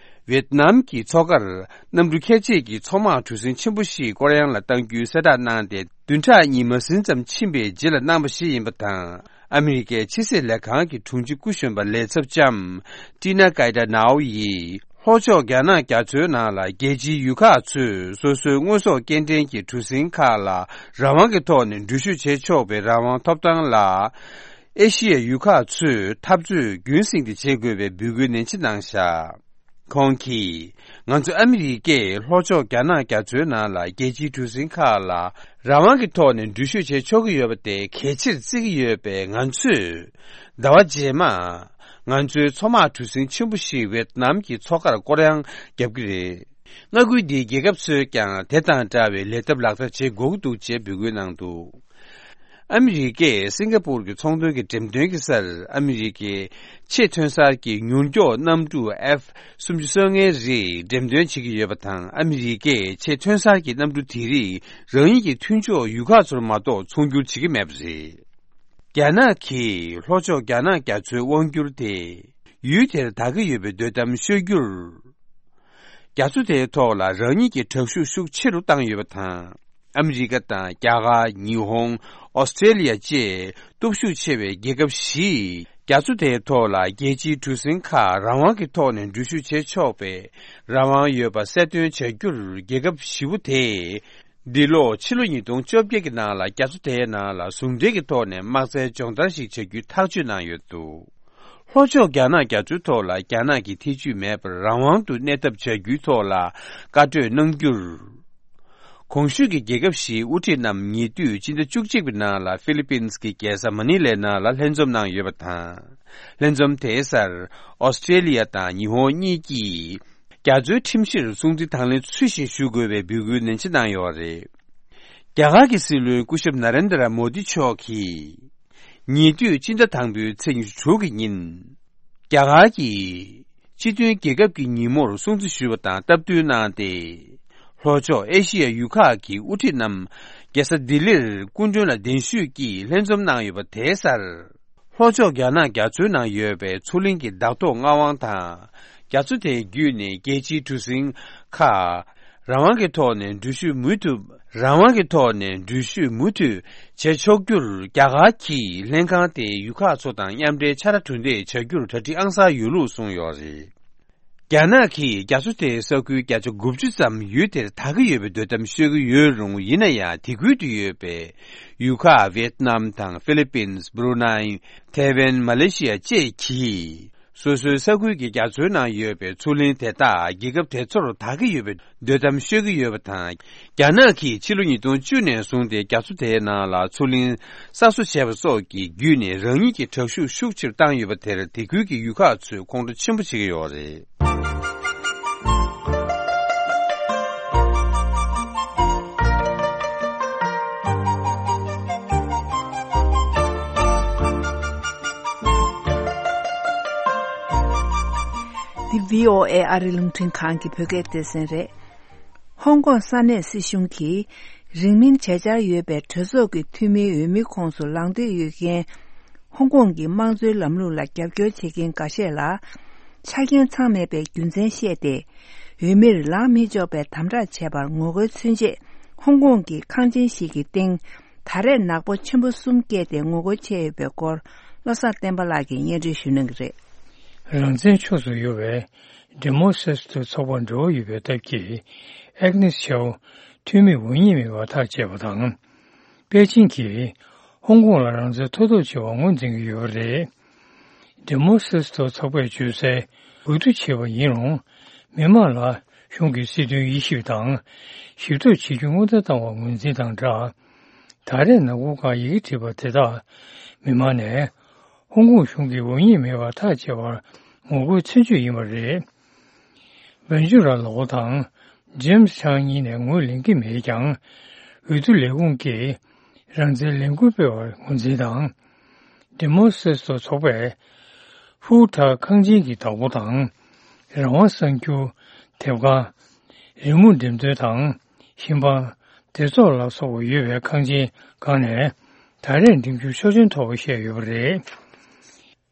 ཝེད་ནམ་གྱི་མཚོ་ཁར་གནམ་གྲུ་ཁྱད་ཆོས་ཀྱི་མཚོ་དམག་གྲུ་གཟིངས་ཆེན་པོ་ཞིག་སྐོར་གཡེང་ལ་གཏང་རྒྱུའི་གསལ་བསྒྲགས་གནང་སྟེ། བདུན་ཕྲག་གཉིས་མ་ཟིན་ཙམ་ཕྱིན་པའི་རྗེས་ལ་གནང་བ་ཞིག་ཡིན་པ་དང་། ཨ་མི་རི་ཀའི་ཕྱི་སྲིད་ལས་ཁང་གི་དྲུང་ཆེ་སྐུ་གཞོན་པ་ལས་ཚབ་ལྕམ་ཏི་ན་ཀའི་ཏྲ་ནའོ་ཡིས། ལྷོ་ཕྱོགས་རྒྱ་ནག་རྒྱ་མཚོའི་ནང་ལ་རྒྱལ་སྤྱིའི་ཡུལ་ཁག་ཚོས་སོ་སོའི་དངོས་ཟོག་སྐྱེལ་འདྲེན་གྱི་གྲུ་གཟིངས་ཁག་ལ་རང་དབང་གི་ཐོག་ནས་འགྲུལ་བཞུད་བྱེད་ཆོག་པའི་རང་དབང་ཐོབ་ཐང་ལ། ཨེ་ཤི་ཡའི་ཡུལ་ཁག་ཚོས་འཐབ་རྩོད་རྒྱུན་སྲིང་དུ་བྱེད་དགོས་པའི་འབོད་སྐུལ་ནན་ཆེ་གནང་བཞག། ཁོང་གིས། ང་ཚོ་ཨ་མི་རི་ཀས་ལྷོ་ཕྱོགས་རྒྱ་ནག་རྒྱ་མཚོའི་ནང་ལ་རྒྱལ་སྤྱིའི་གྲུ་གཟིངས་ཁག་ལ་རང་དབང་གི་ཐོག་ནས་འགྲུལ་བཞུད་བྱེད་ཆོག་གི་ཡོད་པ་དེ་གལ་ཆེར་བརྩི་གི་ཡོད་པས། ང་ཚོས་ཟླ་བ་རྗེས་མ་ང་ཚོའི་མཚོ་དམག་གྲུ་གཟིངས་ཆེན་པོ་ཞིག་ཝེད་ནམ་གྱི་མཚོ་ཁར་སྐོར་གཡེང་བརྒྱབ་ཀྱི་རེད། མངའ་ཁུལ་འདིའི་རྒྱལ་ཁབ་ཚོས་ཀྱང་དེ་དང་འདྲ་བའི་ལས་ཐབས་ལག་བསྟར་བྱེད་དགོས་ཀྱི་འདུག་ཅེས་འབོད་སྐུལ་གནང་འདུག། ཨ་མི་རི་ཀས་སིང་ག་པུར་གྱི་ཚོང་དོན་གྱི་འགྲེམས་སྟོན་གྱི་སར་ཨ་མི་རི་ཀའི་ཆེས་ཐོན་གསར་གྱི་མྱུར་མགྱོགས་གནམ་གྲུ་ཨེཕ་སུམ་ཅུ་སོ་ལྔའི་རིགས་འགྲེམས་སྟོན་བྱེད་ཀྱི་ཡོད་པ་དང་། ཨ་མི་རི་ཀས་ཆེས་ཐོན་གསར་གྱི་གནམ་གྲུ་དེ་རིགས་རང་ཉིད་ཀྱི་མཐུན་ཕྱོགས་ཡུལ་ཁག་ཚོར་མ་གཏོགས་ཚོང་སྒྱུར་བྱེད་ཀྱི་མེད་པ་རེད། རྒྱ་ནག་གིས་ལྷོ་ཕྱོགས་རྒྱ་ནག་རྒྱ་མཚོའི་དབང་སྒྱུར་དེ་ཡུལ་དེར་དར་གྱི་ཡོད་པའི་དོ་དམ་བཤད་རྒྱུར། རྒྱ་མཚོ་དེའི་ཐོག་ལ་རང་ཉིད་ཀྱི་དྲག་ཤུགས་ཤུགས་ཆེ་རུ་བཏང་ཡོད་པ་དང་། ཨ་མི་རི་ཀ་དང་རྒྱ་གར། ཉི་ཧོང་། ཨོ་སི་ཀྲེ་ལི་ཡ་བཅས་སྟོབས་ཤུགས་ཆེ་བའི་རྒྱལ་ཁབ་བཞིས་རྒྱ་མཚོ་དེའི་ཐོག་ལ་རྒྱལ་སྤྱིའི་གྲུ་གཟིངས་ཁག་རང་དབང་གི་ཐོག་ནས་འགྲུལ་བཞུད་བྱེད་ཆོག་པའི་རང་དབང་ཡོད་པ་གསལ་སྟོན་བྱ་རྒྱུར། རྒྱལ་ཁབ་བཞི་པོ་དེས་འདི་ལོ་ཕྱི་ལོ་ཉིས་སྟོང་བཅོ་བརྒྱད་ཀྱི་ནང་ལ་རྒྱ་མཚོ་དེའི་ནང་ལ་ཟུང་འབྲེལ་གྱི་ཐོག་ནས་དམག་རྩལ་སྦྱོང་བརྡར་ཞིག་བྱ་རྒྱུའི་ཐག་གཅོད་གནང་ཡོད་འདུག། ལྷོ་ཕྱོགས་རྒྱ་ནག་རྒྱ་མཚོའི་ཐོག་ལ་རྒྱ་ནག་གི་ཐེ་ཇུས་མེད་པར་རང་དབང་དུ་གནས་ཐབས་བྱ་རྒྱུའི་ཐོག་ལ་བཀའ་གྲོས་གནང་རྒྱུར། གོང་ཞུས་ཀྱི་རྒྱལ་ཁབ་བཞིའི་དབུ་ཁྲིད་རྣམས་ཉེ་དུས་སྤྱི་ཟླ་བཅུ་གཅིག་པའི་ནང་ལ་ཧྥི་ལི་པིན་གྱི་རྒྱལ་ས་མ་ནི་ལའི་ནང་ལ་ལྷན་འཛོམས་གནང་ཡོད་པ་དང་། ལྷན་འཛོམས་དེའི་སར་ཨོ་སི་ཀྲེ་ལི་ཡ་དང་ཉི་ཧོང་གཉིས་ཀྱིས་རྒྱ་མཚོའི་ཁྲིམས་གཞིར་སྲུང་བརྩི་དང་ལེན་ཚུལ་བཞིན་ཞུ་དགོས་པའི་འབོད་སྐུལ་ནན་ཆེ་གནང་ཡོད་པ་རེད། རྒྱ་གར་གྱི་སྲིད་བློན་སྐུ་ཞབས་ན་རེན་དྲ་མོ་དི་མཆོག་གིས། ཉེ་དུས་སྤྱི་ཟླ་དང་པོའི་ཚེས་ཉི་ཤུ་དྲུག་གི་ཉིན། རྒྱ་གར་གྱི་སྤྱི་མཐུན་རྒྱལ་ཁབ་ཀྱི་ཉིན་མོར་སྲུང་བརྩི་ཞུས་པ་དང་སྟབས་བསྟུན་གནང་སྟེ། ལྷོ་ཕྱོགས་ཨེ་ཤི་ཡ་ཡུལ་ཁག་གི་དབུ་ཁྲིད་རྣམས་རྒྱལ་ས་ལྡི་ལིར་སྐུ་མགྲོན་ལ་གདན་ཞུས་ཀྱིས་ལྷན་འཛོམས་གནང་ཡོད་པ་དེའི་སར། ལྷོ་ཕྱོགས་རྒྱ་ནག་རྒྱ་མཚོའི་ནང་ཡོད་པའི་མཚོ་གླིང་གི་བདག་ཐོག་མངའ་དབང་དང་། རྒྱ་མཚོ་དེ་བརྒྱུད་ནས་རྒྱལ་སྤྱིའི་གྲུ་གཟིངས་ཁག་རང་དབང་གི་ཐོག་ནས་འགྲུལ་བཞུད་མུ་མཐུད། རང་དབང་གི་ཐོག་ནས་འགྲུལ་བཞུད་མུ་མཐུད་བྱེད་ཆོག་རྒྱུར་རྒྱ་གར་གྱིས་ལྷན་ཁང་དེའི་ཡུལ་ཁག་ཚོ་དང་མཉམ་འབྲེལ་ཕྱག་ལས་གྲུ་འདེགས་བྱ་རྒྱུར་གྲ་སྒྲིག་ཨང་གསར་ཡོད་ལུགས་གསུངས་ཡོད་རེད། རྒྱ་ནག་གིས་རྒྱ་མཚོ་དེའི་ས་ཁུལ་བརྒྱ་ཆ་དགུ་བཅུ་ཙམ་ཡུལ་དེར་དག་གི་ཡོད་པའི་སྡོད་གཏམ་ཤོད་ཀྱི་ཡོད་རུང་། ཡིན་ན་ཡང་དེ་ཁུལ་དུ་ཡོད་པའི་ཡུལ་ཁག་ཝེད་ནམ་དང་ཧྥི་ལི་པིན། སྦ་རུ་ནའི། ཐའེ་ཝན། མ་ལེ་ཤི་ཡ་བཅས་ཀྱིས། སོ་སོའི་ས་ཁུལ་གྱི་རྒྱ་མཚོའི་ནང་ཡོད་པའི་མཚོ་གླིང་དེ་དག་རྒྱལ་ཁབ་དེ་ཚོར་དག་གི་ཡོད་པའི་སྡོད་གཏམ་ཤོད་ཀྱི་ཡོད་པ་དང་། རྒྱ་ནག་གིས་ཕྱི་ལོ་ཉིས་སྟོང་བཅུ་ནས་བཟུང་སྟེ་རྒྱ་མཚོ་དེའི་ནང་ལ་མཚོ་གླིང་གསར་བཟོ་བྱས་པ་སོགས་ཀྱི་བརྒྱུད་ནས་རང་ཉིད་ཀྱི་དྲག་ཤུགས་ཤུགས་ཆེར་བཏང་ཡོད་པ་དེར་དེ་ཁུལ་གྱི་ཡུལ་ཁག་ཚོས་ཁོང་ཁྲོ་ཆེན་པོ་བྱེད་ཀྱི་ཡོད་རེད། འདི་བྷི་ཨོ་ཨེ་ཨ་རིའི་རླུང་འཕྲིན་ཁང་གི་བོད་སྐད་སྡེ་ཚན་རེད། ཧོང་ཀོང་ས་གནས་སྲིད་གཞུང་གིས་རིང་མིན་བྱེད་འཆར་ཡོད་པའི་གྲོས་ཚོགས་ཀྱི་འཐུས་མིའི་འོས་མིའི་ཁོངས་སུ་ལངས་འདོད་ཡོད་མཁན། ཧོང་ཀོང་གི་དམངས་གཙོའི་ལམ་ལུགས་ལ་རྒྱབ་སྐྱོར་བྱེད་མཁན་འགའ་ཤས་ལ། ཆ་རྐྱེན་ཚང་མེད་པའི་རྒྱུ་མཚན་བཤད་དེ། འོས་མིར་ལངས་མི་ཆོག་པའི་དམ་དྲག་བྱས་པར་ངོ་རྒོལ་མཚོན་ཆེད། ཧོང་ཀོང་གི་ཁང་ཆེན་ཞིག་གི་སྟེང་། ད་རེས་ནག་པོ་ཆེན་པོ་གསུམ་བཀལ་ཏེ་ངོ་རྒོལ་བྱས་ཡོད་པའི་སྐོར། བློ་བཟང་བསྟན་པ་ལགས་ཀྱིས་སྙན་སྒྲོན་ཞུ་གནང་གི་རེད། རང་བཙན་ཕྱོགས་སུ་ཡོད་པའི་ཌི་མོ་སེ་སི་ཏོ་ཚོགས་པར་འབྲེལ་བ་ཡོད་པའི་སྟབས་ཀྱིས། ཨེག་ནེས་ཆའོ་འཐུས་མི་འོས་མིར་མེད་པར་ཐག་བཅད་པ་དང་། པེ་ཅིང་གིས་ཧོང་ཀོང་ལ་རང་བཙན་ཐོབ་ཐབས་བྱེད་པར་ངོས་འཛིན་གྱི་ཡོད་པ་རེད། ཌི་མོ་སེ་སི་ཏོ་ཚོགས་པས་བརྗོད་གསལ། འོས་བསྡུ་བྱས་པ་ཡིན་རུང་། མི་མང་ལ་གཞུང་གི་སྲིད་དོན་དབྱེ་ཞིབ་དང་། ཞིབ་བརྟག་བྱེད་རྒྱུ་སྔོན་བརྡ་བཏང་བར་ངོས་འཛིན་དང་སྦྲགས། ད་རེས་ནག་པོ་སྒང་ཡི་གེ་བྲིས་པ་དེ་དག་མི་མང་ནས། ཧོང་ཀོང་གཞུང་གིས་འོས་མིར་མེད་པར་ཐག་བཅད་པར་ངོ་རྒོལ་མཚོན་བྱེད་ཡིན་པ་རེད། བན་ཇུ་ར་ལའོ་དང་ཇེམ་སི་ཆང་གཉིས་ནས་ངོས་ལེན་གྱི་མེད་ཀྱང་། འོས་བསྡུ་ལས་ཁུངས་ཀྱིས་རང་བཙན་ལས་འགུལ་སྤེལ་བར་ངོས་འཛིན་དང་། ཌི་མོ་སེ་སི་ཏོ་ཚོགས་པས་ཧྥུའུ་ཐར་ཁང་ཆེན་གྱི་བདག་པོ་དང་། རང་དབང་གསར་འགྱུར། དེབ་ཁང་། རི་མོ་འགྲེམས་སྟོན་དང་། ཞིང་པ། སྡེ་ཚོགས་ལ་སོགས་པ་ཡོད་པའི་ཁང་ཆེན་སྒང་ནས་ད་རེས་འགྲིམ་འགྲུལ་ཆོག་མཆན་ཐོབ་པ་བཤད་ཡོད་པ་རེད།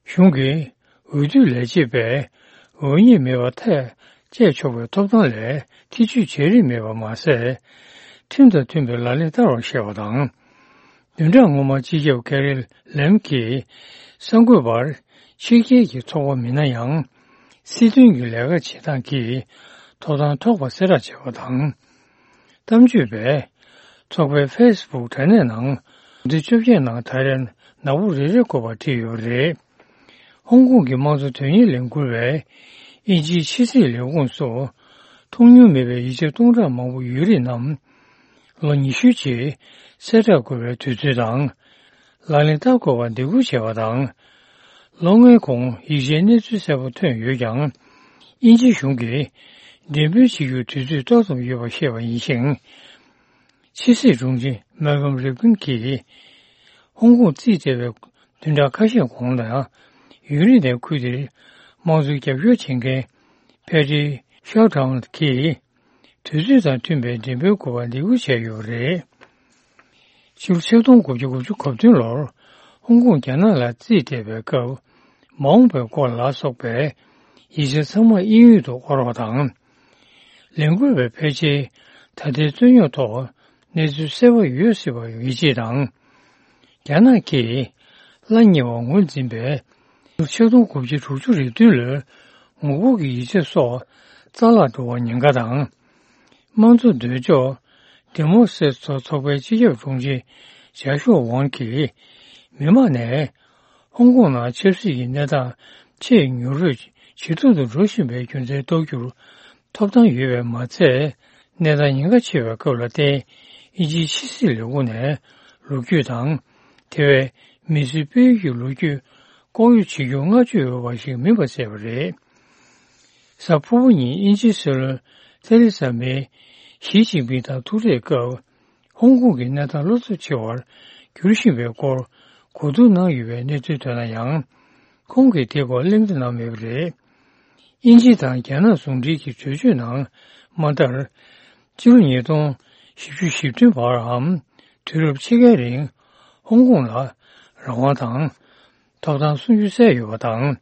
གཞུང་གིས་འོས་བསྡུ་ལས་བྱེད་པས་འོས་མིར་མེད་པར་ཐག་བཅད་ཆོག་པའི་ཐོབ་ཐང་ལས་ཐེ་བྱུས་བྱེད་རིན་མེད་པ་མ་ཟད། ཁྲིམས་དང་མཐུན་པའི་ལག་ལེན་བསྟར་བར་བཤད་པ་དང་། བདུན་ཕྲག་སྔོན་མ་སྤྱི་ཁྱབ་ཀེ་རི་ལེམ་གྱིས་གསར་འགོད་པར་ཕྱི་རྒྱལ་གྱི་ཚོགས་པ་མིན་ན་ཡང་། སྲིད་དོན་གྱི་ལས་ཀ་བྱེད་སྟངས་ཀྱི་ཐོབ་ཐང་ཐོབ་པ་གསལ་བསྒྲགས་བྱས་པ་དང་། གཏམ་བརྗོད་པས་ཚོགས་པའི་ཕེ་སི་བུག་དྲ་གནས་ནང་དེ་བཅོ་བརྒྱད་ནང་ད་རེས་ནག་པོ་རེ་རེ་བཀོད་པ་བྲིས་ཡོད་རེད། ཧོང་ཀོང་གི་དམངས་གཙོ་དོན་གཉེར་ལས་འགུལ་བས་དབྱིན་ཇིའི་ཕྱི་སྲིད་ལས་ཁུངས་སུ་མཐོང་མྱོང་མེད་པའི་ཡིག་ཆ་སྟོང་ཕྲག་མང་པོ་ཡོད་རིགས་རྣམས་ལོ་ཉི་ཤུའི་རྗེས་གསལ་བསྒྲགས་དགོས་པའི་དུས་ཚོད་དང་། ལག་ལེན་བསྟར་དགོས་པར་འདེད་འགོད་བྱས་པ་དང་། ལོ་ལྔའི་གོང་ཡིག་ཆའི་གནས་ཚུལ་གསལ་པོ་ཐོན་ཡོད་ཀྱང་། དབྱིན་ཇིའི་གཞུང་གིས་འགྲེམས་སྤེལ་བྱེད་རྒྱུར་དུས་ཚོད་ཏོག་ཙམ་ཡོད་པ་བཤད་པ་ཡིན་ཞིང་། ཕྱི་སྲིད་དྲུང་ཆེ་མལ་ཀམ་རིབ་ཀིན་གྱིས་ཧོང་ཀོང་རྩིས་སྤྲད་པའི་བདུན་ཕྲག་ཁ་ཤས་གོང་ལ་ཡུན་རིང་ནས་ཁུལ་དེར་དམངས་གཙོའི་རྒྱབ་སྐྱོར་བྱེད་མཁན་ཕེ་ཏྲི་ཤའོ་ཀྲང་གིས། དུས་ཚོད་དང་མཐུན་པའི་འགྲེམས་སྤེལ་དགོས་པར་འདེད་འགོད་བྱས་ཡོད་པ་རེད། ཕྱི་ལོ་ཆིག་སྟོང་དགུ་བརྒྱ་དགུ་བཅུ་གོ་བདུན་ལོར་ཧོང་ཀོང་རྒྱ་ནག་ལ་རྩིས་སྤྲད་པའི་སྐབས། མ་འོངས་པའི་སྐོར་ལ་སོགས་པའི་ཡིག་ཆ་ཚང་མ་དབྱིན་ཡིག་ཏུ་དབོར་བ་དང་། ལས་འགུལ་བའི་ཕལ་ཆེར་ད་ལྟའི་རྩོད་རྙོག་ཐོག་གནས་ཚུལ་གསལ་པོ་ཡོད་སྲིད་པར་ཡིད་ཆེས་དང་། རྒྱ་ནག་གིས་གླ་ཉེ་བར་ངོས་འཛིན་པའི་ཆིག་སྟོང་དགུ་བརྒྱ་དྲུག་ཅུ་རེ་བདུན་ལོའི་ངོ་རྒོལ་གྱི་ཡིག་ཆ་སོགས་རྩ་བརླག་འགྲོ་བར་ཉེན་ཁ་དང་། དམངས་གཙོ་འདོད་ཕྱོགས་ཌི་མོ་སེ་སི་ཏོ་ཚོགས་པའི་སྤྱི་ཁྱབ་དྲུང་ཆེ་ཇཱ་ཤུའ་ཝང་གིས། མི་མང་ནས་ཧོང་ཀོང་ནང་ཆབ་སྲིད་ཀྱི་གནས་སྟངས་ཆེས་མྱུར་པོས་ཇེ་སྡུག་ཏུ་འགྲོ་བཞིན་པའི་རྒྱུ་མཚན་རྟོགས་རྒྱུར་ཐོབ་ཐང་ཡོད་པས་མ་ཚད། གནས་སྟངས་ཉེན་ཁ་ཆེ་བའི་སྐབས་ལ་བརྟེན། དབྱིན་ཇིའི་ཕྱི་སྲིད་ལས་ཁུངས་ནས་ལོ་རྒྱུས་དང་། དེ་བས་མི་སེར་སྤེལ་ཡུལ་གྱི་ལོ་རྒྱུས་ལྐོག་གཡོ་བྱེད་རྒྱུར་བསྔགས་བརྗོད་འོས་པ་ཞིག་མིན་པ་གསལ་བ་རེད། གཟའ་ཕུར་བུ་ཉིན་དབྱིན་ཇིའི་སྲིད་བློན་ཐེ་རེ་ས་མེ་ཞི་ཅིན་ཕིང་དང་ཐུག་འཕྲད་སྐབས། ཧོང་ཀོང་གི་གནས་སྟངས་བློ་འཚབ་ཆེ་བར་འགྱུར་བཞིན་པའི་སྐོར་གོ་བསྡུར་གནང་ཡོད་པའི་གནས་ཚུལ་ཐོན་ན་ཡང་། ཁོང་གིས་དེའི་སྐོར་གླེང་བརྡ་གནང་མེད་པ་རེད། དབྱིན་ཇི་དང་རྒྱ་ནག་ཟུང་འབྲེལ་གྱི་གྲོས་ཆོད་ནང་མ་ལྟར། སྤྱི་ལོ་ཉིས་སྟོང་བཞི་བཅུ་ཞེ་བདུན་བར་འམ། དུས་རབས་ཕྱེད་ཀའི་རིང་ཧོང་ཀོང་ལ་རང་དབང་དང་། ཐོབ་ཐང་སྲུང་རྒྱུ་གསལ་ཡོད་པ་དང་།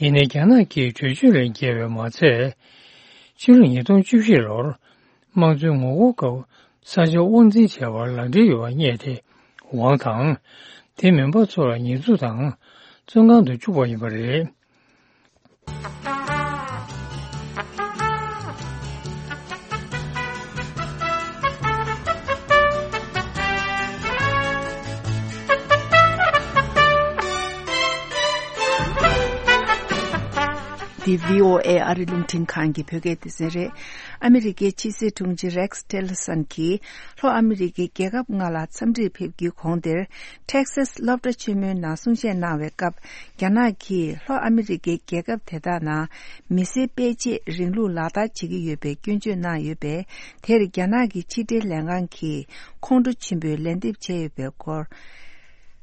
ཡིན་ནའི་རྒྱ་ནག་གིས་གྲོས་ཆོད་ལས་འགལ་བས་མ་ཚད། ཕྱི་ལོ་ཉིས་སྟོང་བཅུ་བཞི་ལོར་དམངས་གཙོའི་ངོ་རྒོལ་སྐབས་ས་ཆ་དབང་འཛིན་བྱས་པར་ལག་འབྲེལ་ཡོད་པ་རྙེད་དེ། ཝང་དང་། དེ་མིན་པ་ཚོ་ལ་ཉེས་འཛུགས་དང་བཙོན་ཁང་དུ་བཅུག་པ་ཡིན་པ་རེད། འདི་བྷི་ཨོ་ཨེ་ཨ་རི་རླུང་འཕྲིན་ཁང་གི་བོད་སྐད་སྡེ་ཚན་རེད། ཨ་མི་རི་ཀའི་ཕྱི་སྲིད་དྲུང་ཆེ་རེགས་ཊེ་ལི་སན་གྱིས་ལྷོ་ཨ་མི་རི་ཀའི་རྒྱལ་ཁབ་ལྔ་ལ་འཚམས་འདྲིར་ཕེབས་རྒྱུའི་གོང་དེར། ཊེག་སཱས་སློབ་གྲྭ་ཆེན་མོའི་ནང་གསུང་བཤད་གནང་བའི་སྐབས། རྒྱ་ནག་གིས་ལྷོ་ཨ་མི་རི་ཀའི་རྒྱལ་ཁབ་དེ་དག་ནང་མི་སེར་སྤེལ་ཆེད་རིང་ལུགས་ལག་བསྟར་བྱེད་ཀྱི་ཡོད་པའི་སྐྱོན་བརྗོད་གནང་ཡོད་པས། དེར་རྒྱ་ནག་གི་ཕྱི་འབྲེལ་ལས་ཁང་གིས་ཁོང་ཁྲོ་ཆེན་པོས་ལན་འདེབས་བྱས་ཡོད་པའི་སྐོར།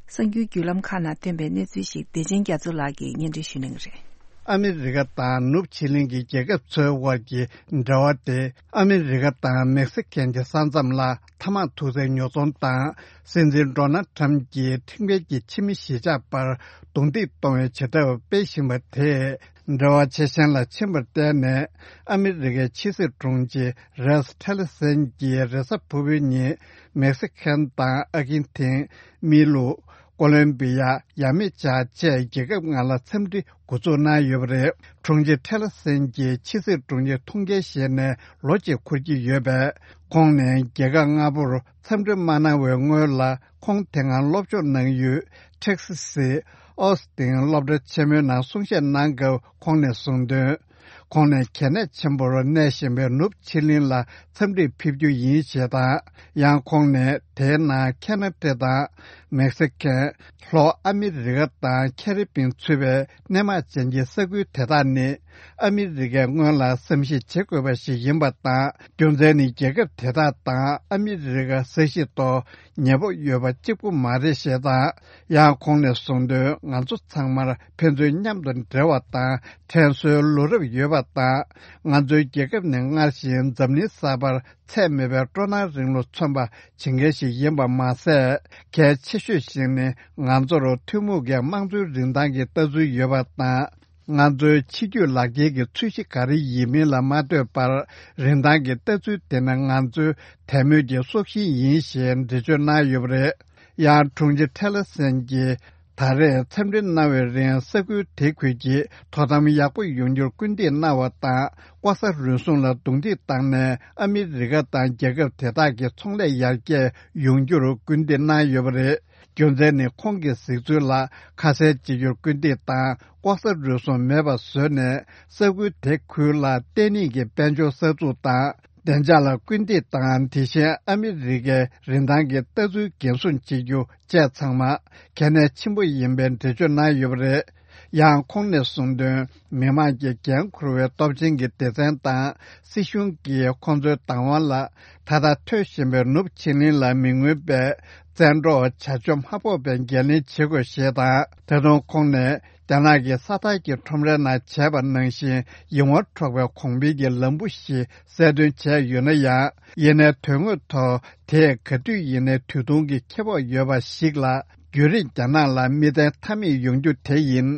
གསར་འགྱུར་བརྒྱུད་ལམ་ཁག་ནང་ཐོན་པའི་གནས་ཚུལ་ཞིག་བདེ་ཆེན་རྒྱ་མཚོ་ལགས་ཀྱིས་སྙན་སྒྲོན་ཞུ་གནང་གི་རེད། ཨ་མི་རི་ཀ་དང་ནུབ་ཕྱེད་གླིང་གི་རྒྱལ་ཁབ་ཚོའི་དབར་གྱི་འབྲེལ་བ་དེ། ཨ་མི་རི་ཀ་དང་མེག་སི་ཁན་གྱི་ས་མཚམས་ལ་ཐ་མག་འཐུ་སའི་ཉོ་ཚོང་དང་། སྲིད་འཛིན་ཌོ་ནལ་ཁྲམ་གྱིས་ཁྲིམས་འགལ་གྱི་ཕྱི་མི་གཞིས་ཆགས་བར་རྡུང་རྡེག་གཏོང་བའི་བྱེད་ཐབས་སྤེལ་བཞིན་པ་དེས། འབྲེལ་བ་ཇེ་ཞན་ལ་ཕྱིན་པར་བརྟེན་ནས། ཨ་མི་རི་ཀའི་ཕྱི་སྲིད་དྲུང་ཆེ་རེས་ཊེ་ལི་སན་གྱིས་རེས་གཟའ་ཕུར་བུའི་ཉིན་མེག་སི་ཁན་དང་ཨར་ཇེན་ཐིན། མི་ལུ། ཀོ་ལོམ་བི་ཡ། ཡ་མེ་ཅག་བཅས་རྒྱལ་ཁབ་ལྔ་ལ་འཚམས་འདྲི་འགོ་འཛུགས་གནང་ཡོད་པ་རེད། དྲུང་ཆེ་ཊེ་ལར་སན་གྱིས་ཕྱི་སྲིད་དྲུང་ཆེ་ཐུགས་འགན་བཞེས་ནས་ལོ་གཅིག་འཁོར་གྱི་ཡོད་པས། ཁོང་ནས་རྒྱལ་ཁབ་ལྔ་པོར་འཚམས་འདྲི་མ་གནང་བའི་སྔོན་ལ། ཁོང་དེ་སྔ་སློབ་སྦྱོང་གནང་ཡུལ་ཊེག་སི་སི་ཨོ་སི་ཏིན་སློབ་གྲྭ་ཆེན་མོའི་ནང་གསུང་བཤད་གནང་སྐབས་ཁོང་ནས་གསུངས་དོན། ཁོང་ནས་གལ་གནད་ཆེན་པོར་གནས་བཞིན་པའི་ནུབ་ཕྱེད་གླིང་ལ་འཚམས་འདྲིར་ཕེབས་རྒྱུ་ཡིན་ཞེས་དང་། ཡང་ཁོང་ནས་དེའི་ནང་ཁེ་ན་ཌ་དང་མེག་སི་ཁན། ལྷོ་ཨ་མི་རི་ཀ་དང་ཁེ་རི་པིན་ཚུད་པའི་སྣེ་མང་ཅན་གྱི་ས་ཁུལ་དེ་དག་ནི་ཨ་མི་རི་ཀས་སྔོན་ལ་བསམ་གཞིག་བྱེད་དགོས་པ་ཞིག་ཡིན་པ་དང་། རྒྱུ་མཚན་ནི་རྒྱལ་ཁབ་དེ་དག་དང་ཨ་མི་རི་ཀ་ས་གཞི་ཐོག་ཉེ་པོ་ཡོད་པ་གཅིག་པུ་མ་རེད་ཞེས་དང་། ཡང་ཁོང་ནས་གསུངས་དོན། ང་ཚོ་ཚང་མར་ཕན་ཚུན་མཉམ་དུ་འབྲེལ་བ་དང་དྲན་གསོའི་ལོ་རབས་ཡོད་པ་དང་། ང་ཚོའི་རྒྱལ་ཁབ་ནི་སྔར་བཞིན་འཛམ་གླིང་གསར་པར་ཚད་མེད་པའི་སྤྲོ་སྣང་རིང་ལུགས་མཚོན་པ་བྱེད་མཁན་ཞིག་ཡིན་པ་མ་ཟད། གལ་ཆེ་ཤོས་ཤིག་ནི་ང་ཚོར་ཐུན་མོང་གི་དམངས་གཙོའི་རིན་ཐང་གི་ལྟ་ཚུལ་ཡོད་པ་དང་། ང་ཚོའི་ཕྱི་རྒྱུད་ལག་འཁྱེར་གྱི་ཚོས་གཞི་ག་རེ་ཡིན་མིན་ལ་མ་ལྟོས་པར། རིན་ཐང་གི་ལྟ་ཚུལ་དེ་ནི་ང་ཚོའི་དད་མོས་ཀྱི་སྲོག་ཤིང་ཡིན་ཞེས་འགྲེལ་བརྗོད་གནང་ཡོད་པ་རེད། ཡང་དྲུང་ཆེ་ཐེ་ལར་སན་གྱིས་ད་རེས་འཚམས་འདྲི་གནང་བའི་རིང་ས་ཁུལ་དེ་ཁུལ་གྱི་དོ་དམ་ཡག་པོ་ཡོང་རྒྱུར་སྐུལ་འདེད་གནང་བ་དང་། ལྐོག་ཟ་རུལ་སུངས་ལ་རྡུང་རྡེག་བཏང་ནས་ཨ་མི་རི་ཀ་དང་རྒྱལ་ཁབ་དེ་དག་གི་ཚོང་ལས་ཡར་རྒྱས་ཡོང་རྒྱུར་སྐུལ་འདེད་གནང་ཡོད་པ་རེད། རྒྱུ་མཚན་ནི་ཁོང་གིས་གཟིགས་ཚུལ་ལ་ཁ་གསལ་བྱེད་རྒྱུར་སྐུལ་འདེད་དང་། ལྐོག་ཟ་རུལ་སུངས་མེད་པ་བཟོས་ནས་ས་ཁུལ་དེ་ཁུལ་ལ་བརྟན་ལྷིང་གི་དཔལ་འབྱོར་གསར་འཛུགས་དང་། བདེ་འཇགས་ལ་སྐུལ་འདེད་དང་། དེ་བཞིན་ཨ་མི་རི་ཀའི་རིན་ཐང་གི་ལྟ་ཚུལ་འགན་སྲུང་བྱེད་རྒྱུ་བཅས་ཚང་མ་གལ་གནད་ཆེན་པོ་ཡིན་པའི་འགྲེལ་བརྗོད་གནང་ཡོད་པ་རེད། ཡང་ཁོང་ནས་གསུངས་དོན། མི་དམངས་ཀྱི་འགན་འཁུར་བའི་སྟོབས་ཆེན་གྱི་སྡེ་ཚན་དང་། སྲིད་གཞུང་གིས་ཁོང་ཚོའི་བདག་དབང་ལ་ད་ལྟ་ཐོན་བཞིན་པའི་ནུབ་ཕྱེད་གླིང་ལ་མི་མངོན་པའི་བཙན་འཕྲོག་བྱ་སྤྱོད་མ་ཕོག་པའི་འགན་ལེན་བྱེད་དགོས་ཞེས་དང་། ད་དུང་ཁོང་ནས། རྒྱ་ནག་གིས་ས་ཐག་གི་ཁྲོམ་རའི་ནང་བྱས་པ་ནང་བཞིན་ཡིད་དབང་འཕྲོག་པའི་གོང་འཕེལ་གྱི་ལམ་བུ་ཞིག་གསལ་སྟོན་བྱས་ཡོད་ན་ཡང་། ཡིན་ནའི་དོན་དངོས་ཐོག་དེས་ག་དུས་ཡིན་ནའི་དུས་ཐུང་གི་ཁེ་སྤོགས་ཡོད་པ་ཞིག་ལ། བརྒྱུད་རིམ་རྒྱ་ནག་ལ་མིག་ལྟ་མཐའ་མེད་ཡོང་རྒྱུ་དེ་ཡིན།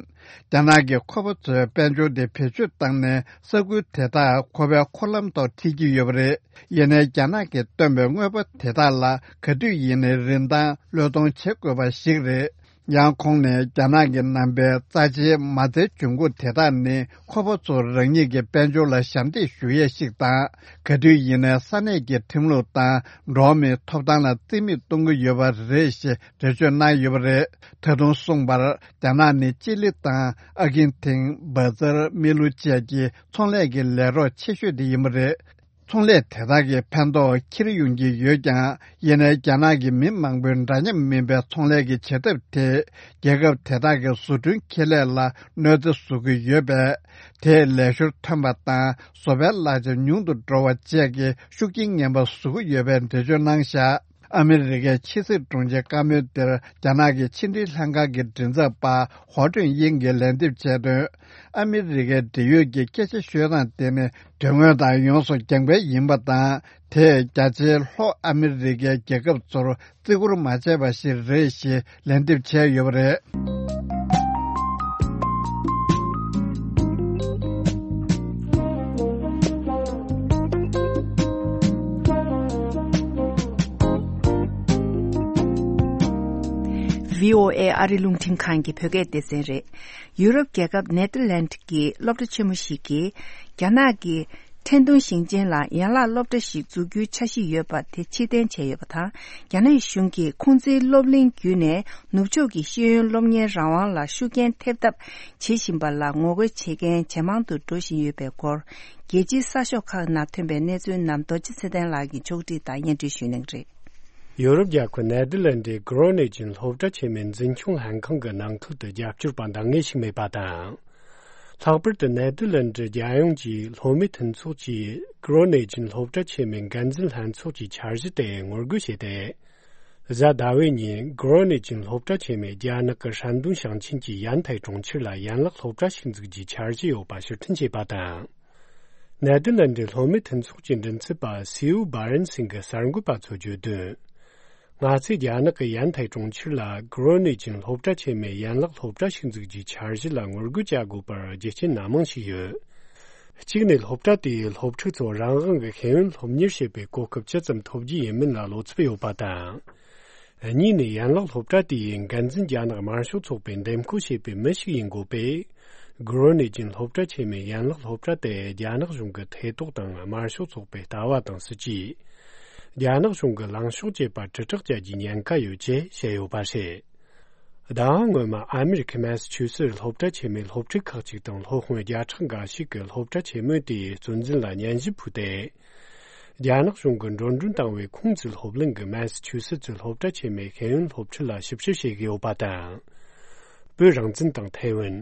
རྒྱ་ནག་གི་ཁོ་པ་ཚོས་དཔལ་འབྱོར་དེ་བེད་སྤྱོད་བཏང་ནས་ས་ཁུལ་དེ་དག་ཁོ་པའི་འཁོར་ལམ་ཐོག་ཁྲིད་ཀྱི་ཡོད་པ་རེད། ཡིན་ནའི་རྒྱ་ནག་གིས་བཏོན་པའི་དངོས་པོ་དེ་དག་ལ་ག་དུས་ཡིན་ནའི་རིན་ཐང་བློས་གཏོང་བྱེད་དགོས་པ་ཞིག་རེད། ཡང་ཁོང་ནས་རྒྱ་ནག་གི་ནང་པའི་རྩ་ཆེའི་མ་རྩའི་འབྱུང་ཁུངས་དེ་དག་ནི་ཁོ་པ་ཚོ་རང་ཉིད་ཀྱི་དཔལ་འབྱོར་ལ་ཞབས་འདེགས་ཞུ་ཡས་ཤིག་དང་། ག་དུས་ཡིན་ནའི་ས་གནས་ཀྱི་ཁྲིམས་ལུགས་དང་འགྲོ་བ་མིའི་ཐོབ་ཐང་ལ་རྩིས་མེད་གཏོང་གི་ཡོད་པ་རེད་ཞེས་འགྲེལ་བརྗོད་གནང་ཡོད་པ་རེད། ད་དུང་གསུངས་པར། རྒྱ་ནག་ནི་ཅི་ལི་དང་ཨར་ཇེན་ཐིན། བྷ་ཛར། མི་ལུ་བཅས་ཀྱི་ཚོང་ལས་ཀྱི་ལས་རོགས་ཆེ་ཤོས་དེ་ཡིན་པ་རེད། ཚོང་ལས་དེ་དག་གི་ཕན་ཐོགས་འཁྱེར་ཡོང་གི་ཡོད་ཀྱང་། ཡིན་ནའི་རྒྱ་ནག་གི་མི་མང་པོའི་འདྲ་མཉམ་མིན་པའི་ཚོང་ལས་ཀྱི་བྱེད་ཐབས་དེས་རྒྱལ་ཁབ་དེ་དག་གི་བཟོ་སྐྲུན་ཁེ་ལས་ལ་གནོད་འཚེ་བཟོ་གི་ཡོད་པས། དེས་ལས་ཤོར་ཐོན་པ་དང་བཟོ་པའི་གླ་ཆ་ཉུང་དུ་འགྲོ་བ་བཅས་ཀྱི་ཤུགས་རྐྱེན་ངན་པ་བཟོ་གི་ཡོད་པའི་འགྲེལ་བརྗོད་གནང་བཞག་ཨ་མི་རི་ཀའི་ཕྱི་སྲིད་དྲུང་ཆེའི་བཀའ་མོལ་དེར་རྒྱ་ནག་གི་ཕྱི་འབྲེལ་ལྷན་ཁང་གི་མགྲིན་ཚབ་པ་ཧོ་ཀྲུན་དབྱིང་གིས་ལན་འདེབས་བྱས་དོན། ཨ་མི་རི་ཀའི་འབྲེལ་ཡོད་ཀྱི་སྐད་ཆ་ཤོད་སྟངས་དེ་ནི་དོན་དངོས་དང་ཡོངས་སུ་འགལ་བ་ཡིན་པ་དང་། དེས་རྒྱ་ཆེའི་ལྷོ་ཨ་མི་རི་ཀའི་རྒྱལ་ཁབ་ཚོར་བརྩི་བཀུར་མ་བྱས་པ་ཞིག་རེད་ཞེས་ལན་འདེབས་བྱས་ཡོད་པ་རེད། བྷི་ཨོ་ཨེ་ཨ་རི་རླུང་འཕྲིན་ཁང་གི་བོད་སྐད་སྡེ་ཚན་རེད། ཡུ་རོབ་རྒྱལ་ཁབ་ནེ་ཐར་ལན་གྱི་སློབ་གྲྭ་ཆེན་མོ་ཞིག་གིས། རྒྱ་ནག་གི་ཁྲེང་ཏུང་ཞིང་ཆེན་ལ་ཡན་ལག་སློབ་གྲྭ་ཞིག་འཛུགས་རྒྱུའི་འཆར་གཞི་ཡོད་པ་དེ་ཕྱིར་འཐེན་བྱས་ཡོད་པ་དང་། རྒྱ་ནག་གཞུང་གིས་ཁུང་ཙིའི་སློབ་གླིང་བརྒྱུད་ནས་ནུབ་ཕྱོགས་ཀྱི་ཤེས་ཡོན་སློབ་གཉེར་རང་དབང་ལ་ཤུགས་རྐྱེན་ཐེབས་ཐབས་བྱེད་བཞིན་པ་ལ་ངོ་རྒོལ་བྱེད་མཁན་ཇེ་མང་དུ་འགྲོ་བཞིན་ཡོད་པའི་སྐོར། རྒྱལ་སྤྱིའི་གསར་ཤོག་ཁག་ནང་ཐོན་པའི་གནས་ཚུལ་རྣམས་རྡོ་རྗེ་ཚེ་བརྟན་ལགས་ཀྱིས་ཕྱོགས་སྒྲིག་དང་སྙན་སྒྲོན་ཞུ་གནང་གི་རེད། ཡོ་རོབ་རྒྱལ་ཁབ་ནེ་དར་ལན་ཌའི་གྷི་རོ་ནེ་ཅན་སློབ་གྲྭ་ཆེན་མོའི་འཛིན་སྐྱོང་ལྷན་ཁང་གི་ནང་ཁུལ་དུ་རྒྱབ་སྐྱོར་པ་འདང་ངེས་ཤིག་མེད་པ་དང་། ལྷག་པར་དུ་ནེ་དར་ལན་ཌི་རྒྱལ་ཡོངས་ཀྱི་སློབ་མའི་མཐུན་ཚོགས་ཀྱིས་གྷི་རོ་ནེ་ཅན་སློབ་གྲྭ་ཆེན་མོའི་འགན་འཛིན་ལྷན་ཚོགས་ཀྱི་འཆར་གཞི་དེ་ངོ་རྒོལ་བྱས་ཏེ། གཟའ་ཟླ་བའི་ཉིན་གྷི་རོ་ནེ་ཅན་སློབ་གྲྭ་ཆེན་མོས་རྒྱ་ནག་གི་ཧྲན་ཏུང་ཞིང་ཆེན་གྱི་ཡན་ཐའེ་གྲོང་ཁྱེར་ལ་ཡན་ལག་སློབ་གྲྭ་ཞིག་འཛུགས་རྒྱུའི་འཆར་གཞི་ཡོད་པ་ཕྱིར་འཐེན་བྱས་པ་དང་། ནེ་དར་ལན་ཌའི་སློབ་མའི་མཐུན་ཚོགས་ཀྱི་མགྲིན་ཚབ་པ་སིའུ་སྦ་རན་སིང་གིས་གསར་འགོད་པ་ཚོར་བརྗོད་དོན། ང་ཚོས་རྒྱ་ནག་གི་ཡན་ཐའེ་གྲོང་ཁྱེར་ལ་གྷི་རོ་ནེ་ཅན་སློབ་གྲྭ་ཆེན་མོའི་ཡན་ལག་སློབ་གྲྭ་ཞིག་འཛུགས་རྒྱུའི་འཆར་གཞི་ལ་ངོ་རྒོལ་བྱ་དགོས་པར་རྒྱུ་རྐྱེན་སྣ་མང་ཞིག་ཡོད། གཅིག་ནས་སློབ་གྲྭ་དེས་སློབ་ཕྲུག་ཚོར་རང་དབང་གི་ཤེས་ཡོན་སློབ་གཉེར་བྱེད་པའི་གོ་སྐབས་ཇི་ཙམ་ཐོབ་རྒྱུ་ཡིན་མིན་ལ་བློ་འཚབ་ཡོད་པ་དང་། གཉིས་ནས་ཡན་ལག་སློབ་གྲྭ་དེའི་འགན་འཛིན་རྒྱ་ནག་དམར་ཤོག་ཚོགས་པས་འདེམས་བསྐོ་བྱས་པའི་མི་ཞིག་ཡིན་དགོས་པས། གྷི་རོ་ནེ་ཅན་སློབ་གྲྭ་ཆེན་མོའི་ཡན་ལག་སློབ་གྲྭ་དེ་རྒྱ་ནག་གཞུང་གི་ཐེ་གཏོགས་དང་དམར་ཤོག་ཚོགས་པའི་ལྟ་བ་དང་སྲིད་ཇུས། རྒྱ་ནག་གཞུང་གི་ལངས་ཕྱོགས་བཅས་པར་དྲིལ་བསྒྲགས་བྱ་རྒྱུའི་ཉེན་ཁ་ཡོད་ཅེས་བཤད་ཡོད་པ་རེད། ཟླ་བ་སྔོན་མ་ཨ་མེ་རི་ཁའི་མེ་སི་ཆུ་སེ་སློབ་གྲྭ་ཆེན་མོའི་སློབ་ཕྲུག་ཁག་ཅིག་དང་སློབ་དཔོན་བརྒྱ་ཕྲག་འགའ་ཞིག་གིས་སློབ་གྲྭ་ཆེན་མོ་དེའི་གཙོ་འཛིན་ལ་སྙན་ཞུ་ཕུལ་ཏེ། རྒྱ་ནག་གཞུང་གིས་འགྲོ་གྲོན་བཏང་བའི་ཁུང་ཙི་སློབ་གླིང་གི་མེ་སི་ཆུ་སེ་ཙི་སློབ་གྲྭ་ཆེན་མོའི་ཤེས་ཡོན་སློབ་ཁྲིད་ལ་ཞིབ་བཤེར་བྱེད་ཀྱི་ཡོད་པ་དང་། བོད་རང་བཙན་དང་ཐའེ་ཝན།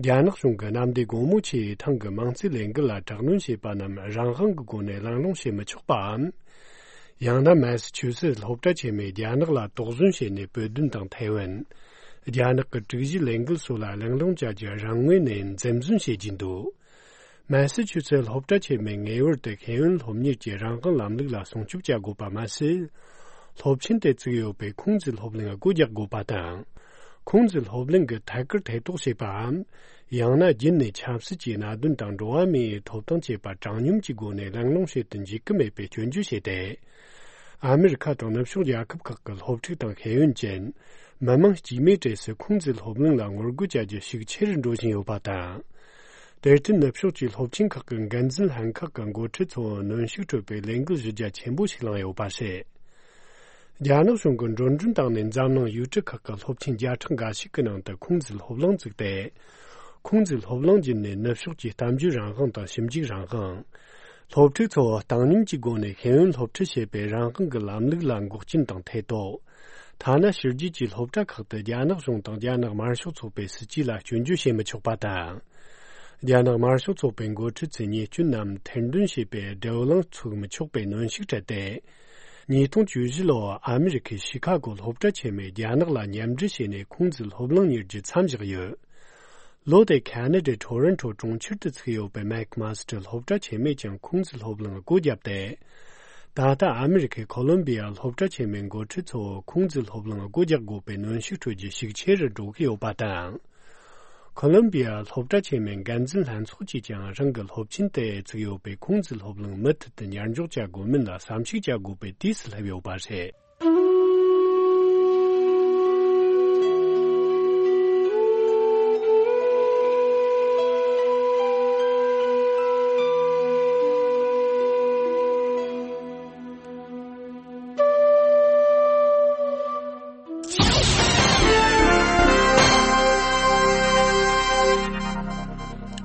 རྒྱ་ནག་གཞུང་གི་གནམ་བདེ་སྒོ་མོ་ཆེའི་ཐང་གི་མིང་ཚིག་ལས་འགུལ་ལ་དྲག་གནོན་བྱས་པ་རྣམས་རང་དབང་གི་སྒོ་ནས་གླེང་སློང་བྱེད་མི་ཆོག་པའམ། ཡང་ན་མེ་སི་ཆུ་སེ་ཙི་སློབ་གྲྭ་ཆེན་མོས་རྒྱ་ནག་ལ་དོགས་ཟོན་བྱས་ནས་བོད་དོན་དང་ཐའེ་ཝན། རྒྱ་ནག་གི་དྲུག་གཞིའི་ལས་འགུལ་སོགས་ལ་གླེང་སློང་བྱ་རྒྱུ་རང་ངོས་ནས་འཛེམ་ཟོན་བྱེད་ཀྱིན་འདུག་མེ་སི་ཆུ་སེ་ཙི་སློབ་གྲྭ་ཆེན་མོས་ངེས་པར་དུ་ཤེས་ཡོན་སློབ་གཉེར་གྱི་རང་དབང་ལམ་ལུགས་ལ་སྲུང་སྐྱོབ་བྱ་དགོས་པ་མ་ཟད། སློབ་ཆེན་དེ་བཙུགས་ཡོད་པའི་ཁུང་ཙི་སློབ་གླིང་སྒོ་རྒྱག་དགོས་པ་དང་། ཁུང་ཙི་སློབ་གླིང་གི་ཐད་ཀར་ཐེ་གཏོགས་བྱེད་པའམ། ཡང་ན་རྒྱུན་ནས་ཆབ་སྲིད་ཀྱི་གནད་དོན་དང་འགྲོ་བ་མིའི་ཐོབ་ཐང་བཅས་པ་དྲང་སྙོམས་ཀྱི་སྒོ་ནས་གླེང་སློང་བྱེད་དུ་འཇུག་གི་མེད་པའི་སྐྱོན་བརྗོད་བྱས་ཏེ། ཨ་མེ་རི་ཁ་དང་ནུབ་ཕྱོགས་རྒྱལ་ཁབ་ཁག་གི་སློབ་ཕྲུག་དང་ཤེས་ཡོན་ཅན། མི་མང་དཀྱུས་མའི་གྲས་སུ་ཁུང་ཙི་སློབ་གླིང་ལ་ངོ་རྒོལ་བྱ་རྒྱུ་ཤུགས་ཆེ་རུ་འགྲོ་བཞིན་ཡོད་པ་དང་། དེར་བརྟེན་ནུབ་ཕྱོགས་ཀྱི་སློབ་ཆེན་ཁག་གི་འགན་འཛིན་ལྷན་ཁག་གི་འགོ་ཁྲིད་ཚོ་གནོན་ཤུགས་སྤྲོད་པའི་ལས་འགུལ་གཞི་རྒྱ་ཆེན་པོ་ཞིག་བསླངས་ཡོད་པ་རེད། རྒྱ་ནག་གཞུང་གིས་འགྲོ་གྲོན་བཏང་ནས་འཛམ་གླིང་ཡུལ་གྲུ་ཁག་གི་སློབ་ཆེན་བརྒྱ་ཕྲག་འགའ་ཞིག་གི་ནང་དུ་ཁུང་ཙི་སློབ་གླིང་བཙུགས་ཏེ། ཁུང་ཙི་སློབ་གླིང་བརྒྱུད་ནས་ནུབ་ཕྱོགས་ཀྱི་གཏམ་བརྗོད་རང་དབང་དང་ཞིབ་འཇུག་རང་དབང་། སློབ་ཕྲུག་ཚོ་བཏང་སྙོམས་ཀྱི་སྒོ་ནས་ཤེས་ཡོན་སློབ་ཁྲིད་བྱེད་པའི་རང་དབང་གི་ལམ་ལུགས་ལ་འགོག་རྐྱེན་དང་ཐེ་གཏོགས། ཐ་ན་ཕྱི་རྒྱལ་གྱི་སློབ་གྲྭ་ཁག་ཏུ་རྒྱ་ནག་གཞུང་དང་རྒྱ་ནག་དམར་ཤོག་ཚོགས་པའི་སྲིད་ཇུས་ལ་སྐྱོན་བརྗོད་བྱེད་མི་ཆོག་པ་དང་། རྒྱ་ནག་དམར་ཤོག་ཚོགས་པའི་འགོ་ཁྲིད་ཚོའི་ཉེས་སྐྱོན་རྣམས་ཐེར་འདོན་བྱེད་པའི་བགྲོ་གླེང་ཚུགས་མི་ཆོག་པའི་གནོན་ཤུགས་སྤྲད་དེ། ཉིས་སྟོང་བཅུ་བཞི་ལོར་ཨ་མེ་རི་ཁའི་ཤི་ཁ་གོ་སློབ་གྲྭ་ཆེན་མོས་རྒྱ་ནག་ལ་མཉམ་འབྲེལ་བྱས་ནས་ཁུང་ཙི་སློབ་གླིང་གཉེར་རྒྱུ་མཚམས་བཞག་ཡོད། ལོ་དེར་ཁ་ན་ཌའི་ཊོ་རོན་ཊོ་གྲོང་ཁྱེར་དུ་ཚུགས་ཡོད་པའི་མེག་མ་སི་ཊར་སློབ་གྲྭ་ཆེན་མོས་ཀྱང་ཁུང་ཙི་སློབ་གླིང་སྒོ་བརྒྱབ་སྟེ། ད་ལྟ་ཨ་མེ་རི་ཁའི་ཁོ་ལོམ་བི་ཡ་སློབ་གྲྭ་ཆེན་མོའི་འགོ་ཁྲིད་ཚོ་ཁུང་ཙི་སློབ་གླིང་སྒོ་རྒྱག་དགོས་པའི་གནོན་ཤུགས་སྤྲོད་རྒྱུ་ཤུགས་ཆེ་རུ་འགྲོ་གི་ཡོད་པ་དང་། ཁོ་ལོམ་བི་ཡ་སློབ་གྲྭ་ཆེན་མོའི་འགན་འཛིན་ལྷན་ཚོགས་ཀྱིས་ཀྱང་རང་གི་སློབ་ཆེན་དེ་བཙུགས་ཡོད་པའི་ཁུང་ཙི་སློབ་གླིང་མུ་མཐུད་དུ་ཉར་འཇོག་བྱ་དགོས་མིན་ལ་བསམ་གཞིག་བྱ་དགོས་པའི་དུས་སུ་སླེབས་ཡོད་པ་རེད།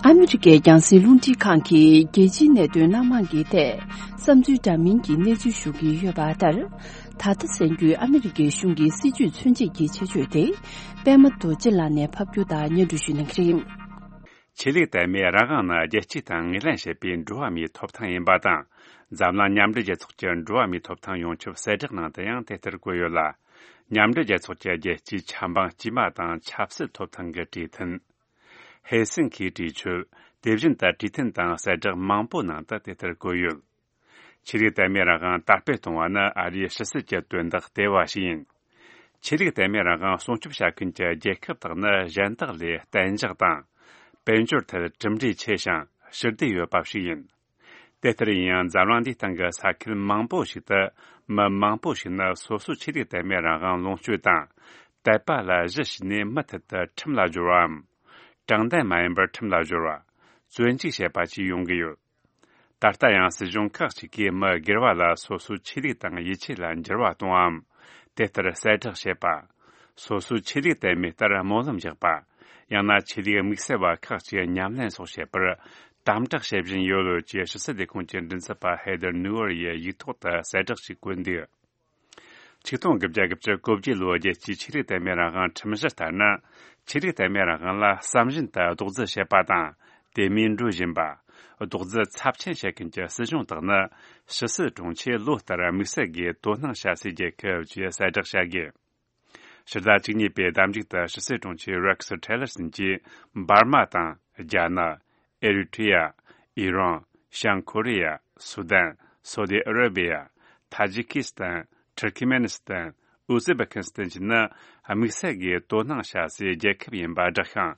ཨ་མི་རི་ཀའི་རྒྱང་སྲིང་རླུང་འཕྲིན་ཁང་གིས་རྒྱལ་སྤྱིའི་གནད་དོན་སྣ་མང་གི་ཐད་བསམ་ཚུལ་འདྲ་མིན་གྱི་གནས་ཚུལ་ཞུ་གི་ཡོད་པ་ལྟར། ད་ལྟ་གསན་རྒྱུའི་ཨ་མི་རི་ཀའི་གཞུང་གི་སྲིད་བྱུས་མཚོན་བྱེད་ཀྱི་ཆེད་བརྗོད་དེ། པད་མ་རྡོ་རྗེ་ལགས་ནས་ཕབ་སྒྱུར་དང་སྙན་སྒྲོན་ཞུ་གནང་གི་རེད། ཆོས་ལུགས་དད་མོས་རང་དབང་ནི་རྒྱལ་སྤྱིའི་སྟེང་ངོས་ལེན་བྱེད་པའི་འགྲོ་བ་མིའི་ཐོབ་ཐང་ཡིན་པ་དང་། འཛམ་གླིང་མཉམ་འབྲེལ་རྒྱལ་ཚོགས་ཀྱི་འགྲོ་བ་མིའི་ཐོབ་ཐང་ཡོངས་ཁྱབ་གསལ་བསྒྲགས་ནང་དུ་ཡང་དེ་ལྟར་བཀོད་ཡོད་ལ། མཉམ་འབྲེལ་རྒྱལ་ཚོགས་ཀྱི་རྒྱལ་སྤྱིའི་ཆབ་འབངས་དཀྱུས་མ་དང་ཆབ་སྲིད་ཐོབ་ཐང་གི་གྲོས་མཐུན། ཧེལ་སིན་ཁིའི་གྲོས་ཆོད། དེ་བཞིན་དུ་གྲོས་མཐུན་དང་གསལ་བསྒྲགས་མང་པོའི་ནང་དུ་དེ་ལྟར་བཀོད་ཡོད། ཆོས་ལུགས་དད་མོས་རང་དབང་དར་སྤེལ་གཏོང་བ་ནི་ཨ་རིའི་ཕྱི་སྲིད་ཀྱི་དོན་དག་ལྟེ་བ་ཞིག་ཡིན། ཆོས་ལུགས་དད་མོས་རང་དབང་སྲུང་སྐྱོབ་བྱ་མཁན་གྱི་རྒྱལ་ཁབ་དག་ནི་གཞན་དག་ལས་གཏན་འཇགས་དང་། དཔལ་འབྱོར་ཐད་གྲུབ་འབྲས་ཆེ་ཞིང་ཞི་བདེ་ཡོད་པ་ཞིག་ཡིན། དེ་ལྟར་ཡིན་ཡང་འཛམ་གླིང་འདིའི་སྟེང་གི་ས་ཁུལ་མང་པོ་ཞིག་ཏུ་མི་མང་པོ་ཞིག་ནི་སོ་སོའི་ཆོས་ལུགས་དད་མོས་རང་དབང་ལོངས་སྤྱོད་དང་ དད་པ་ལ་གཞི་བྱས་ནས་མུ་མཐུད་དུ་ཁྲིམས་ལ་སྦྱོར་བའམ། དྲང་བདེན་མ་ཡིན་པར་ཁྲིམས་ལ་སྦྱོར་བ། བཙོན་འཇུག་བྱེད་པ་བཅས་ཡོང་གི་ཡོད། ད་ལྟ་ཡང་སྲིད་གཞུང་ཁག་ཅིག་གིས་མི་སྒེར་བ་ལ་སོ་སོའི་ཆོས་ལུགས་དང་ཡིད་ཆེས་ལ་འགྱུར་བ་གཏོང་བའམ། དེ་ལྟར་གསལ་བསྒྲགས་བྱེད་པ། སོ་སོའི་ཆོས་ལུགས་དད་མོས་ལྟར་སྨོན་ལམ་རྒྱག་པ། ཡང་ན་ཆོས་ལུགས་དམིགས་བསལ་བ་ཁག་ཅིག་ཉམས་ལེན་སོགས་བྱེད་པར་དམ་དྲག་བྱེད་བཞིན་ཡོད་ལོ་ཅེས་ཕྱི་སྲིད་ལས་ཁུངས་ཀྱི་མགྲིན་ཚབ་པ་ཧེ་དར་ནུའུ་ཨར་ཡིས་ཡིག་ཐོག་ཏུ་གསལ་བསྒྲགས་ཤིག་བཀོད་འདུག། ཆིག་སྟོང་དགུ་བརྒྱ་དགུ་བཅུ་གོ་བརྒྱད་ལོའི་རྒྱལ་སྤྱིའི་ཆོས་ལུགས་དད་མོས་རང་དབང་ཁྲིམས་གཞི་ལྟར་ན། ཆོས་ལུགས་དད་མོས་རང་དབང་ལ་བསམ་བཞིན་དུ་རྡོག་རྫིས་བྱེད་པ་དང་། དེ་མིན་འགྲོ་བཞིན་པ། རྡོག་རྫིས་ཚབས་ཆེན་བྱེད་མཁན་གྱི་སྲིད་གཞུང་དག་ནི། ཕྱི་སྲིད་དྲུང་ཆེས་ལོ་ལྟར་དམིགས་བསལ་གྱིས་དོ་སྣང་བྱ་སའི་རྒྱལ་ཁབ་ཅེས་གསལ་བསྒྲགས་བྱ་དགོས། ཕྱི་ཟླ་བཅུ་གཉིས་པའི་ཟླ་མཇུག་ཏུ་ཕྱི་སྲིད་དྲུང་ཆེ་རེག་སི་ཊི་ལར་སན་གྱིས་འབར་མ་དང་རྒྱ་ནག། ཨེ་རི་ཊི་རི་ཡ། ཨི་རན། བྱང་ཁོ་རི་ཡ། སུ་དན། སོ་དི་ཨ་ར་བི་ཡ། ཐ་ཇི་ཀི་སི་ཐན། ཐུར་ཁི་མེ་ནི་སི་ཐན། ཨུ་ཛི་བེ་ཁི་སི་ཐན་བཅས་ནི་དམིགས་བསལ་གྱིས་དོ་སྣང་བྱ་སའི་རྒྱལ་ཁབ་ཡིན་པ་བསྒྲགས་ཤིང་།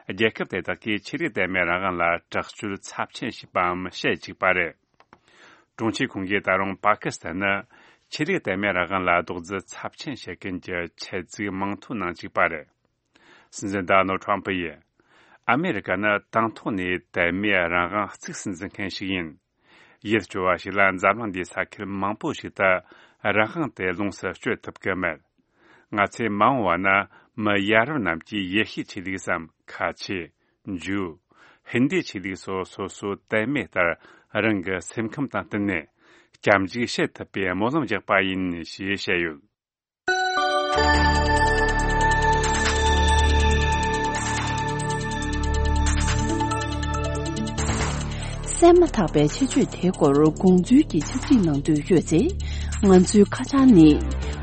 རྒྱལ་ཁབ་དེ་དག་གིས་ཆོས་ལུགས་དད་མོས་རང་དབང་ལ་དྲག་སྤྱོད་ཚབས་ཆེན་བྱས་པའམ་བྱེད་བཅུག་པ་རེད། དྲུང་ཆེ་ཁོང་གིས་ད་རུང་པ་ཀི་སི་ཐན་ནི་ཆོས་ལུགས་དད་མོས་རང་དབང་ལ་རྡོག་རྫིས་ཚབས་ཆེན་བྱེད་མཁན་གྱི་ཆེད་བཙུགས་མིང་ཐོའི་ནང་གཅིག་པ་རེད། སྲིད་འཛིན་ཌོ་ནལ་ཌི་ཊརམ་ཕུ་ཡིས། ཨ་མེ་རི་ཀ་ནི་དང་ཐོག་ནས་དད་མོས་རང་དབང་གཙིགས་སུ་འཛིན་མཁན་ཞིག་ཡིན། ཡུལ་སྐྱོ་བ་ཞིག་ལ་འཛམ་གླིང་འདིའི་ས་ཁུལ་མང་པོ་ཞིག་ཏུ་རང་དབང་དེ་ལོངས་སུ་སྤྱོད་ཐུབ་ཀྱི་མེད། ང་ཚོས་མ་འོངས་པ་ན་མི་ཡ་རབས་རྣམས་ཀྱིས་ཡེ་ཤུའི་ཆོས་ལུགས་སམ་ཁ་ཆེ། ཇུའུ། ཧིན་དུའི་ཆོས་ལུགས་སོགས་སོ་སོའི་དད་མོས་ལྟར་རང་གི་སེམས་ཁམས་དང་བསྟུན་ནས་སྐྱབས་འཇུག་བྱེད་ཐུབ་པའི་སྨོན་ལམ་རྒྱག་པ་ཡིན་ཞེས་བཤད་ཡོད། གསན་མ་ཐག་པའི་ཆེད་བརྗོད་དེའི་སྐོར་དགོངས་ཚུལ་གྱི་ཆེད་བརྗོད་གནང་འདོད་ཡོད་ཚེ། ང་ཚོའི་ཁ་བྱང་ནི།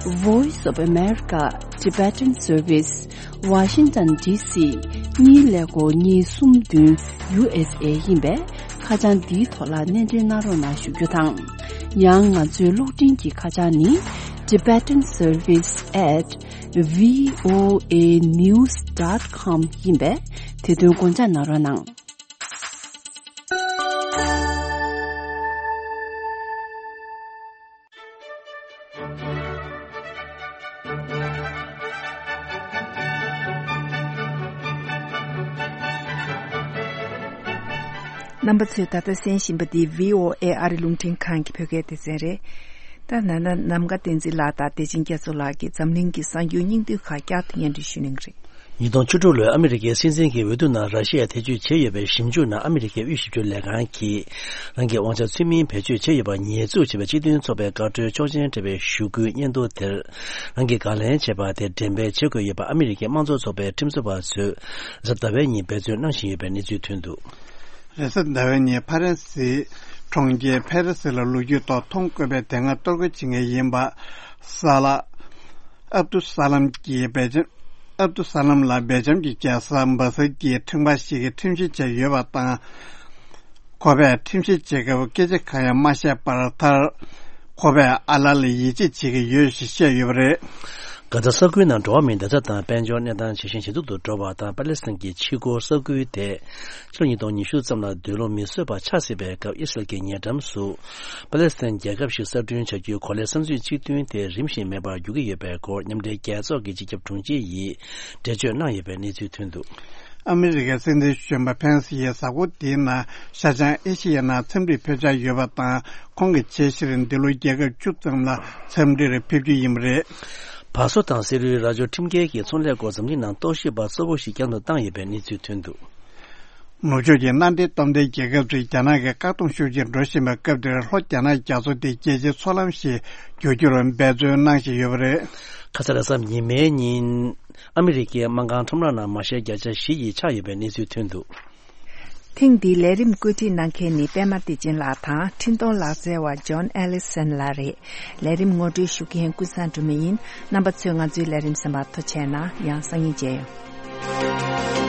Voice of America Tibetan Service, Washington D C གཉིས་ཀླད་ཀོར་གཉིས་གསུམ་བདུན་U S A ཡིན་པས། ཁ་བྱང་འདིའི་ཐོག་ལ་སྣེ་འདྲེན་གནང་རོགས་གནང་ཞུ་རྒྱུ་དང་། ཡང་ང་ཚོའི་གློག་འཕྲིན་གྱི་ཁ་བྱང་ནི། Tibetan Service at V O A news dot com ཡིན་པས། དེ་དོན་དགོངས་འཇགས་གནང་རོགས་གནང་། རྣམ་པ་ཚོས་ད་ལྟ་གསན་བཞིན་པ་འདི་V O A ཨ་རི་རླུང་འཕྲིན་ཁང་གི་བོད་སྐད་སྡེ་ཚན་རེད། ད་ན་ན་ནམ་མཁའ་བསྟན་འཛིན་ལགས་དང་བདེ་ཆེན་རྒྱ་མཚོ་ལགས་ཀྱིས་འཛམ་གླིང་གི་གསར་འགྱུར་སྙིང་བསྡུས་ཁག་བསྐྱར་དུ་སྙན་སྒྲོན་ཞུ་གནང་གི་རེད། ཉིས་སྟོང་བཅུ་དྲུག་ལོའི་ཨ་མི་རི་ཀའི་སྲིད་འཛིན་གྱི་འོས་བསྡུ་ནང་ར་ཤི་ཡས་ཐེ་བྱུས་བྱས་ཡོད་པའི་ཞིབ་འཇུག་ནང་ཨ་མི་རི་ཀའི་དབུས་ཞིབ་དཔྱོད་ལས་ཁང་གིས། རང་གི་དབང་ཆ་ཚུལ་མིན་བེད་སྤྱོད་བྱས་ཡོད་པར་ཉེས་འཛུགས་བྱས་པའི་སྤྱི་མཐུན་ཚོགས་པའི་བཀའ་འཁྲོལ་ཆོག་མཆན་སྤྲད་པའི་ཞུ་སྐུལ་སྙན་ཐོ་དེར། རང་གིས་བཀའ་ལན་བྱས་པ་དེ་འགྲེམས་སྤེལ་བྱེད་དགོས་ཡོད་པ་ཨ་མི་རི་ཀའི་དམངས་གཙོ་ཚོགས་པའི་ཁྲིམས་བཟོ་བ་ཚོས་གཟའ་ཟླ་བའི་ཉིན་འབད་བརྩོན་གནང་བཞིན་ཡོད་པའི་གནས་ཚུལ་ཐོན་འདུག། རེས་གཟའ་ཟླ་བའི་ཉིན་ཕ་རན་སིའི་གྲོང་ཁྱེར་ཕེ་རི་སི་ལ་ལོ་རྒྱུས་ཐོག་མཐོང་དཀོན་པའི་དེ་སྔ་གཏོར་རྒོལ་བྱེད་མཁན་ཡིན་པ་ས་ལ་ཨབ་ཏུ་ས་ལམ་གྱི་སྦེལ་ཇམ། ཨབ་ཏུ་ས་ལམ་ལ་སྦེལ་ཇམ་གྱི་རྒྱལ་ས་སྦ་སེལ་གྱི་ཁྲིམས་ཁང་ཞིག་གིས་ཁྲིམས་བཤེར་བྱས་ཡོད་པ་དང་། ཁོ་པས་ཁྲིམས་བཤེར་བྱེད་སྐབས་སྐད་ཆ་གང་ཡང་མ་བཤད་པར་མཐར། ཁོ་པས་ཨ་ལ་ལ་ཡིད་ཆེས་བྱེད་ཀྱི་ཡོད་ཞེས་བཤད་ཡོད་པ་རེད། གྷ་ཛ་ས་ཁུལ་ནང་འགྲོ་བ་མིའི་བདེ་འཇགས་དང་དཔལ་འབྱོར་གནས་སྟངས་ཇེ་ཞན་ཇེ་སྡུག་ཏུ་འགྲོ་བ་དང་། པ་ལེ་སི་ཐན་གྱི་ཕྱི་རྒོལ་ས་ཁུལ་དེ་ཕྱི་ལོ་ཉིས་སྟོང་ཉི་ཤུ་ཙམ་ལ་སྡོད་ལུགས་མི་བཟོད་པ་ཆགས་སྲིད་པའི་སྐབས། ཨི་སི་རལ་གྱི་ཉེ་འགྲམ་སུ་པ་ལེ་སི་ཐན་རྒྱལ་ཁབ་ཞིག་གསར་སྐྲུན་བྱ་རྒྱུའི་གོ་ལའི་བསམ་ཚུལ་གཅིག་མཐུན་དེ་རིམ་བཞིན་མེད་པར་འགྱུར་གྱི་ཡོད་པའི་སྐོར་མཉམ་འབྲེལ་རྒྱལ་ཚོགས་ཀྱི་སྤྱི་ཁྱབ་དྲུང་ཆེ་ཡིས་འགྲེལ་བརྗོད་གནང་ཡོད་པའི་གནས་ཚུལ་ཐོན་འདུག། ཨ་མི་རི་ཀའི་སྲིད་འཛིན་གཞོན་པ་ཕེན་སི་ཡིས་གཟའ་འཁོར་འདིའི་ནང་ཤར་བྱང་ཨེ་ཤི་ཡའི་ནང་འཚམས་འདྲིར་ཕེབས་འཆར་ཡོད་པ་དང་། ཁོང་གི་ཆེད་གཞིར་འདི་ལོ་རྒྱལ་ཁབ་བཅུ་ཙམ་ལ་འཚམས་འདྲིར་ཕེབས་རྒྱུ་ཡིན་པ་རེད། བ་སོ་དང་སེ་རུའི་རྭ་ཅོ་ཁྲིམས་འགལ་གྱི་ཚོང་ལས་སྐོར་འཛམ་གླིང་ནང་རྟོག་ཞིབ་པ་གཙོ་བོ་ཞིག་བསྐྱར་དུ་བཏང་ཡོད་པའི་གནས་ཚུལ་ཐོན་འདུག། ནུབ་ཕྱོགས་ཀྱི་མནའ་འབྲེལ་སྟོབས་ལྡན་རྒྱལ་ཁབ་ཚོས་རྒྱ་ནག་གི་བཀག་སྡོམ་ཤུགས་ཆེར་འགྲོ་བཞིན་པའི་སྐབས་འདིར། ལྷོ་རྒྱ་ནག་རྒྱ་མཚོ་དེ་རྒྱལ་སྤྱིའི་མཚོ་ལམ་ཞིག་བསྒྱུར་རྒྱུར་འབད་བརྩོན་གནང་བཞིན་ཡོད་པ་རེད། ཁ་ས་ལ་གཟའ་ཉི་མའི་ཉིན་ཨ་མི་རི་ཀའི་སྨར་ཁམས་ཁྲོམ་ར་ནང་མ་ཤེར་བརྒྱ་ཆ་བཞི་ཡིས་ཆགས་ཡོད་པའི་གནས་ཚུལ་ཐོན་འདུག། ཐེངས་འདིའི་ལས་རིམ་བཀོད་སྒྲིག་གནང་མཁན་ནི་པད་མ་བདེ་ཆེན་ལགས་དང་། འཕྲིན་གཏོང་ལག་རྩལ་བ་ཇོན་ཨེ་ལི་སན་ལགས་རེད། ལས་རིམ་ངོ་སྤྲོད་ཞུ་མཁན་ཀུན་བཟང་སྒྲོལ་མ་ཡིན། རྣམ་པ་ཚོས་ང་ཚོའི་ལས་རིམ་གསན་པར་ཐུགས་རྗེ་གནང་། ཡང་སང་ཉིན་མཇལ་ཡོང་།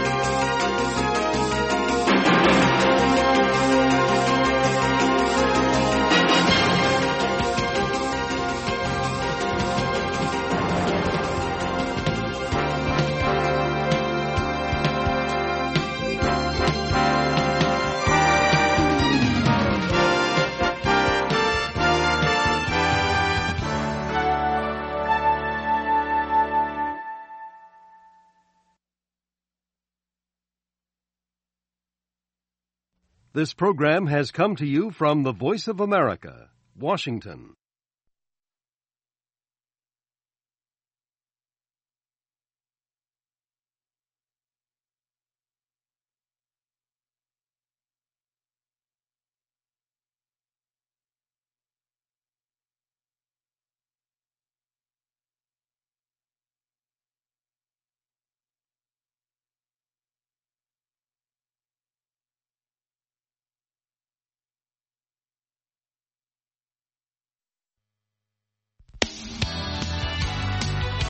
This program has come to you from the Voice of America, Washington.